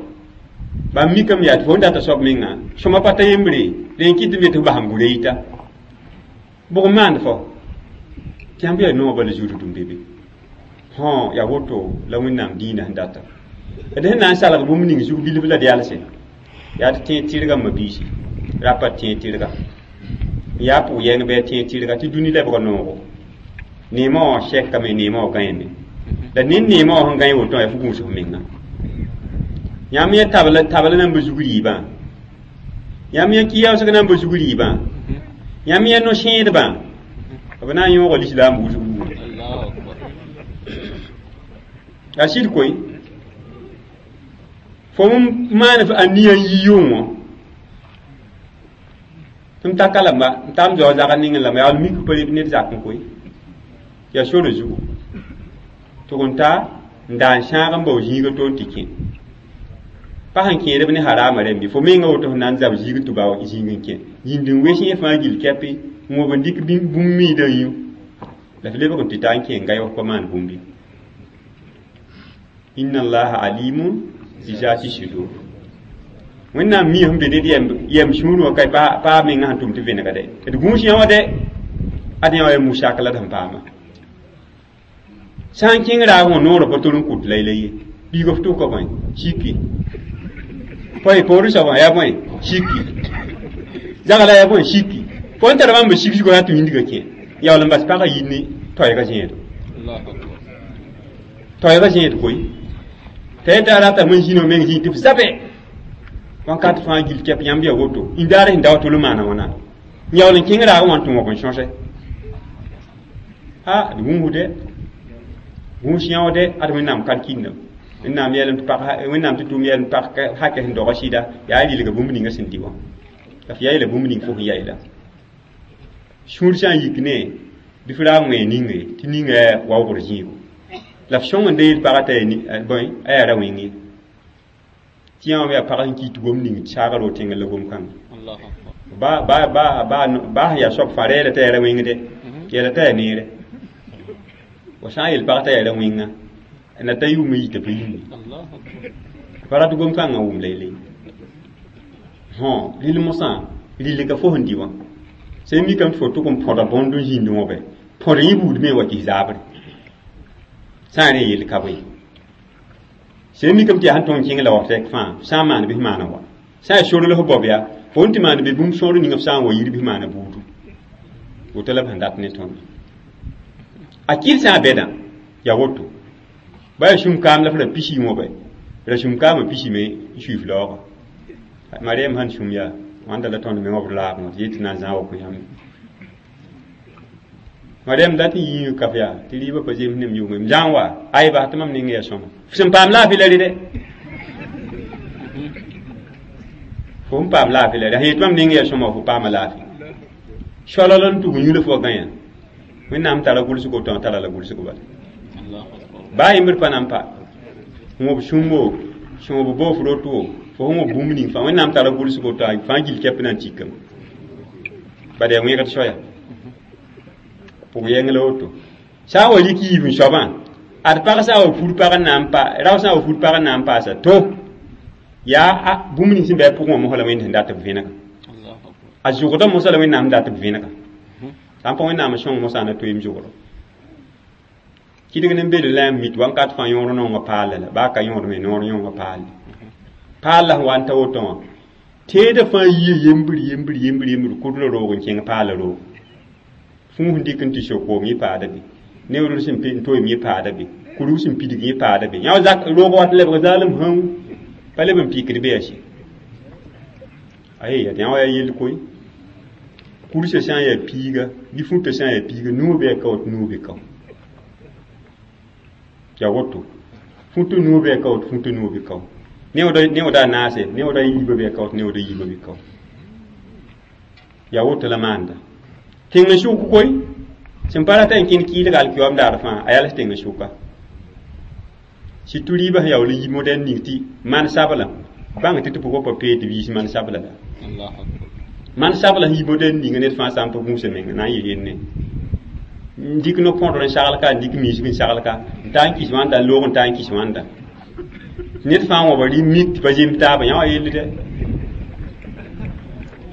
Ba m mikame yaa tɩ fo n data soab menga, sõma pa ta yembre, rẽ n kɩt tɩ m yet tɩ f basem gura yita. Bʋg n maand fo? Tɩ yãmb yaa noog bala zũrudum be be. Hõ, yaa woto la Wẽnnaam dĩinã sẽn data. D sẽn na n salg bũmb ning zug bilf la d yalsẽ, yaa tɩ tẽeg tɩrgã mabiisi, rapa tẽeg tɩrga. Yaa pʋg-yɛng bɩ a tẽeg tɩrga tɩ dũni lebga noogo. Neemã wã sɛkame, neemã wã gãeme. La ned neemã wã sẽn gãe woto wã yaa fo gũus f menga. Yãmb yẽ tabl tabl nan bi zug rɩɩbã. Yãmb yẽ kɩyaoosg nan bi zug rɩɩbã. Yãmb yẽ no-sẽedbã. B na n yõoga lislaam wʋsg wuu. Allahu akbar. Yaa sɩd koe. Fo m maan a nia n yi yʋng wã. Tɩ m ta ka lamba n tam zao zagr ning lamba yaa mik pa ned zak n koe. Yaa sore zugu. Tɩg n ta n daa n sãag n bao zĩiga to n tɩ kẽ. Pa sẽn kẽedb ne harama rẽmbe fo menga woto sẽn na n zab zĩig tɩ bao zĩig n kẽ. Yĩnd n wes yẽ fãa gill kɛpɩ n wob n dɩk bũmb miidã yũ. La f lebg n tɩ ta n kẽ n ga f pa maan bũmb ye. Inna allaha alimun bi zati sudur. Wẽnnaam mi sẽn be ned yɛm sũur wã ka pa menga sẽn tʋm tɩ vẽnega dɛ. D gũus yã wã dɛ ad yã wa yaa musak la d sẽn paama. Sã n kẽng raag wã noorã pa tol n kʋt layla ye. Biiga f tʋka bõe siki. Poe poorẽ soabã yaa bõe siki. Zagla yaa bõe siki. Fo n tara bãmb sik zugã yaa tɩ wĩndgã kẽ. Yaool n bas pagã yir ne toɛɛgã zẽedo. Allahu akbar. Toɛɛgã zẽed koe. T'a yeta ratame n zĩna meng zĩig tɩ f zabe. Wãnkat fãa gill kɛp yãmb yaa woto. Indaar sẽn da wa tol n maana wãna. N yaool n kẽng raagã wã n tɩ wõb n sõse. A d gũusde. Gũus yãoode ad Wẽnnaam kalkindame. Wẽnnaam yeelame tɩ pag Wẽnnaam tɩ tʋʋm yeelame pag hakɛ sẽn doga sɩda yaa rɩlga bũmb ninga sẽn dɩ wã. La f yaɩla bũmb ning fo sẽn yaɩla. Sũur sã n yik ne bɩ f raag wẽ ninga ye tɩ ninga yaa waoogr zĩigo. La f sõng n da yeel pagã t'a yaa bõe a yaa ra wẽng ye. Tɩ yã wã yaa pag sẽn kɩt gom ning saagr ro tẽngr la gom-kãngã. Allahu akbar. Ba ba ba ba ba sẽn yaa soab fãa reela t'a yaa ra wẽngde yeela t'a yaa neere. Wa sã n yeel pag t'a yaa ra wẽnga na ta yʋʋm n yita pa yĩnge. Allahu akbar. Pa rat gom-kãngã wʋm laylay. Hõ rɩl mosã rɩl ka fo sẽn dɩ wã. Sẽn mikame tɩ fo tʋg n põda bõnd n zĩnd wã bɛ. Põd yẽ buud me wa kɩs zaabre. Sã n rẽ yell ka bõe. Sẽn mikame tɩ yaa sẽn tõng kẽng la wa rɛk fãa sã n maan bɩ f maana wa. Sã n yaa sor la f bao yaa fo n tɩ maan bɩ bũmb sõor ning f sã n wa yir bɩ f maana buudu. Woto la b sẽn dat ne tõnd. A kɩl sã n bɛdã yaa woto. Ba yaa sũm kaam la f ra pisi wã bɛ. Ra sũm kaamã pisime n sui f laoogã. Mariam sẽn sũm yaa wãnda la tõnd meng b laag wã tɩ yet tɩ na n zãag wa kõ yãmb. Mariam dat n yĩng kaf yaa tɩ rɩɩbã pa zems nem yʋngẽ m zã n wa ayba tɩ mam ning yaa sõma. F sẽn paam laafɩ la rɩ dɛ. Fo n paam laafɩ la rɩ. Sẽn yet mam ning yaa sõma fo paama laafɩ. Soalal n tug yũla fo wa gã yã. Wẽnnaam tara gʋlsgo tã tara la gʋlsg bala. Allahu akbar. Baa yembr pa na n pa. Wõb sũmbo, sõob boof roto, fo sẽn wõb bũmb ning fãa Wẽnnaam tara gʋlsgo t'a fãa gill kɛp na n tikame. Bala yaa wẽgd soaya. Pʋg yɛng la woto. Sã n wa rɩk yiib n soabã, ad pag sã n wa fur pag n na n pa rao sã n wa fur pag n na n paasa to yaa bũmb ning sẽn be a pʋgẽ wã mosã la Wẽnd sẽn dat b vẽnega. Allahu akbar. A zʋgda mosã la Wẽnnaam sẽn dat b vẽnega. Sã n pa Wẽnnaam n sõng mosã na toeem zʋgdo. Kɩdg ne n be d la n mit wãnkat fãa yõor naongã paal la baa ka yõod me noor yõongã paal. Paal la sẽn wa n ta woto wã teedã fãa yia yembr yembr yembr yembr kʋdl roog n kẽng paala roog. Fũus n dɩk n tɩ sok-koom yẽ paada be. Neoodr sẽn n toeem yẽ paada be. Kurug sẽn pidg yẽ paada be. Yã wa zak roog wat lebg zaalem hãu pa leb n pɩkd be yaa sɩ. Aye yaa yã wa yaa yell koe. Kursã sã n yaa piiga bɩ fũtã sã n yaa piiga nuo bɩ a kao tɩ nuo be kao. Yaa woto. Fũtã nuo bɩ a kao tɩ fũtã nuo be kao. Neooda a naase neooda yiibã bɩ a kao tɩ neooda yiibã be kao. Yaa woto la maanda. Tẽng n sʋk koe sẽn pa rata n kẽnd kɩɩlga alkiyoam daar fãa a yals tẽng sʋka. Surtout rɩɩbã sẽn yaool n yi modɛl ning tɩ man sabla bãng tɩ tɩ pʋgã pa pee tɩ viis man sabla la. Allahu akbar. Man sabla sẽn yi modɛl ninga ned fãa sã n pa gũusa menga na n yɩ renne. N dɩk no-põdr n sagl ka n dɩk miisg n sagl ka n taa n kɩs wãnda n loog n taa n kɩs wãnda. Ned fãa wãba rɩ mik tɩ pa zemb taabã yã wa yell dɛ.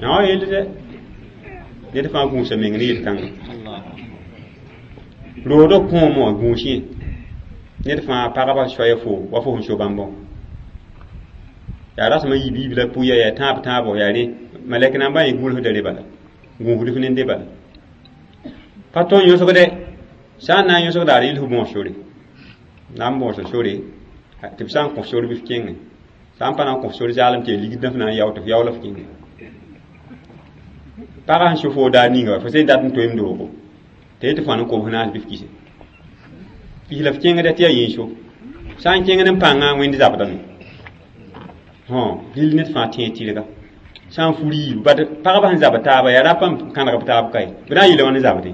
Yã wa yell dɛ. Ned fãa gũusa meng ne yel-kãngã. Allahu akbar. Roodã kõom wã gũus yẽ. Ned fãa pagba soaya fo wa fo sẽn so bãmbã. Yaa rasmã yiib yiib la pʋya yaa tãab tãabo yaa rẽ malɛk nambã yẽ gũusda re bala. Gũusd f nende bala. Pa tõe n yõsgdɛ. Sã n na n yõsgda a rɩl f bõos sore. Na n bõosa sore tɩ b sã n kõ f sor bɩ f kẽngẽ sã n pa na n kõ f sor zaalem tɩ ya ligd f na n yao tɩ f yao la f kẽngẽ pagã sẽn so fo daar ninga fo sẽn dat n toeem doogo tɩ yetɩ fo n kobs naas bɩ f kise kis la f kẽngda tɩ yaa yĩnso sã n kẽngd n pãngã wẽnd zabdame hõ rɩl ned fãa tẽeg tɩrga sã n fur yiibu bad pagba sẽn zabd taaba yaa rapa n kãneg b taab kae b na n yeela wãn zabdẽ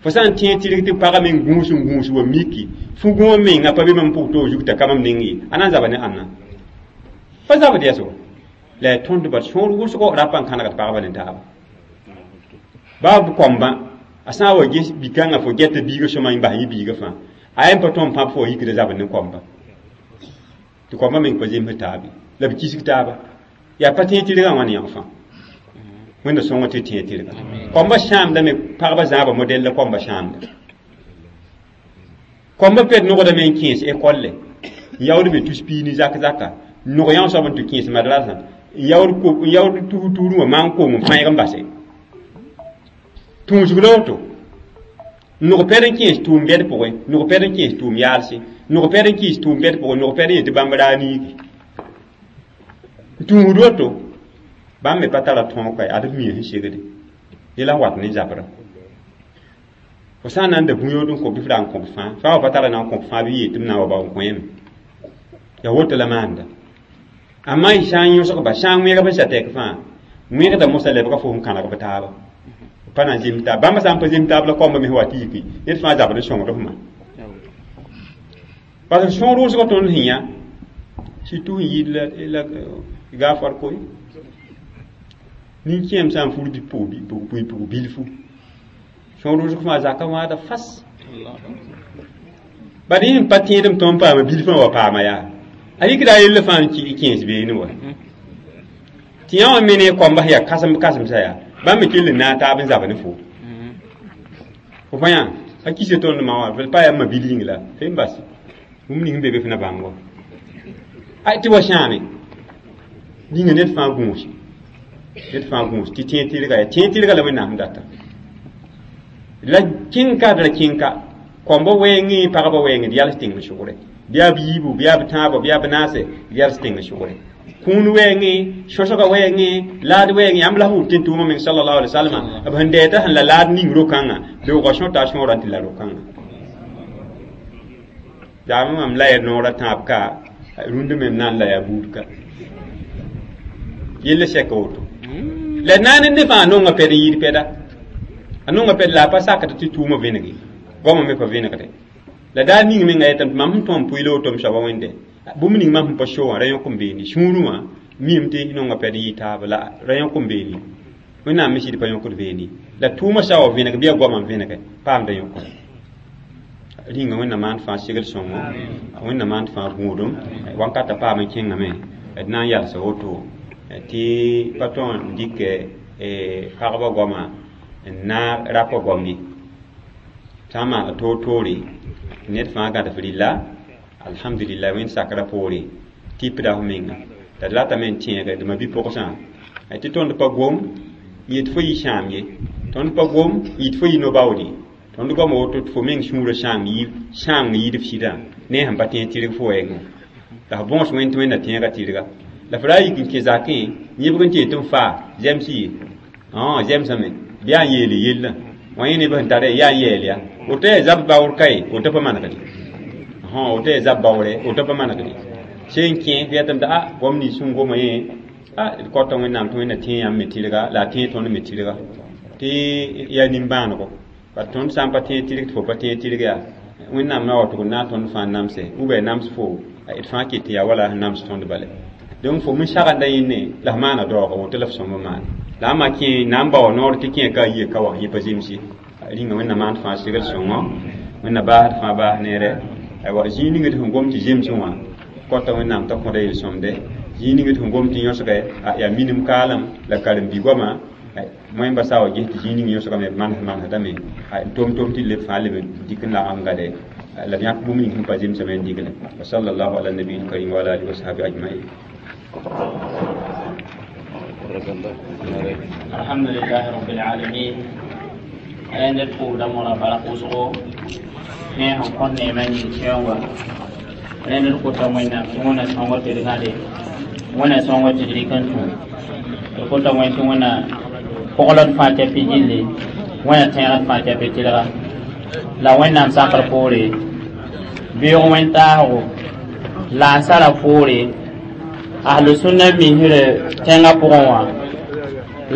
fo sã n tẽeg tɩrg tɩ pagã meng gũus n gũus wa miki fu gũum menga pa be mam pʋg toog zug t'a ka mam neng ye a na n zaba ne ãnna pa zabd yaa so la yaa tõnd bad sõor wʋsgo rapa n kãnegd pagba ne taaba baa b koambã a sã n wa ges bi-kãngã fo gɛta biigã sõma n bas yẽ biigã fãa a yen pa tõnd pãb fo wa yikda zabd ne koamba tɩ koambã meng pa zems taabe la b kisg taaba yaa pa tẽeg tɩrgã wãn yãg fãa wẽnda sõng tɩ tẽeg tɩrga koambã sãamdame pagba zãaba modɛl la koambã sãamda koambã pɛd nogdame n kẽes ekolle n yaood me tus piig ne zak zaka nog yã soab n tɩ kẽes madrasã n yaood n yaood tus tuurẽ wã maan koong n fãeg n base tũusg la woto nog pɛd n kẽes tʋʋm bɛd pʋgẽ nog pɛd n kẽes tʋʋm yaalse nog pɛd n kɩɩs tʋʋm bɛd pʋgẽ nog pɛd n yetɩ bãmb raa niigi tũusd woto bãmb me pa tara tõog kae ad b mia sẽn segde yela wat ne zabrã fo sã n na n da bũ-yood n kõ bɩ f ra n kõ b fãa fãa wa pa tara na n kõ b fãa bɩ yeel tɩ b na n wa bao n kõ yẽme ya woto la maanda amma y sã n yõsg ba sã n wẽgb n sa tɛk fãa wẽgda mosã lebga fo sẽn kãneg b taaba pa na n zems taab bãmba sã n pa zems taab la koamba me wa tɩ yiki ned fãa zabd n sõngd fma parce que sõor wʋsgã tõnd sẽn yã surtout sẽn yɩɩd la gaafar koe nin-kẽem sã n fur bɩ pʋg bilfu sõor wʋsg fãa zaka wãada fas bad yẽ n pa tẽedem tõnd paama bilfã wa paama yaa a yikda a yella fãa n kẽes beene wa tɩ yã wã me ne koamba sẽn yaa kãsem kãsemsã yaa bãmb me kell n naag taab n zab ne fo fo pa yã a kisa tõnd ma wã pa yaa ma bil yĩng la fe n bas bũmb ning n be be f na bãng wa a tɩ wa sãame ninga ned fãa gũus ned fãa gũus tɩ tẽeg tɩrga yaa tẽeg tɩrga la wẽnnaam data la kẽng-ka d ra kẽng-ka koamba wɛɛngẽ pagba wɛɛngẽ d yals tẽng sʋgre bɩ yaa b yiibu bɩ yaa b tãabã bɩ yaa b naase d yals tẽng sʋgre kũun wɛɛngẽ sõsga wɛɛngẽ laad wɛɛngẽ yãmb la f wʋm tɩ n tʋʋmã meng sallallahu alaihi wasallam b sẽn dɛɛta sẽn la laad ning ro-kãngã beoogã sõta a sõorã tɩ la ro-kãngã zaame mam la ya noorã tãab ka rũndã me m na n la yaa buud ka yella sɛka woto la naan ne fãa nonga pɛd n yɩɩd pɛda a nonga pɛd la a pa sakd tɩ tʋʋmã vẽnege goamã me pa vẽnegde la daa ning menga yetame tɩ mam sẽn tõem pʋɩla woto m soaba wẽnde bũmb ning mam sẽn pa so wã ra yõk n beene sũurẽ wã miime tɩ nonga pɛd n yɩ taaba la ra yõk n beene wẽnnaam me sɩd pa yõkd beene la tʋʋmã sa wa vẽneg bɩ yaa goamã n vẽnege paamda yõkr rĩnga wẽnnaam maan fãa segl sõngo wẽnnaam maan fãa gũudum wãnkata paam n kẽngame d na n yalsa woto tɩ pa tõe n dɩkɛ pagba goama n naag rapa goam ye sã n maana toor-toore ned fãa gãd f rɩlla alhamdulillah wẽnd sakra poore tɩpda f menga la d ratame n tẽege d ma bi-pʋgsã tɩ tõnd pa gom yet fo yɩ sãam ye tõnd pa gom yit fo yɩ no-baood ye tõnd goama woto tɩ fo meng sũurã sãam sãang yɩɩd f sɩdã ne sẽn pa tẽeg tɩrg fo wɛɛngẽ la f bõos wẽnd tɩ wẽnna tẽegã tɩrga la f ra yik n kẽ zakẽ yẽbg n tɩ yetɩ n faa zɛms ye zɛmsame bɩ yaa n yeele yellã wã yẽ neb sẽn tara yaa n yɛɛl ya woto yaa zab baoor kae woto pa manegde woto yaa zab baoore woto pa manegde sẽn kẽ tɩ yetame tɩ a goam nins sẽn goma yẽ a d kota wẽnnaam tɩ wẽnna tẽeg yãmb me tɩrga la a tẽeg tõnd me tɩrga tɩ yaa nimbãanego bat tõnd sã n pa tẽeg tɩrg tɩ fo pa tẽeg tɩrg yaa wẽnnaam na wa tʋg n na n tõnd fãa namse ou bien nams fo d fãa ket tɩ yaa wala sẽn nams tõnd bale donc fo min sagenda yẽnne la f maana daooga woto la f sõmb maan la a ma kẽ na n bao noor tɩ kẽ ka a yie ka wa yẽ pa zemse rĩnga wẽnna maan fãa segl sõngo wẽnna baasd fãa baas neere aywa zĩig ning d sẽn gom tɩ zemsẽ wã kota wẽnnaam t'a kõda yel-sõmde zĩig ning d sẽn gom tɩ yõsge yaa minim kaalem la karen-bi goama moẽmba sa wa ges tɩ zĩig ning yõsgame b manes manesdame n tom tom tɩ leb fãa leb dɩk n lagem gade la d yãk bũmb ning sẽn pa zemsame n digle wa sallallahu ala nabiil karim wa ala alihi wa sahbi ajmain. الحمد لله رب العالمين أين الفودة مرة بلقوسه ne sẽn kõt neemã yĩng sɛoonga rẽnd d kota Wẽnnaam tɩ Wẽnna sõngr tɩ d gãde Wẽnna sõngr tɩ d rɩk n tũ d kota Wẽnd tɩ Wẽnna kogld fãa tɩ pɩ gilli Wẽnna tẽegd fãa tɩ pɩ tɩlga la Wẽnnaam sakr poore beoog wẽn-taasgo la-ansara poore ahlu-sũnna misr tẽngã pʋgẽ wã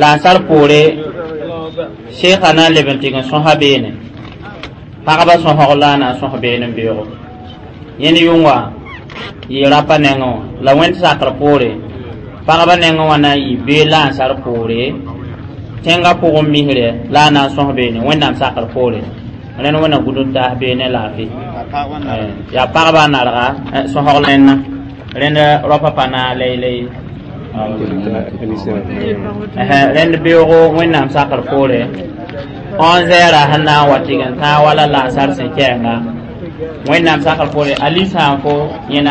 la-ansar poore sheekã na n leb n tɩg n sõsa beene pagba sõsg la a na n sõs beene n beoogo yẽnd yʋnga yɩ rapa nengẽ wã la wẽnd sakr poore pagba nengẽ wã na n yɩ bee la-ansar poore tẽngã pʋgẽ misrɛ la a na n sõs beene Wẽnnaam sakr poore rẽnd Wẽnna gũd n taas beene laafɩ yaa pagba n narga sõsg rẽnna rẽnd raopa pa naag lay-lay rẽnd beoogo Wẽnnaam sakr poore onze heures sẽn na n wa tɩg n tãag wala la-ansar sẽn kɛɛnga Wẽnnaam sakr poore ali sã n fo yẽna.